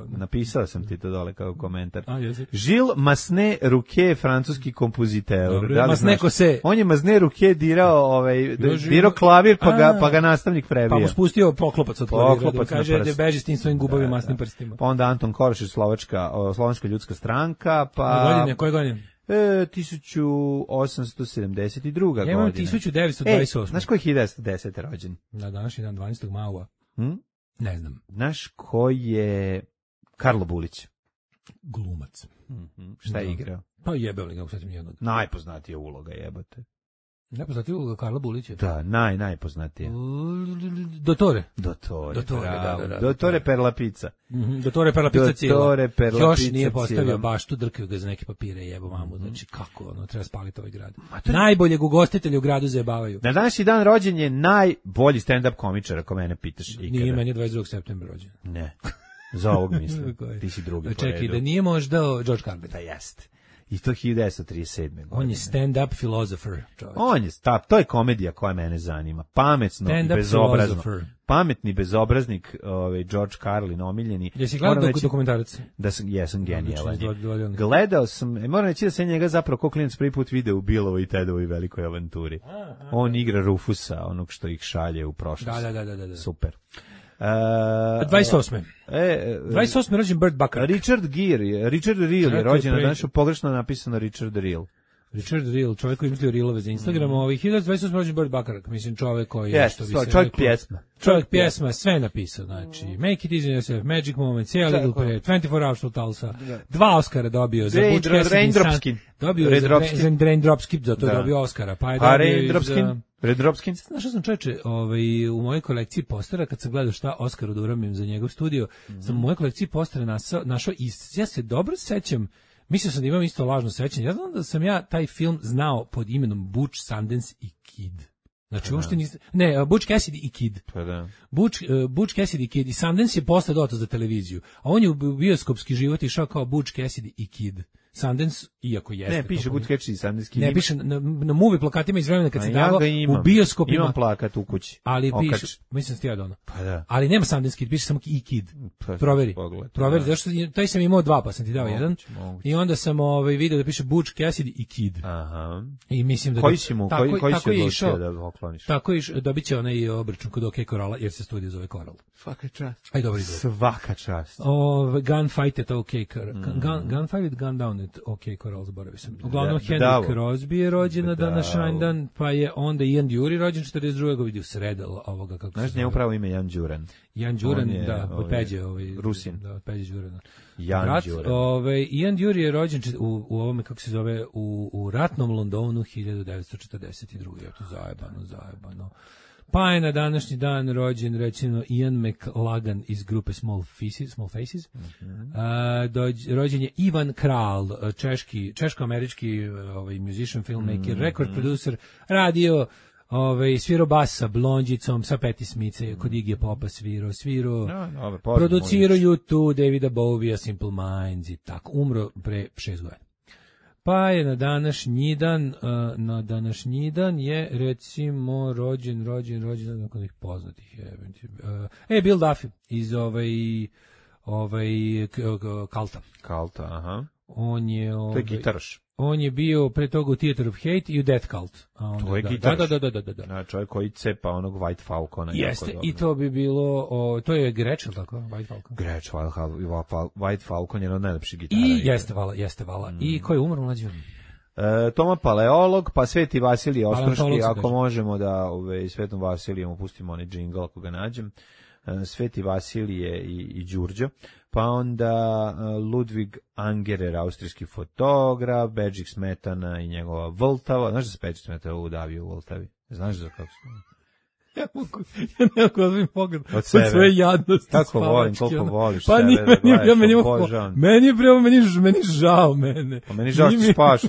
Napisao sam ti to dole kao komentar. Žil masne ruke, francuski kompoziteur. Masne kose. On je masne ruke dirao klavir pa ga nastavnik prebio. Pa mu spustio poklopac od klavira. Kaže da beži s tim svojim gubavim masnim prstima. Pa onda Anton Korošić, Slovačka ljudska stranka. Koje godine? 1872. godine. Ja imam 1928. Znaš ko je 1910. rođen? Na današnji dan 12. maua. Ne znam. Znaš ko je Karlo Bulić? Glumac. Šta je igrao? Pa jebeo li ga, sad mi jednog. Najpoznatija uloga jebote. Najpoznatija uloga Karla Bulića? Da, najpoznatija. Dottore, Dottore per la pizza. Dottore per la pizza cijela. Dottore per la još pizza nije postavio baštu, drkaju ga za neke papire, jebo mamu. Znači, kako, treba spaliti ovaj grad. Najboljeg ugostitelja u gradu zajebavaju. Na današnji dan rođen je najbolji stand-up komičar, ako mene pitaš ikada. Nije, meni je 22. septembra rođen. Ne, za ovog mislim. Ti si drugi. Čekaj, da nije možda George Carlin. Da jeste. I to 1937. godine. On je stand-up philosopher. To je komedija koja mene zanima. Pametno i bezobrazno. Pametni bezobraznik, George Carlin, omiljeni. Jesi gledao dokumentarac? Jesam genijalan. Gledao sam, moram reći da sam njega zapravo kao klinac prvi put video u Billovoj i Tedovoj velikoj avanturi. On igra Rufusa, onog što ih šalje u prošlost. Da. Super. 28. 28. rođen Burt Bacharach. Richard Reel je rođen, danas je pogrešno napisano Richard Reel. Richard Reel, čovjek koji izmislio reelove za Instagram, 1928. rođen Burt Bacharach, mislim čovjek koji je, što bi se čovjek pjesma. Čovjek pjesma, sve napisao, znači Make It Easy on Yourself, Magic Moments, A Little Prayer, 24 Hours of Tulsa, 2 Oscara dobio za Butch Cassidy, dobio za Raindropskin, za to dobio Oscara, pa je dobio Raindropskin. Znaš što sam čoveče, u mojoj kolekciji postera, kad sam gledao šta Oskaru da uramim za njegov studio, sam u mojoj kolekciji postera našao i ja se dobro sećam. Mislio sam da imam isto lažno sećanje. Ja znam da sam ja taj film znao pod imenom Butch, Sundance i Kid. Znači, uopšte nisam... Ne, Butch Cassidy i Kid. Pa da. Butch Cassidy i Kid. I Sundance je posle doto za televiziju. A on je u bioskopski život išao kao Butch Cassidy i Kid. Sundance, iako jeste. Ne, piše Butch Cassidy i Sundance Kid. Ne, piše na movie plakatima iz vremena kad se davao u bioskopima. Imam plakat u kući. Ali piše, mislim ti ja dono. Pa da. Ali nema Sundance Kid, piše samo i Kid. Proveri. Proveri, zašto taj sam imao 2, pa sam ti dao jedan. I onda sam video da piše Butch Cassidy i Kid. Aha. I mislim da koji si odlučio da okloniš? Tako je, dobit će onaj obračun kod OK Coralla, jer se studio zove Coral. Svaka čast. Aj, dobro izgleda. Svaka čast. Gunfight at OK Gunfight at Gun Down at OK Coral, zaboravio sam. Uglavnom, Henry Crosby je rođen na današnji dan, pa je onda Ian Dury rođen 42. vidio sred ovoga, kako se zove. Znaš, njemu pravo ime Jan Đuran. Jan Đuran, da, od Peđe. Rusin. Da, od Peđe Đurana. Jan Đuran. Ian Dury je rođen u ovome, kako se zove, u ratnom Londonu 1942. Je to zajebano. Pa je na današnji dan rođen, recimo, Ian McLagan iz grupe Small Faces. Rođen je Ivan Kral, češko-američki musician, filmmaker, record producer, radio, svirao bas sa Blondjicom, sa Patti Smith, kod Iggy Popa svirao, producirao U2, Davida Bowie, Simple Minds i tako. Umro pre 6 godina. Pa je na današnji dan je, recimo, rođen nakon ih poznatih. Bill Duffy iz Kalta. Kalta, aha. On je... To je gitaraš. On je bio pre toga u Theater of Hate i u Death Cult. To je gitaraš. Da. Čovjek koji cepa onog White Falcona. Jeste, i to bi bilo... to je Gretsch, tako? White Falcon. Gretsch, White Falcon je jedan od najlepših gitara. I jeste vala. I ko je umro mlađi? Toma Paleolog, pa Sveti Vasilije Ostroški, ako možemo da Svetom Vasilijem upustimo onaj džingl ako ga nađem. Sveti Vasilije i Đurđo, pa onda Ludvig Angerer, austrijski fotograf, Bedžik Smetana i njegova Vltava. Znaš da se Bedžik Smetana udavio u Vltavi? Znaš za kako se... Ja ne mogu ozbiljno pogled od svoje jadnosti. Tako volim, koliko voliš pa sebe. Meni žao mene. Pa meni žao što spavaš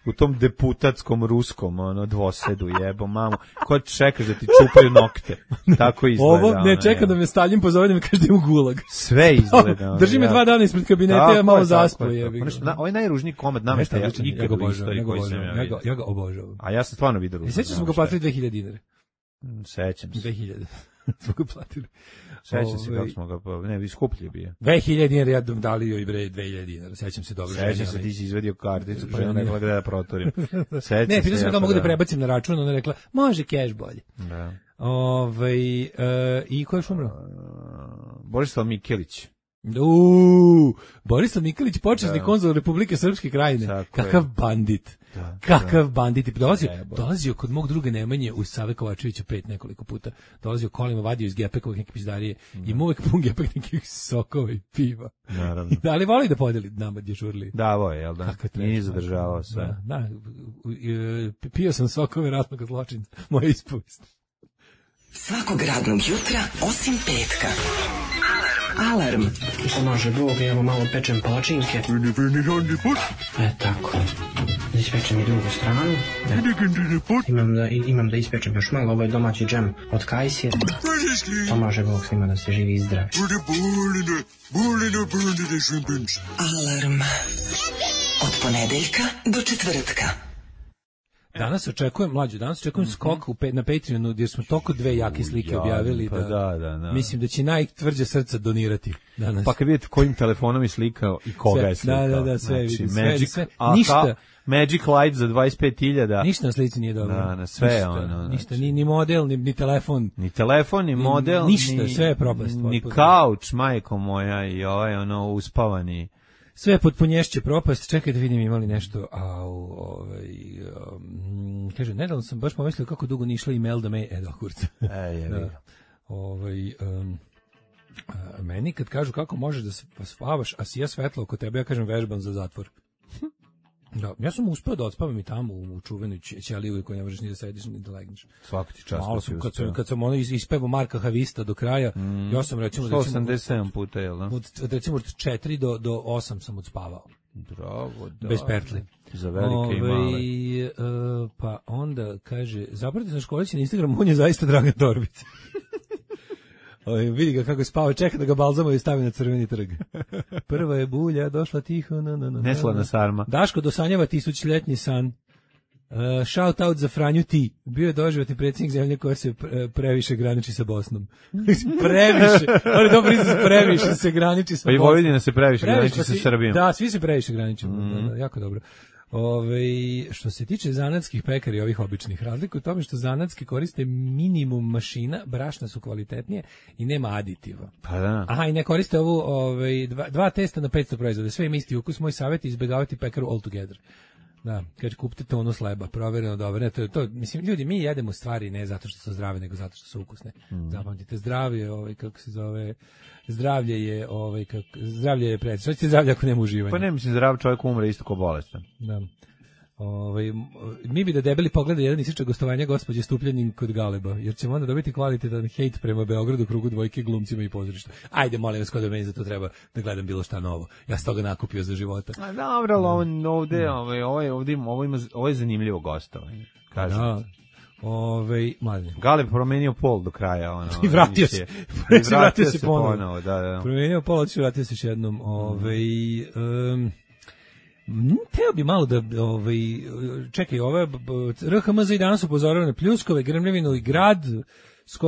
u tom deputatskom ruskom dvosedu, jebo mamu. Ko čekaš da ti čupaju nokte? Tako izgleda. Ovo ne čeka da me Stalin pozove da me kaže da imam gulag. Sve izgleda. Drži me 2 dana ispred kabineta, ja malo zaspo. Ovo je najružniji komad nameštaja ikad u istoriji koji sam ja vidio. Ja ga obožavam. A ja sam stvarno vidio ruski. Sećam se ga platili 2000 dinara. Sećam se. 2000. Smo ga platili. Sećam se kako smo ga, ne, skuplje bio. 2000 dinara, ja dali joj bre 2000 dinara, sećam se dobro. Sećam se, ti si izvedio karticu, pa je ona rekla da protorim. Ne, pitao sam ga mogu da prebacim na račun, ona rekla, može cash bolje. Da. I ko je umro? Borislav Mikelić. Borislav Nikolić, počasni konzul Republike Srpske Krajine. Kakav bandit. Kakav bandit. Dolazio kod mog druga Nemanje u Save Kovačevića 5 nekoliko puta. Dolazio kolima, vadio iz gepekovih neke pizdarije. Ima uvek pun gepek nekih sokova i piva. Naravno. Ali voli da podeli nama dježurli. Davo je, jel da? Nije zadržavao sve. Da. Pio sam sokove ratnog zločinca. Moja ispovest. Svakog radnog jutra, osim petka. Alarm. Pomaže Bog, evo malo pečem palačinke. Tako. Ispečem i drugu stranu. Imam da ispečem još malo, ovo je domaći džem od kajsije. Pomaže Bog svima da se živi i zdravi. Alarm. Od ponedeljka do četvrtka. Danas očekujem skok na Patreonu, jer smo toliko dve jake slike objavili da mislim da će najtvrđe srca donirati danas. Pa kad vidite kojim telefonom je slikao i koga je slikao. Da, sve vidi. Sve. Ništa. Magic Light za 25.000. Ništa na slici nije dobro. Da, sve ono. Ništa, ni model, ni telefon. Ni telefon, ni model. Ništa, sve je propast. Ni kauč, majko moja, i uspavani. Sve pod punješće propast. Čekaj da vidim imali nešto. Kaže, nedavno sam baš pomislio kako dugo nije išla email da me... kurca. Meni kad kažu kako možeš da se spavaš, a sija svetlo oko tebe, ja kažem vežbam za zatvor. Da, ja sam uspeo da odspavam i tamo u čuvenoj ćeliji koji ne možeš ni da sediš ni da legneš. Svaki ti čas. Malo sam, kad sam ispevao Marka Havista do kraja, ja sam recimo 187 puta, jel da? Recimo od 4 do 8 sam odspavao. Bravo, da. Bez pertli. Za velike i male. Pa onda kaže, zapratite na Školići na Instagram, on je zaista Dragan Torbica. Vidi ga kako spava, čeka da ga balzamo i stavi na Crveni trg. Prva je bulja, došla tiho. Neslana sarma. Daško dosanjava 1000-ljetni san. Shout out za Franju Ti. Bio je doživotni predsjednik zemlje koja se previše graniči sa Bosnom. Previše. On je dobro izraz, previše se graniči sa Bosnom. Pa i Vojvodina se previše graniči sa Srbijom. Da, svi se previše graničimo. Jako dobro. Što se tiče zanatskih pekara i ovih običnih, razlika u tome što zanatski koriste minimum mašina, brašna su kvalitetnije i nema aditiva. Pa da. Aha, i ne koriste ovu dva testa na 500 proizvoda. Sve ima isti ukus. Moj savjet je izbjegavati pekaru altogether. Da, kad kupite tonu sleba, provjereno dobro. Ne, to, mislim, ljudi, mi jedemo stvari ne zato što su zdrave, nego zato što su ukusne. Zapamtite, zdravlje, zdravlje je predsjedno. Što ćete zdravlje ako nema uživanja? Pa ne, mislim, zdrav čovjek umre isto ko bolestan. Da. Mi bi da debeli pogleda jedan isičak gostovanja gospođe Stupljanin kod Galeba, jer ćemo onda dobiti kvalitetan hejt prema Beogradu, krugu dvojke, glumcima i pozorišta. Ajde, molim vas, kod da meni za to treba da gledam bilo šta novo. Ja sam toga nakupio za života. A dobro, ovo je zanimljivo gostovanje. Kažem. Mladine. Galeb promenio pol do kraja. I vratio se. Vratio se ponovo. Da. Promenio pol, vratio se još jednom. Teo bi malo da, čekaj, RHMZ i danas upozorava na pljuskove, grmljevinu i grad.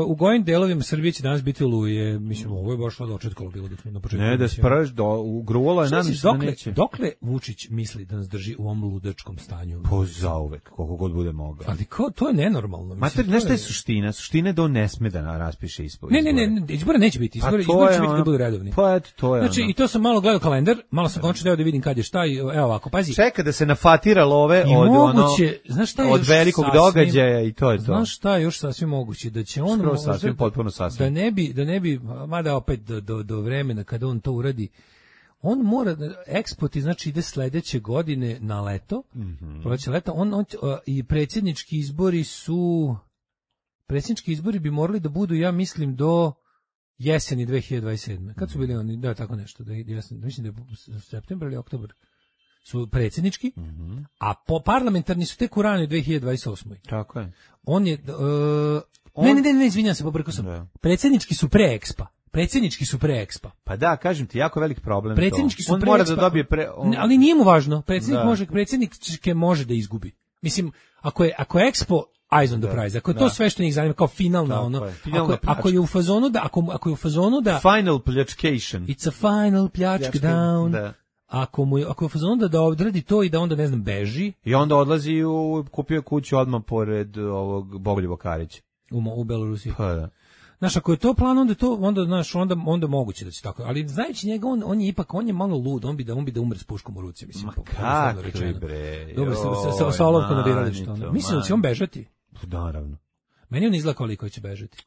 U gojim delovima Srbije će danas biti oluje. Mislim, ovo je baš dočetkalo bilo dok smo na početku. Ne, da spreš, ugruvala je nam da neće. Dokle Vučić misli da nas drži u ovom ludačkom stanju? Po zauvek, koliko god bude mogao. Ali to je nenormalno. Mater, znaš šta je suština? Suština je da on ne sme da raspiše izbore. Ne, izbora neće biti. Izbori će biti da budu redovni. Pa eto, to je znači, i to sam malo gledao kalendar, malo sam končno deo da vidim kad je šta i evo ovako, pazi. Čeka da se nafatira love od velikog događaja i to je to. Znaš šta je još sasvim moguće? Da će on potpuno sasvim. Da ne bi, mada opet do vremena kada on to uradi, on mora, ekspoti znači ide sledeće godine na leto, proleće leta, i predsjednički izbori bi morali da budu, ja mislim, do jeseni 2027. Kad su bili oni, da, tako nešto, mislim da je septembar ili oktobar su predsjednički, a parlamentarni su tek u ranoj 2028. Tako je. On je... Ne, izvinjam se, pobrkao sam. Predsjednički su pre Expa. Pa da, kažem ti, jako velik problem. Predsjednički su on mora da dobije ali nije mu važno. Predsjedničke može da izgubi. Mislim, ako je Expo eyes on the prize, ako je to sve što njih zanima kao finalna ako je u fazonu da final pljačcation. It's a final pljačk down. Da. Ako je u fazonu da odradi to i da onda, ne znam, beži. I onda odlazi kupio kuću odmah pored ovog Bogoljuba Karića. U Belorusiji. Pa da. Znaš, ako je to plan, onda moguće da će tako. Ali znajući njega, on je malo lud, on bi da umre s puškom u ruci, mislim. Ma kakvi bre. Dobro, sa olovkom na biralištu. Mislim da će on bežati. Naravno. Meni on izgleda koliko će bežati.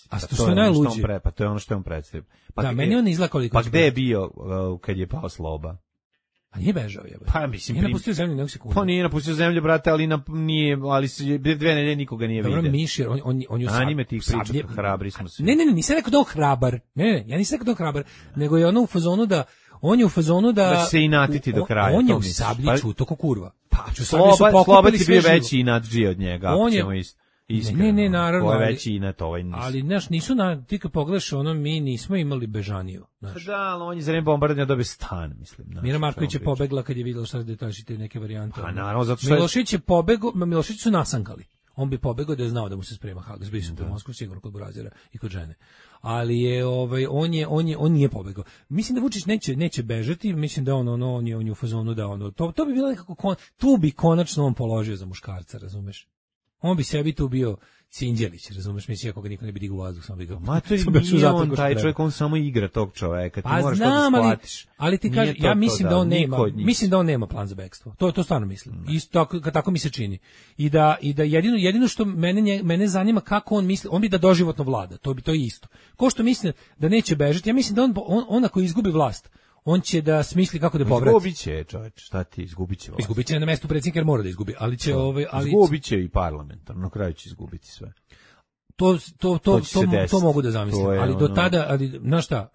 A što je najluđe? Pa to je ono što je on predstavio. Da, meni on izgleda koliko će bežati. Pa gde je bio kad je pao Sloba? A nije bežao, jebe. Pa mislim, nije napustio zemlju nego sekundu. Pa nije napustio zemlju, brate, ali ali 2 nedelje nikoga nije vidio. Dobro, Mišir, on je anime tih priča, hrabri smo se. Ne, nisam rekao da on hrabar. Ne, ja nisam rekao da on hrabar, nego je ono u fazonu da da se inatiti do kraja. On je u Sablji čuto ko kurva. Pa, Sloba ti bio veći inatđi od njega, ako ćemo isto. Iskreno. Ne, naravno. Ko je veći inet, ovaj nisu. Ali, znaš, nisu ti kad pogledaš, mi nismo imali Bežaniju. Znaš. Da, ali on je za vreme bombardovanja dobio stan, mislim. Znaš, Mira Marković je pobegla kad je vidjela šta da tražite neke varijante. Pa naravno, zato što Milošić je pobegao, Milošić su nasankali. On bi pobegao da je znao da mu se sprema Hagas, bili su u Moskvu sigurno kod Burazira i kod žene. Ali je on nije pobegao. Mislim da Vučić neće bežati, mislim da on je u fazonu da to bi bilo nekako tu bi konačno on položio za muškarca, razumeš? On bi sebi tu bio Sinđelić, razumeš, mislim, ako ga niko ne bi digao u vazduh, samo bi ga... Matori, nije on taj čovjek, on samo igra tog čoveka, ti moraš to da shvatiš. Ali ti kažeš, ja mislim da on nema plan za bekstvo, to stvarno mislim, isto tako mi se čini. I da jedino što mene zanima kako on misli, on bi da doživotno vlada, to je isto. Ko što misli da neće bežati, ja mislim da on ako izgubi vlast, on će da smisli kako da povrati. Izgubit će, čoveč, šta ti, izgubit će vlast. Izgubit će na mestu predsjednika jer mora da izgubi, ali će izgubit će i parlamentarno, na kraju će izgubiti sve. To mogu da zamislim, ali do tada, ali znaš šta,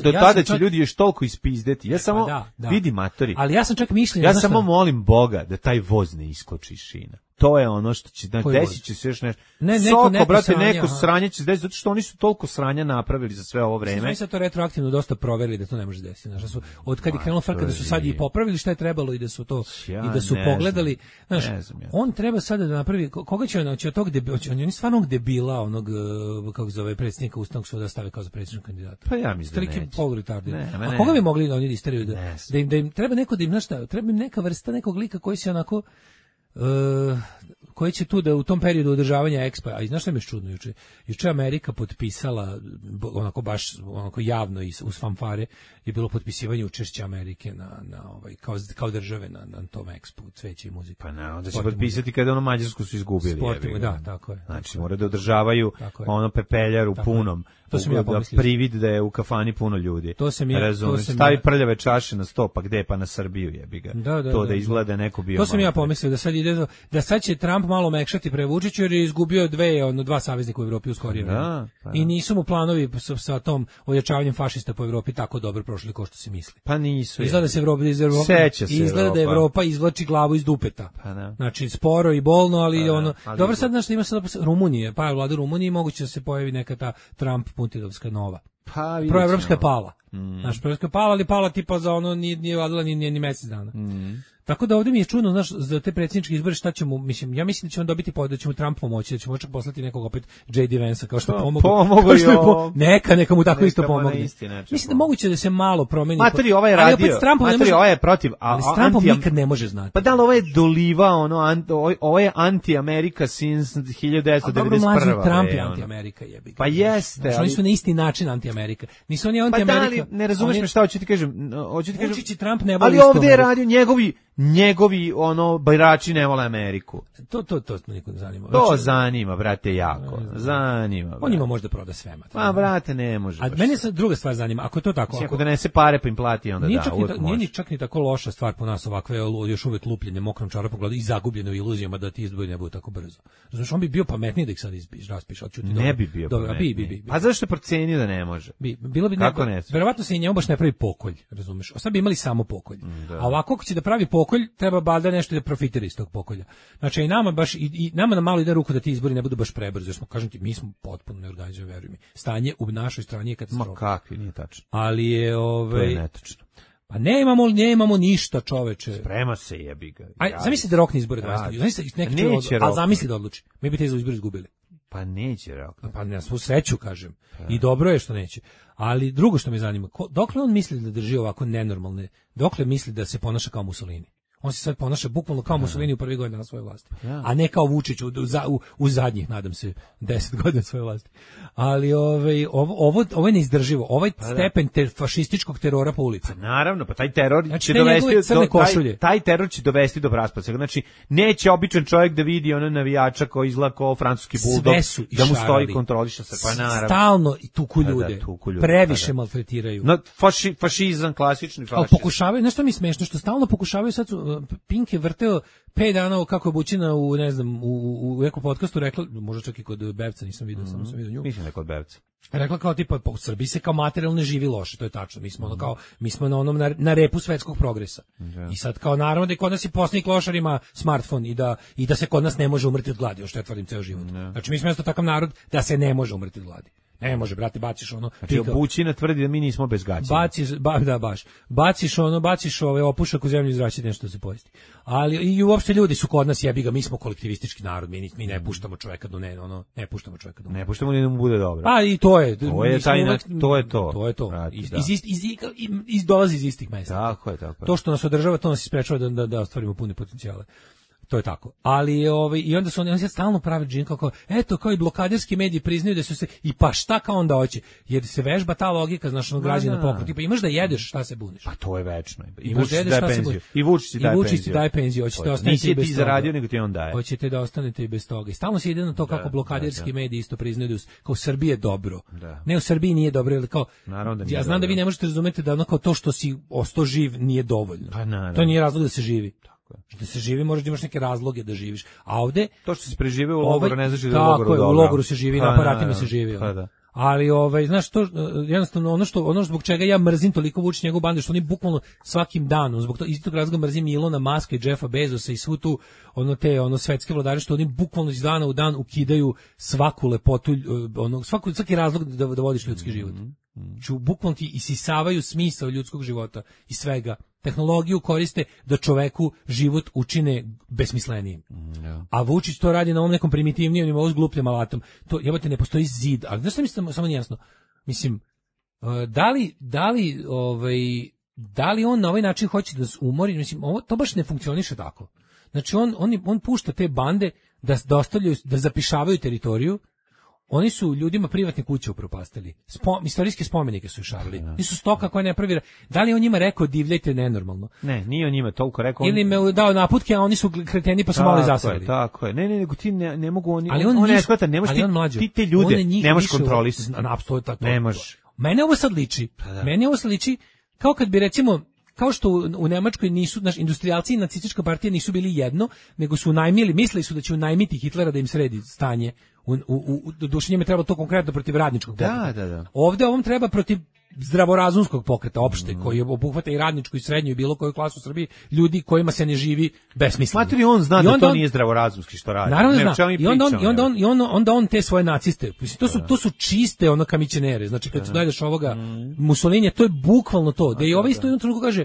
do tada će ljudi još toliko ispizdeti. Ja samo vidi matori. Ali ja sam čak mišljen, ja samo molim Boga da taj voz ne iskoči iz šina. To je ono što će desit će se još nešto. Neko sranje će se desiti, zato što oni su toliko sranja napravili za sve ovo vreme. Sve se to retroaktivno dosta proverili da to ne može desiti. Znaš, od kad je krenulo frka da su sad i popravili šta je trebalo i da su to i da su pogledali. Znaš, on treba sada da napravi, koga će on on je stvarno debila onog, kako zove, predsjednika Ustavnog suda stave kao za predsjedničkog kandidata. Pa ja mislim da neće. A koga bi mogli da oni isteraju da im treba neko da im, znaš šta, treba im neka vrsta nekog lika koji se onako koji će tu da u tom periodu održavanja Expo, a i znaš šta mi je čudno juče Amerika potpisala onako javno i uz fanfare je bilo potpisivanje učešća Amerike na kao države na tom Expo, cveće i muzika. Pa ne, onda će potpisati kada Mađarsku su izgubili. Da, tako je. Znači moraju da održavaju pepeljar u punom. To sam ja pomislio. Da privid da je u kafani puno ljudi. Stavi prljave čaše na sto, pa gde, pa na Srbiju jebi ga. Da izgleda neko bio. To sam ja pomislio da sad će Trump malo mekšati pre Vučića jer je izgubio dva saveznika u Evropi u skorije vreme. I nisu mu planovi sa tom ojačavanjem fašista po Evropi tako dobro prošli kao što se misli. Pa nisu. Izgleda da Evropa izvlači glavu iz dupeta. Znači sporo i bolno, ali dobro sad znaš ima sad Rumunije, pa vlada Rumunije moguće da se pojavi neka ta Trump Putinovska nova. Proevropska je pala. Naš proevropska je pala, ali pala tipa za nije vladala ni mjesec dana. Tako da ovdje mi je čudno, znaš, za te predsjedničke izbore šta ćemo, ja mislim da će on dobiti da će mu Trump pomoći, da ćemo čak poslati nekog opet J.D. Vansa kao što pomogao. Neka mu tako isto pomogne. Mislim da moguće da se malo promeni. Materi, ovaj je radio, ovaj je protiv, ali s Trumpom nikad ne može znati. Pa da li ovo je doliva, ovo je anti-Amerika since 1991. Dobro, mlađi Trump je anti-Amerika, jebi. Pa jeste. Oni su na isti način anti-Amerika. Nisu oni anti-Amerika. Pa da li, ne razumeš me šta hoću ti kažem. Vučić i Trump ne vole isto. Ali ovdje je radio njegovi birači ne vole Ameriku. To niko ne zanima. To zanima, brate, jako. Zanima. On ima možda proda sve. Pa, brate, ne može. A mene se druga stvar zanima, ako je to tako. Ako donese pare pa im plati, onda nije ni čak ni tako loša stvar po nas ovakve, još uvek lupljenje mokrom čarapom i zagubljeno u iluzijama da ti izbori ne budu tako brzo. Znači, on bi bio pametniji da ih sad raspiše. Ne bi bio pametniji. A zašto je procenio da ne može? Bilo bi kako ne? Verovatno se i njemu baš ne pravi pokolj, razumeš? Sad bi imali samo pokolj. A ovako ako će da pravi pokolj, treba bada nešto da profitira iz tog pokolja. Znači i nama baš i nama na malo ide ruku da ti izbori ne budu baš prebrzo, jer smo, kažem ti, mi smo potpuno neorganizovani, veruj mi. Stanje u našoj strani je katastrofa. Ma kakvi, nije tačno. Ali je to je netačno. Pa nemamo ništa, čoveče. Sprema se, jebi ga. Zamisli da rokne izbore 20. Zamisli a zamisli da odluči. Mi bi te izbori izgubili. Pa neće rokne. Pa na svu sreću, kažem. I dobro je što neće. Ali drugo što me zanima, dokle on misli da drži ovako nenormalne, dokle misli da se ponaša kao Mussolini? On se sad ponaša bukvalno kao Mussolini u prvi godina na svojoj vlasti. A ne kao Vučić u zadnjih, nadam se, 10 godina svoje vlasti. Ali ovo je neizdrživo. Ovaj stepen fašističkog terora po ulicama. Pa naravno, pa taj teror će dovesti taj teror će dovesti do raspada. Znači, neće običan čovjek da vidi ono navijača koji izgleda kao francuski buldog, da mu stoji kontroliše se. Pa naravno. Stalno tuku ljude. Previše maltretiraju. Fašizam, klasični fašizam. Ali pokušavaju, nešto mi smešno, što stalno pokušavaju sad Pink je vrteo 5 dana kako je Bućina u, ne znam, u nekom podcastu rekla, možda čak i kod Bevca, nisam vidio, samo sam vidio nju. Mislim da kod Bevca. Rekla kao tipa, u Srbiji se kao materijalno živi loše, to je tačno. Mi smo ono kao, mi smo na onom na repu svetskog progresa. I sad kao naravno da je kod nas i poslednji klošar ima smartfon i da se kod nas ne može umrti od gladi, što ja tvrdim ceo život. Znači mi smo isto takav narod da se ne može umrti od gladi. Ne može, brate, baciš ono. Znači, Bućina tvrdi da mi nismo bez gaća. Baciš opušak u zemlju i izraći nešto da se pojesti. Ali i uopšte ljudi su kod nas, jebi ga, mi smo kolektivistički narod, mi ne puštamo čoveka do ne puštamo čoveka do. Ne puštamo ni da mu bude dobro. Pa i to je. To je to. To je to. Dolazi iz istih mesta. Tako je. To što nas održava, to nas isprečava da ostvarimo pune potencijale. To je tako. Ali i onda su oni stalno prave džin kako eto kao i blokaderski mediji priznaju da su se i pa šta kao onda hoće jer se vežba ta logika znaš ono građana pokret. Pa imaš da jedeš, šta se buniš? Pa to je večno. I Vučić daje penziju. I Vučić daje penziju. Hoćete ostaniti bez toga. Ti zaradio nego ti on daje. Hoćete da ostanete i bez toga. I stalno se ide na to kako blokaderski mediji isto priznaju da kao Srbija je dobro. Ne, u Srbiji nije dobro, ili kao ja znam da vi ne možete razumeti da ono kao to što si ostao živ nije dovoljno. To nije razlog da se živi. Da se živi, možeš da imaš neke razloge da živiš. A ovde to što se prežive u logoru ne znači da je u logoru dobro. Tako je, u logoru se živi, na aparatima se živi. Ali znaš to jednostavno ono zbog čega ja mrzim toliko Vučić njegovu bandu, što oni bukvalno svakim danom zbog toga iz tog razloga mrzim Ilona Maska i Jeffa Bezosa i svu tu te svetske vladare što oni bukvalno iz dana u dan ukidaju svaku lepotu, svaki razlog da vodiš ljudski život. Bukvalno ti isisavaju smisao ljudskog života i svega. Tehnologiju koriste da čoveku život učine besmislenijim. A Vučić to radi na ovom nekom primitivnijem nivou s glupljim alatom. To jebote ne postoji zid, ali znaš što mislim samo nejasno. Mislim da li on na ovaj način hoće da se umori, mislim to baš ne funkcioniše tako. Znači on pušta te bande da ostavljaju, da zapišavaju teritoriju. Oni su ljudima privatne kuće upropastili. Istorijske spomenike su išarili. Nisu stoka koja ne pravi. Da li on njima rekao divljajte nenormalno? Ne, nije on njima toliko rekao. Ili me dao naputke, a oni su kreteni pa su malo zasrali. Tako je. Ne, nego ti ne mogu oni. Ali on ne shvata, ne možeš ti te ljude, ne možeš kontrolisati. Apsolutno. Ne možeš. Mene ovo sad liči kao kad bi recimo kao što u Nemačkoj nisu, industrijalci i nacistička partija nisu bili jedno, nego su unajmili, mislili su da će unajmiti Hitlera da im sredi stanje. Duše njima treba to konkretno protiv radničkog pokreta. Da. Ovde ovom treba protiv zdravorazumskog pokreta opšte, koji obuhvata i radničku i srednju i bilo koju klasu u Srbiji, ljudi kojima se ne živi besmisleno. Matri, on zna da to nije zdravorazumski što radi. Naravno zna. I on te svoje naciste, to su čiste kamićenere. Znači kad gledaš ovoga Mussolinija, to je bukvalno to. Da i ovaj isto jednom trenutku kaže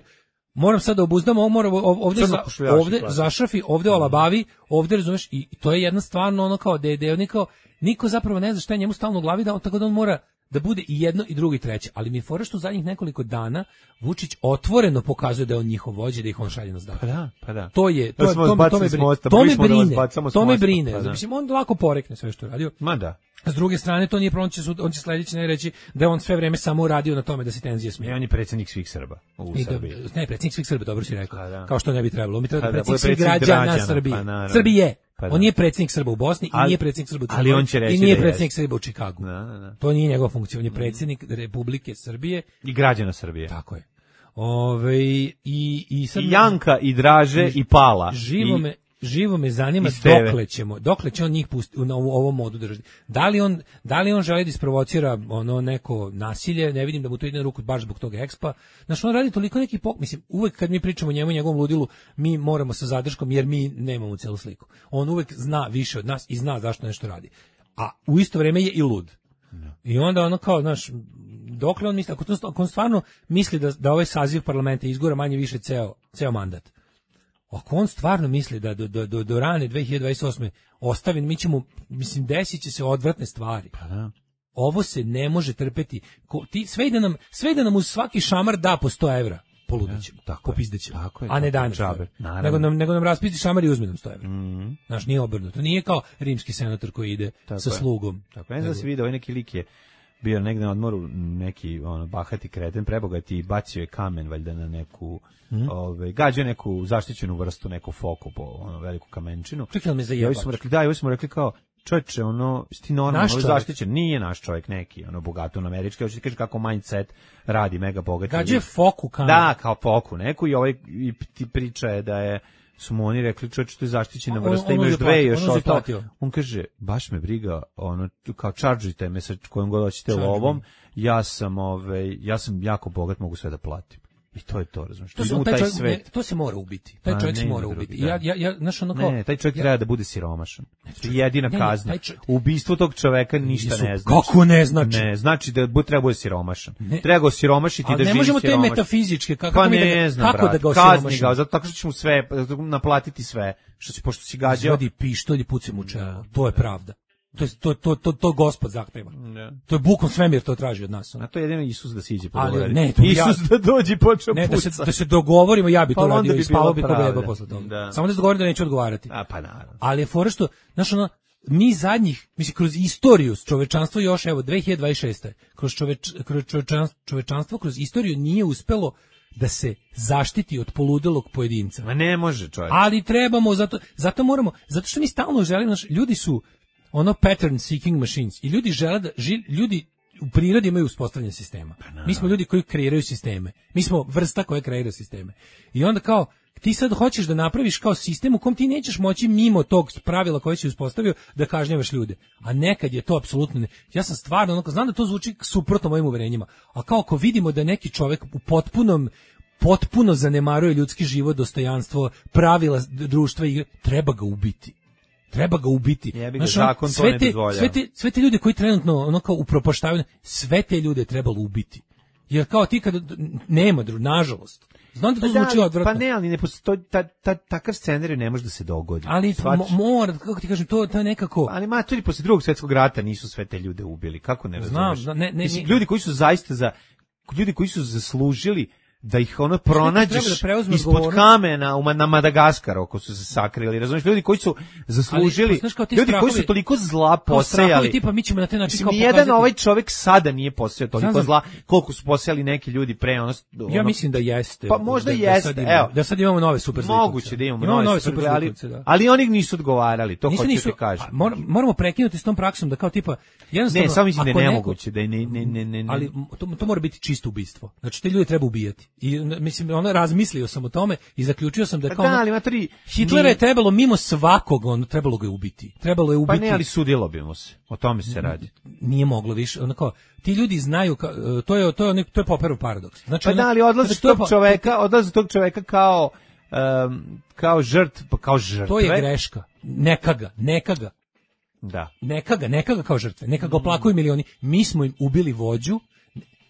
moram sad da obuzdam, ovde zašrafi, ovde olabavi, ovde razumeš, i to je jedna stvarno kao da je niko zapravo ne zna šta je njemu stalno u glavi, tako da on mora da bude i jedno i drugo i treće, ali mi je fora što u zadnjih nekoliko dana Vučić otvoreno pokazuje da je on njihov vođa, da ih on šalje na zdak. Pa da. To me brine. Mislim, on lako porekne sve što je radio. Ma da. S druge strane, to nije problem, on će sledeći ne reći da je on sve vreme samo radio na tome da se tenzije smije. On je predsjednik svih Srba u Srbiji. Ne, predsjednik svih Srba, dobro si rekao. Kao što ne bi trebalo. Mi treba predsjednik svih građana Srbije. Srbije. On nije predsjednik Srba u Bosni i nije predsjednik Srba u Crnoj Gori i nije predsjednik Srba u Čikagu. To nije njegova funkcija, on je predsjednik Republike Srbije i građana Srbije. Tako je. I sad i Janka i Draže i Pala. Živo me zanima dokle će on njih pustiti u ovom modu držati. Da li on želi da isprovocira neko nasilje, ne vidim da mu to ide na ruku baš zbog tog ekspa. Znači on radi toliko neki mislim, uvek kad mi pričamo o njemu i njegovom ludilu, mi moramo sa zadrškom jer mi nemamo celu sliku. On uvek zna više od nas i zna zašto nešto radi. A u isto vrijeme je i lud. I onda kao, dokle on misli, ako on stvarno misli da ovaj saziv parlamenta izgura manje više ceo mandat, ako on stvarno misli da do rane 2028. ostavi, mi ćemo, desit će se odvratne stvari. Pa da. Ovo se ne može trpeti. Sve da nam uz svaki šamar da po 100 evra, poludećemo, popizdećemo. A ne dajem džabe. Nego nam raspisti šamar i uzme nam 100 evra. Znaš, nije obrnuto. Nije kao rimski senator koji ide sa slugom. Tako, ne znam da se vidio, ovaj neki lik je bio negde na odmoru, neki bahati kreten, prebogati, i bacio je kamen valjda na neku, gađao neku zaštićenu vrstu, neku foku po veliku kamenčinu. Čekaj, me zajebaš. I ovi smo rekli kao, čovječe, ono, ti normalno, Naš ono čovjek. zaštićen, nije naš čovjek neki, ono, bogato na američki, hoće ti kaže kako mindset radi mega bogat. Gađe foku kameru. Da, kao foku neku i ovaj, i ti priča je da su mu oni rekli, čovječe, to je zaštićena vrsta, imaš dve i još ostalo. On kaže, baš me briga, ono, kao čaržite me sa kojom god hoćete lovom, ja sam jako bogat, mogu sve da platim. I to je to, razumiješ. To se mora ubiti. Taj čovjek se mora ubiti. Ja, znaš, ono kao... Ne, taj čovjek treba da bude siromašan. Jedina kazna. Ubistvo tog čoveka ništa ne znači. Kako ne znači? Ne, znači da treba bude siromašan. Treba ga osiromašiti da živi siromašan. Ali ne možemo te metafizičke, kako da ga kazni osiromašimo? ga, zato tako što ćemo sve, naplatiti sve, pošto si gađao. Izvadi pištolj i puci mu čelo. To je pravda. To Gospod zahteva. To je bukom svemir to traži od nas. A to je jedino Isus da siđe po Isus da dođe i počeo puca. Da se dogovorimo, ja bi to radio i spavao bi ko beba posle toga. Samo da se dogovorim da neću odgovarati. Pa naravno. Ali je fora što, znaš, ono, mi zadnjih, mislim, kroz istoriju čovečanstvo još, evo, 2026. Kroz čovečanstvo, kroz istoriju nije uspelo da se zaštiti od poludelog pojedinca. Ma ne može, čovjek. Ali trebamo, zato moramo, zato što mi stalno želimo, znaš, ljudi su ono pattern seeking machines i ljudi žele da ljudi u prirodi imaju uspostavljanje sistema. Mi smo ljudi koji kreiraju sisteme. Mi smo vrsta koja kreira sisteme. I onda kao ti sad hoćeš da napraviš kao sistem u kom ti nećeš moći mimo tog pravila koje si uspostavio da kažnjavaš ljude. A nekad je to apsolutno ne. Ja sam stvarno, ono, znam da to zvuči suprotno mojim uverenjima, a kao ako vidimo da neki čovjek u potpuno zanemaruje ljudski život, dostojanstvo, pravila društva i treba ga ubiti. Treba ga ubiti. Znaš, zakon to ne dozvoljava. Sve te ljude koji trenutno ono kao upropaštavaju, sve te ljude trebalo ubiti. Jer kao ti kad nema, nažalost. Znam da to zvuči odvratno. Pa ne, ali ne postoji, takav scenarij ne može da se dogodi. Ali mora, kako ti kažem, to je nekako... Ali maturi, posle Drugog svjetskog rata nisu sve te ljude ubili. Kako ne razumeš? Znam, mislim, ljudi koji su zaista ljudi koji su zaslužili da ih ono pronađeš ispod kamena na Madagaskaru ako su se sakrili, razumiješ, ljudi koji su zaslužili, ljudi koji su toliko zla posejali, tipa mi ćemo na taj način kao pokazati. Nijedan ovaj čovjek sada nije posejao toliko zla koliko su posejali neki ljudi pre ono. Ja mislim da jeste. Pa možda jeste, evo. Da sad imamo nove super zlikovce. Moguće da imamo nove super zlikovce, ali oni nisu odgovarali, to hoću ti kažem. Moramo prekinuti s tom praksom da kao tipa jednostavno. Ne, samo mislim da je nemoguće, da ne. Ali to mora biti čisto ubistvo. Znači te ljude treba ubijati. I mislim, razmislio sam o tome i zaključio sam da kao Hitlera je trebalo mimo svakog, trebalo ga je ubiti. Trebalo je ubiti. Pa ne, ali sudilo bi mu se. O tome se radi. Nije moglo više. Ti ljudi znaju, to je Popperov paradoks. Znači, pa da, ali odlazi tog čoveka kao žrtva. To je greška. Neka ga. Da. Neka ga kao žrtve. Neka ga oplakuju milioni. Mi smo im ubili vođu.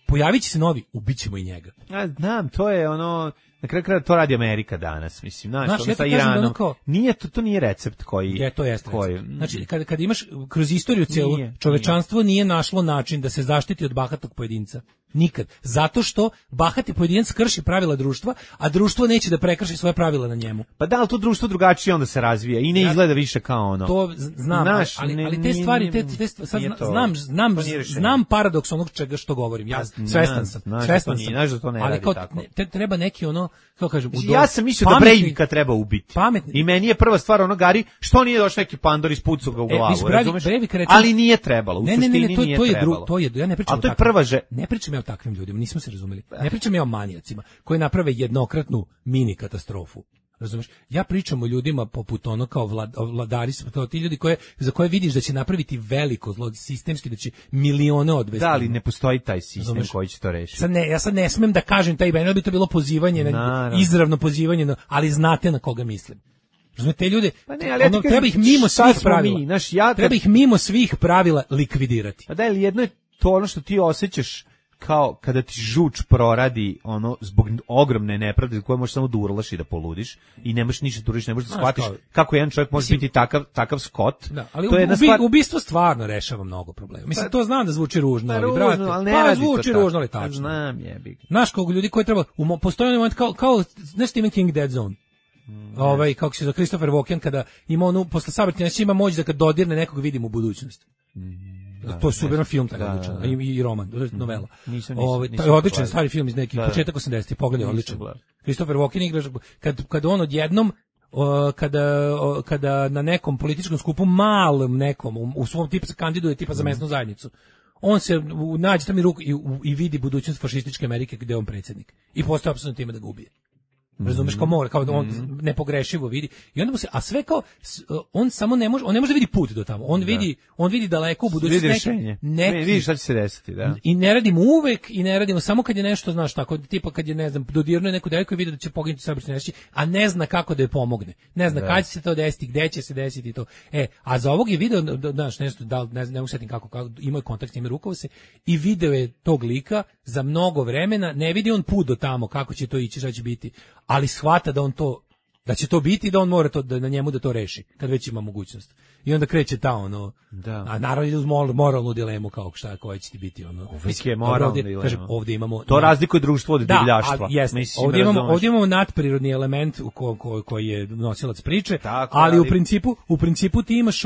Pojavit će se novi, ubićemo i njega. Ja znam, to je ono, na kraju kraja to radi Amerika danas, mislim, znaš, ono sa Iranom. Nije to nije recept koji... To jeste recept. Znači, kad imaš kroz istoriju cijelu, čovečanstvo nije našlo način da se zaštiti od bahatog pojedinca. Nikad. Zato što bahati pojedinac krši pravila društva, a društvo neće da prekrši svoje pravila na njemu. Pa da, ali to društvo drugačije onda se razvija i ne izgleda više kao ono. To znam, ali te stvari, znam paradoks onog čega što govorim. Ja svestan sam. Znaš da to ne radi tako. Ali treba neki ono, kako kažem, ja sam mislio da Breivika treba ubiti. I meni je prva stvar ono, Gari, što nije došao neki pandor iz pucu ga u glavu, razumeš? Ali nije trebalo, u suštini nije trebalo. Ja ne pričam o takvim. Ne pričam ja o takvim ljudima, nismo se razumeli. Ne pričam ja o manijacima koji naprave jednokratnu mini katastrofu. Razumeš? Ja pričam o ljudima poput ono kao vladari, ti ljudi za koje vidiš da će napraviti veliko zlo, sistemski, da će milione odvesti. Da, ali ne postoji taj sistem koji će to rešiti. Ja sad ne smem da kažem taj ben, bi to bilo pozivanje, izravno pozivanje, ali znate na koga mislim. Razumete, te ljude, treba ih mimo svih pravila. Treba ih mimo svih pravila likvidirati. Pa da, ali jedno je to ono što ti osjećaš kao kada ti žuč proradi ono zbog ogromne nepravde koje možeš samo da urlaš i da poludiš i ne možeš ništa da uradiš, ne možeš da shvatiš kako jedan čovjek može biti takav skot. Da, ali ubistvo stvarno rešava mnogo problema. Mislim, to znam da zvuči ružno, ali brate, zvuči ružno, ali tačno. Znam, jebi. Znaš koliko ljudi koji treba, postoji onaj moment kao ne Stephen King Dead Zone. Kako se zove Christopher Walken kada ima onu posle sabrati ima moć da kad dodirne nekog vidim u budućnosti. To je super film, i roman, novela. To je odličan stari film iz nekih početak 80-ih, pogledaj, odličan. Christopher Walken igra, kad on odjednom kada na nekom političkom skupu malom nekom u svom tipu se kandiduje tipa za mesnu zajednicu, on se nađe tamo i vidi budućnost fašističke Amerike gde je on predsjednik i postoje apsolutno time da ga ubije. Razumeš, kao mora, kao on nepogrešivo vidi i onda mu se, a sve kao on samo ne može da vidi put do tamo. On vidi daleko u budućnosti neki vidi šta će se desiti, da. I ne radimo uvek i ne radimo samo kad je nešto, znaš, tako tipa kad je, ne znam, dodirnuo neku devojku i vidi da će poginuti saobraćajna nesreća, a ne zna kako da je pomogne. Ne zna kad će se to desiti, gde će se desiti to. A za ovog je video, znaš, nešto ne usetim kako imao kontakt s njime, rukovao se i video je tog lika za mnogo vremena, ne vidi on put do tamo, kako će to ići, šta će biti, ali shvata da će to biti i da on mora to da na njemu da to reši kad već ima mogućnost. I onda kreće ta a naravno ide uz moralnu dilemu kao šta koja će ti biti Uvijek je moralna dilema. Kažem, ovdje imamo to razlikuje društvo od divljaštva. Ovdje imamo nadprirodni element koji je nosilac priče, tako, ali u principu ti imaš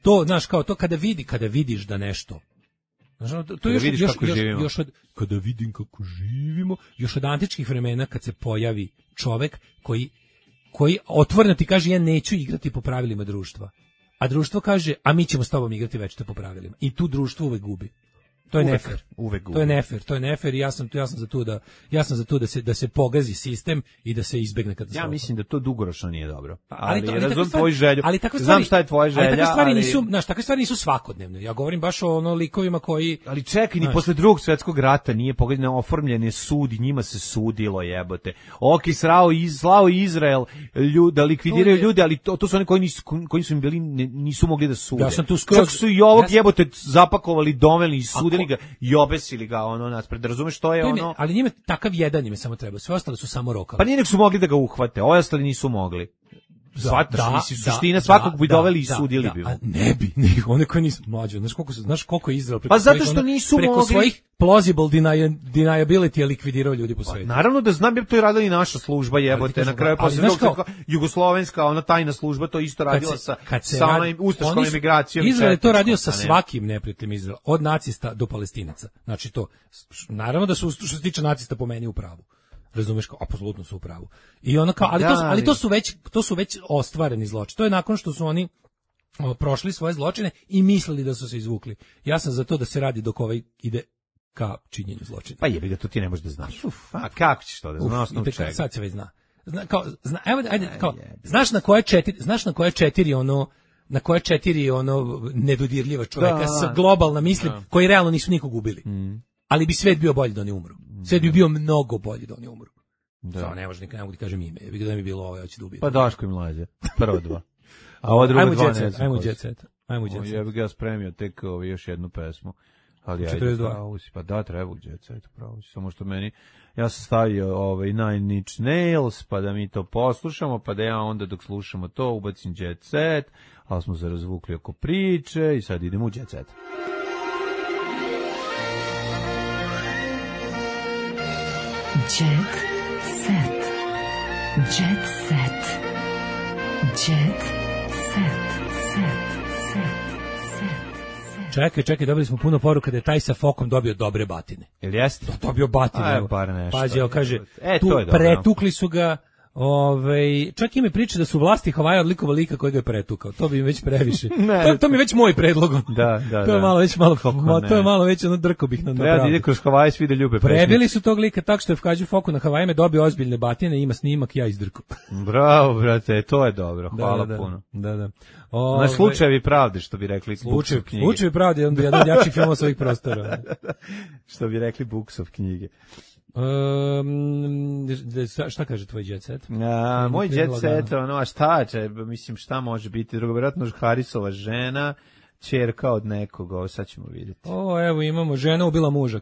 to, znaš, kao to kada vidiš da nešto. To je kada vidim kako živimo, još od antičkih vremena kad se pojavi čovek koji otvoreno ti kaže ja neću igrati po pravilima društva, a društvo kaže a mi ćemo s tobom igrati večito po pravilima, i tu društvo uvek gubi. To je nefer. To je nefer i ja sam za to da se pogazi sistem i da se izbegne katastrofa. Ja mislim da to dugoročno nije dobro. Ali razumem tvoju želju. Znam šta je tvoja želja, takve stvari nisu svakodnevne. Ja govorim baš o likovima koji. Ali čekaj, ni posle Drugog svjetskog rata nije pogađeno, oformljen je sud i njima se sudilo, jebote. Slao Izrael da likvidiraju ljude, ali to su oni koji su im bili nisu mogli da sude. Čak su i ovog jebote zapakovali, doveli i sudili ga i obesili ga naspred. Razumeš što je ali njime takav jedan im samo treba. Sve ostalo su samo rokali. Pa nije nek su mogli da ga uhvate, ovi ostali nisu mogli. Suština svakog bi doveli i sudili bi. Ne bi, one koji nisu mlađe. Znaš koliko je Izrael preko zato što nisu preko svojih plausible deniability je likvidirao ljudi po svijetu. Naravno da znam, to je radila i naša služba, jebote. Na kraju posle jugoslovenska tajna služba to isto radila sa ustaškom emigracijom. Izrael je to radio sa svakim neprijateljem Izraela, od nacista do Palestinaca. Znači to, naravno da su što se tiče nacista po meni u pravu. Razumeš, kao apsolutno su u pravu. I ono kao, ali to su već ostvareni zločini. To je nakon što su oni prošli svoje zločine i mislili da su se izvukli. Ja sam za to da se radi dok ovaj ide ka činjenju zločina. Pa jebi ga, to ti ne možeš da znaš. A kako ćeš to da znaš? Sad se već zna. Znaš na koje četiri nedodirljiva čoveka sa globalna mislim koji realno nisu nikog ubili. Ali bi svet bio bolji da oni umru. Svet bi bio mnogo bolji da oni umru. Samo ne može, ne mogu ti kažem ime. Bi da mi bilo ovo, ja ću da ubijem. Pa Daško i Mlađe. Prvo dva. A ovo drugo dva ne znam. Ajmo jet set. Ja bih ga spremio tek još jednu pesmu. Ali ajde, pravo si. Pa da, treba jet set, pravo si. Samo što meni, ja sam stavio Nine Inch Nails, pa da mi to poslušamo, pa da ja onda dok slušamo to ubacim jet set, ali smo se razvukli oko priče i sad idemo u jet set. Jet set. Jet set. Jet set. Čekaj, dobili smo puno poruka da je taj sa fokom dobio dobre batine. Jel jeste? Dobio batine. Bar nešto. Pađe, kaže, tu pretukli su ga. Čak im je priča da su vlasti Havaja odlikova lika koji ga je pretukao. To bi im već previše. To mi je već moj predlog. Da. To je malo već drko bih na pravdu. Ide kroz Havaje, svi da ljube pesmice. Prebili su tog lika tako što je Fkađu Foku na Havajima dobio ozbiljne batine, ima snimak, ja izdrko. Bravo, brate, to je dobro. Hvala puno. Da. Na slučajevi pravde, što bi rekli Buksov knjige. Slučajevi pravde, on bi jedan od jačih filmova svojih prostora. Što bi rekli Buksov knjige. Šta kaže tvoj jet set? Moj jet set, a šta će, mislim šta može biti drugo, vjerojatno Harisova žena, ćerka od nekog, sad ćemo vidjeti. Evo imamo, žena ubila muža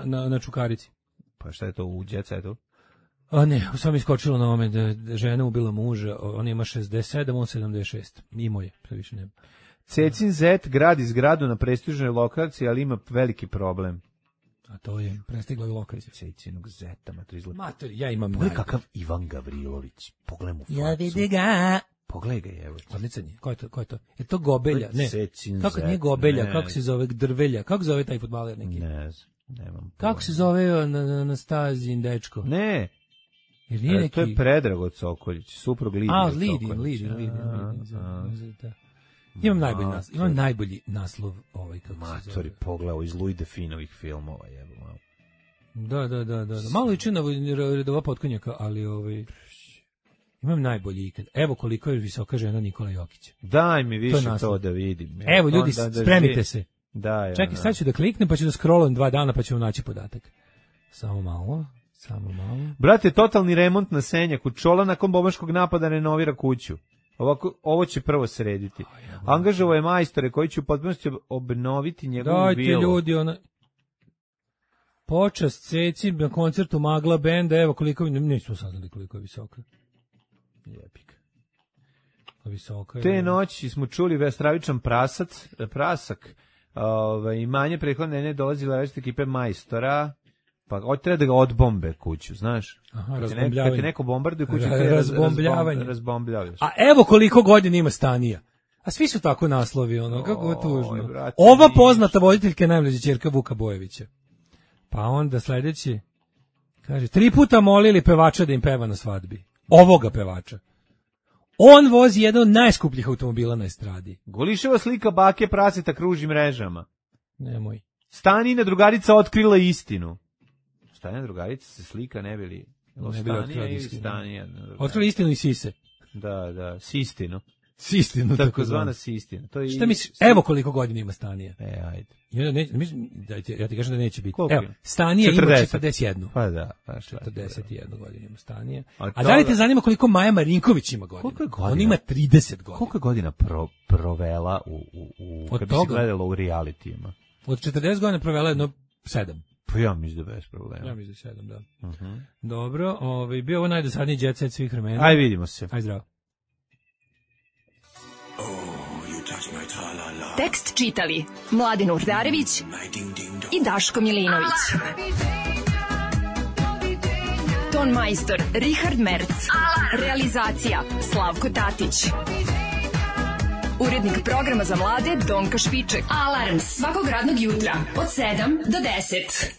na Čukarici. Pa šta je to u jet setu? Ne, sam iskočilo na ovome da žena ubila muža, on ima 67, on 76, imao je, sve više nema. Cecin zet gradi zgradu na prestižnoj lokaciji, ali ima veliki problem. A to je prestigla i lokalizacija. Cecinog zeta, mater, ja imam. Pogledaj kakav Ivan Gavrilović. Pogledaj mu facu. Ja vidi ga. Pogledaj ga, evo. Odličan je. Ko je to? Je to Gobelja? Ne. Kako nije Gobelja? Kako se zove Drvelja? Kako zove taj fudbaler neki? Ne znam. Nemam. Kako se zove na stazi dečko? Ne. Jer nije neki... To je Predrago Cokoljić, suprug Lidija Cokoljić. Imam najbolji naslov ovaj kako se zove. Pogledao iz Louis Definovih filmova, jebote. Da. Malo liči na Redova potkonjaka, ali imam najbolji ikad. Evo koliko je visoka žena Nikola Jokića. Daj mi više to da vidim. Evo ljudi, spremite se. Da. Čekaj, sad ću da kliknem, pa ću da scrollujem 2 dana, pa ćemo naći podatak. Samo malo. Brate, totalni remont na Senjaku. Čola nakon bombaškog napada renovira kuću. Ovo će prvo srediti. Angažovao je majstore koji će u potpunosti obnoviti njegovu vilu. Dajte ljudi, počast Ceci na koncertu Magla benda, evo koliko, nismo saznali koliko je visoka. Jepik. Visoka je. Te noći smo čuli stravičan prasak. Imanje prethodne ne dolazila različite ekipe majstora. Pa hoće treba da ga odbombe kuću, znaš? Aha, kad te neko bombarduje kuću, razbombljavaš. A evo koliko godina ima Stanija. A svi su tako naslovi, kako je tužno. Brate, ova poznata voditeljka je najmlađa ćerka Vuka Bojevića. Pa onda sledeći, kaže, 3 puta molili pevača da im peva na svadbi. Ovoga pevača. On vozi jedan od najskupljih automobila na estradi. Goliševa slika bake praseta kruži mrežama. Nemoj. Stanina drugarica otkrila istinu. Stanina drugarica se slika ne bili otkrila istinu. Otkrila istinu i sise. Da, sistinu. Sistinu, tako zvana sistina. To je šta misliš? Evo koliko godina ima Stanija. Ajde. Ja ti kažem da neće biti. Koliko? Evo, Stanija ima 41. Pa da. 41 godina ima Stanija. A da li te zanima koliko Maja Marinković ima godina? Koliko je godina? On ima 30 godina. Koliko je godina provela kad bi se gledala u realitijima? Od 40 godina provela jedno 7. Pa ja mislim da bez problema. Ja mislim da 7, da. Dobro, bio ovo najdosadniji jet set svih vremena. Aj, vidimo se. Aj, zdravo. Tekst čitali Mladin Urdarević i Daško Milinović. Ton majstor Richard Merc. Realizacija Slavko Tatić. Urednik programa za mlade Donka Špiček. Alarms svakog radnog jutra od 7 do 10.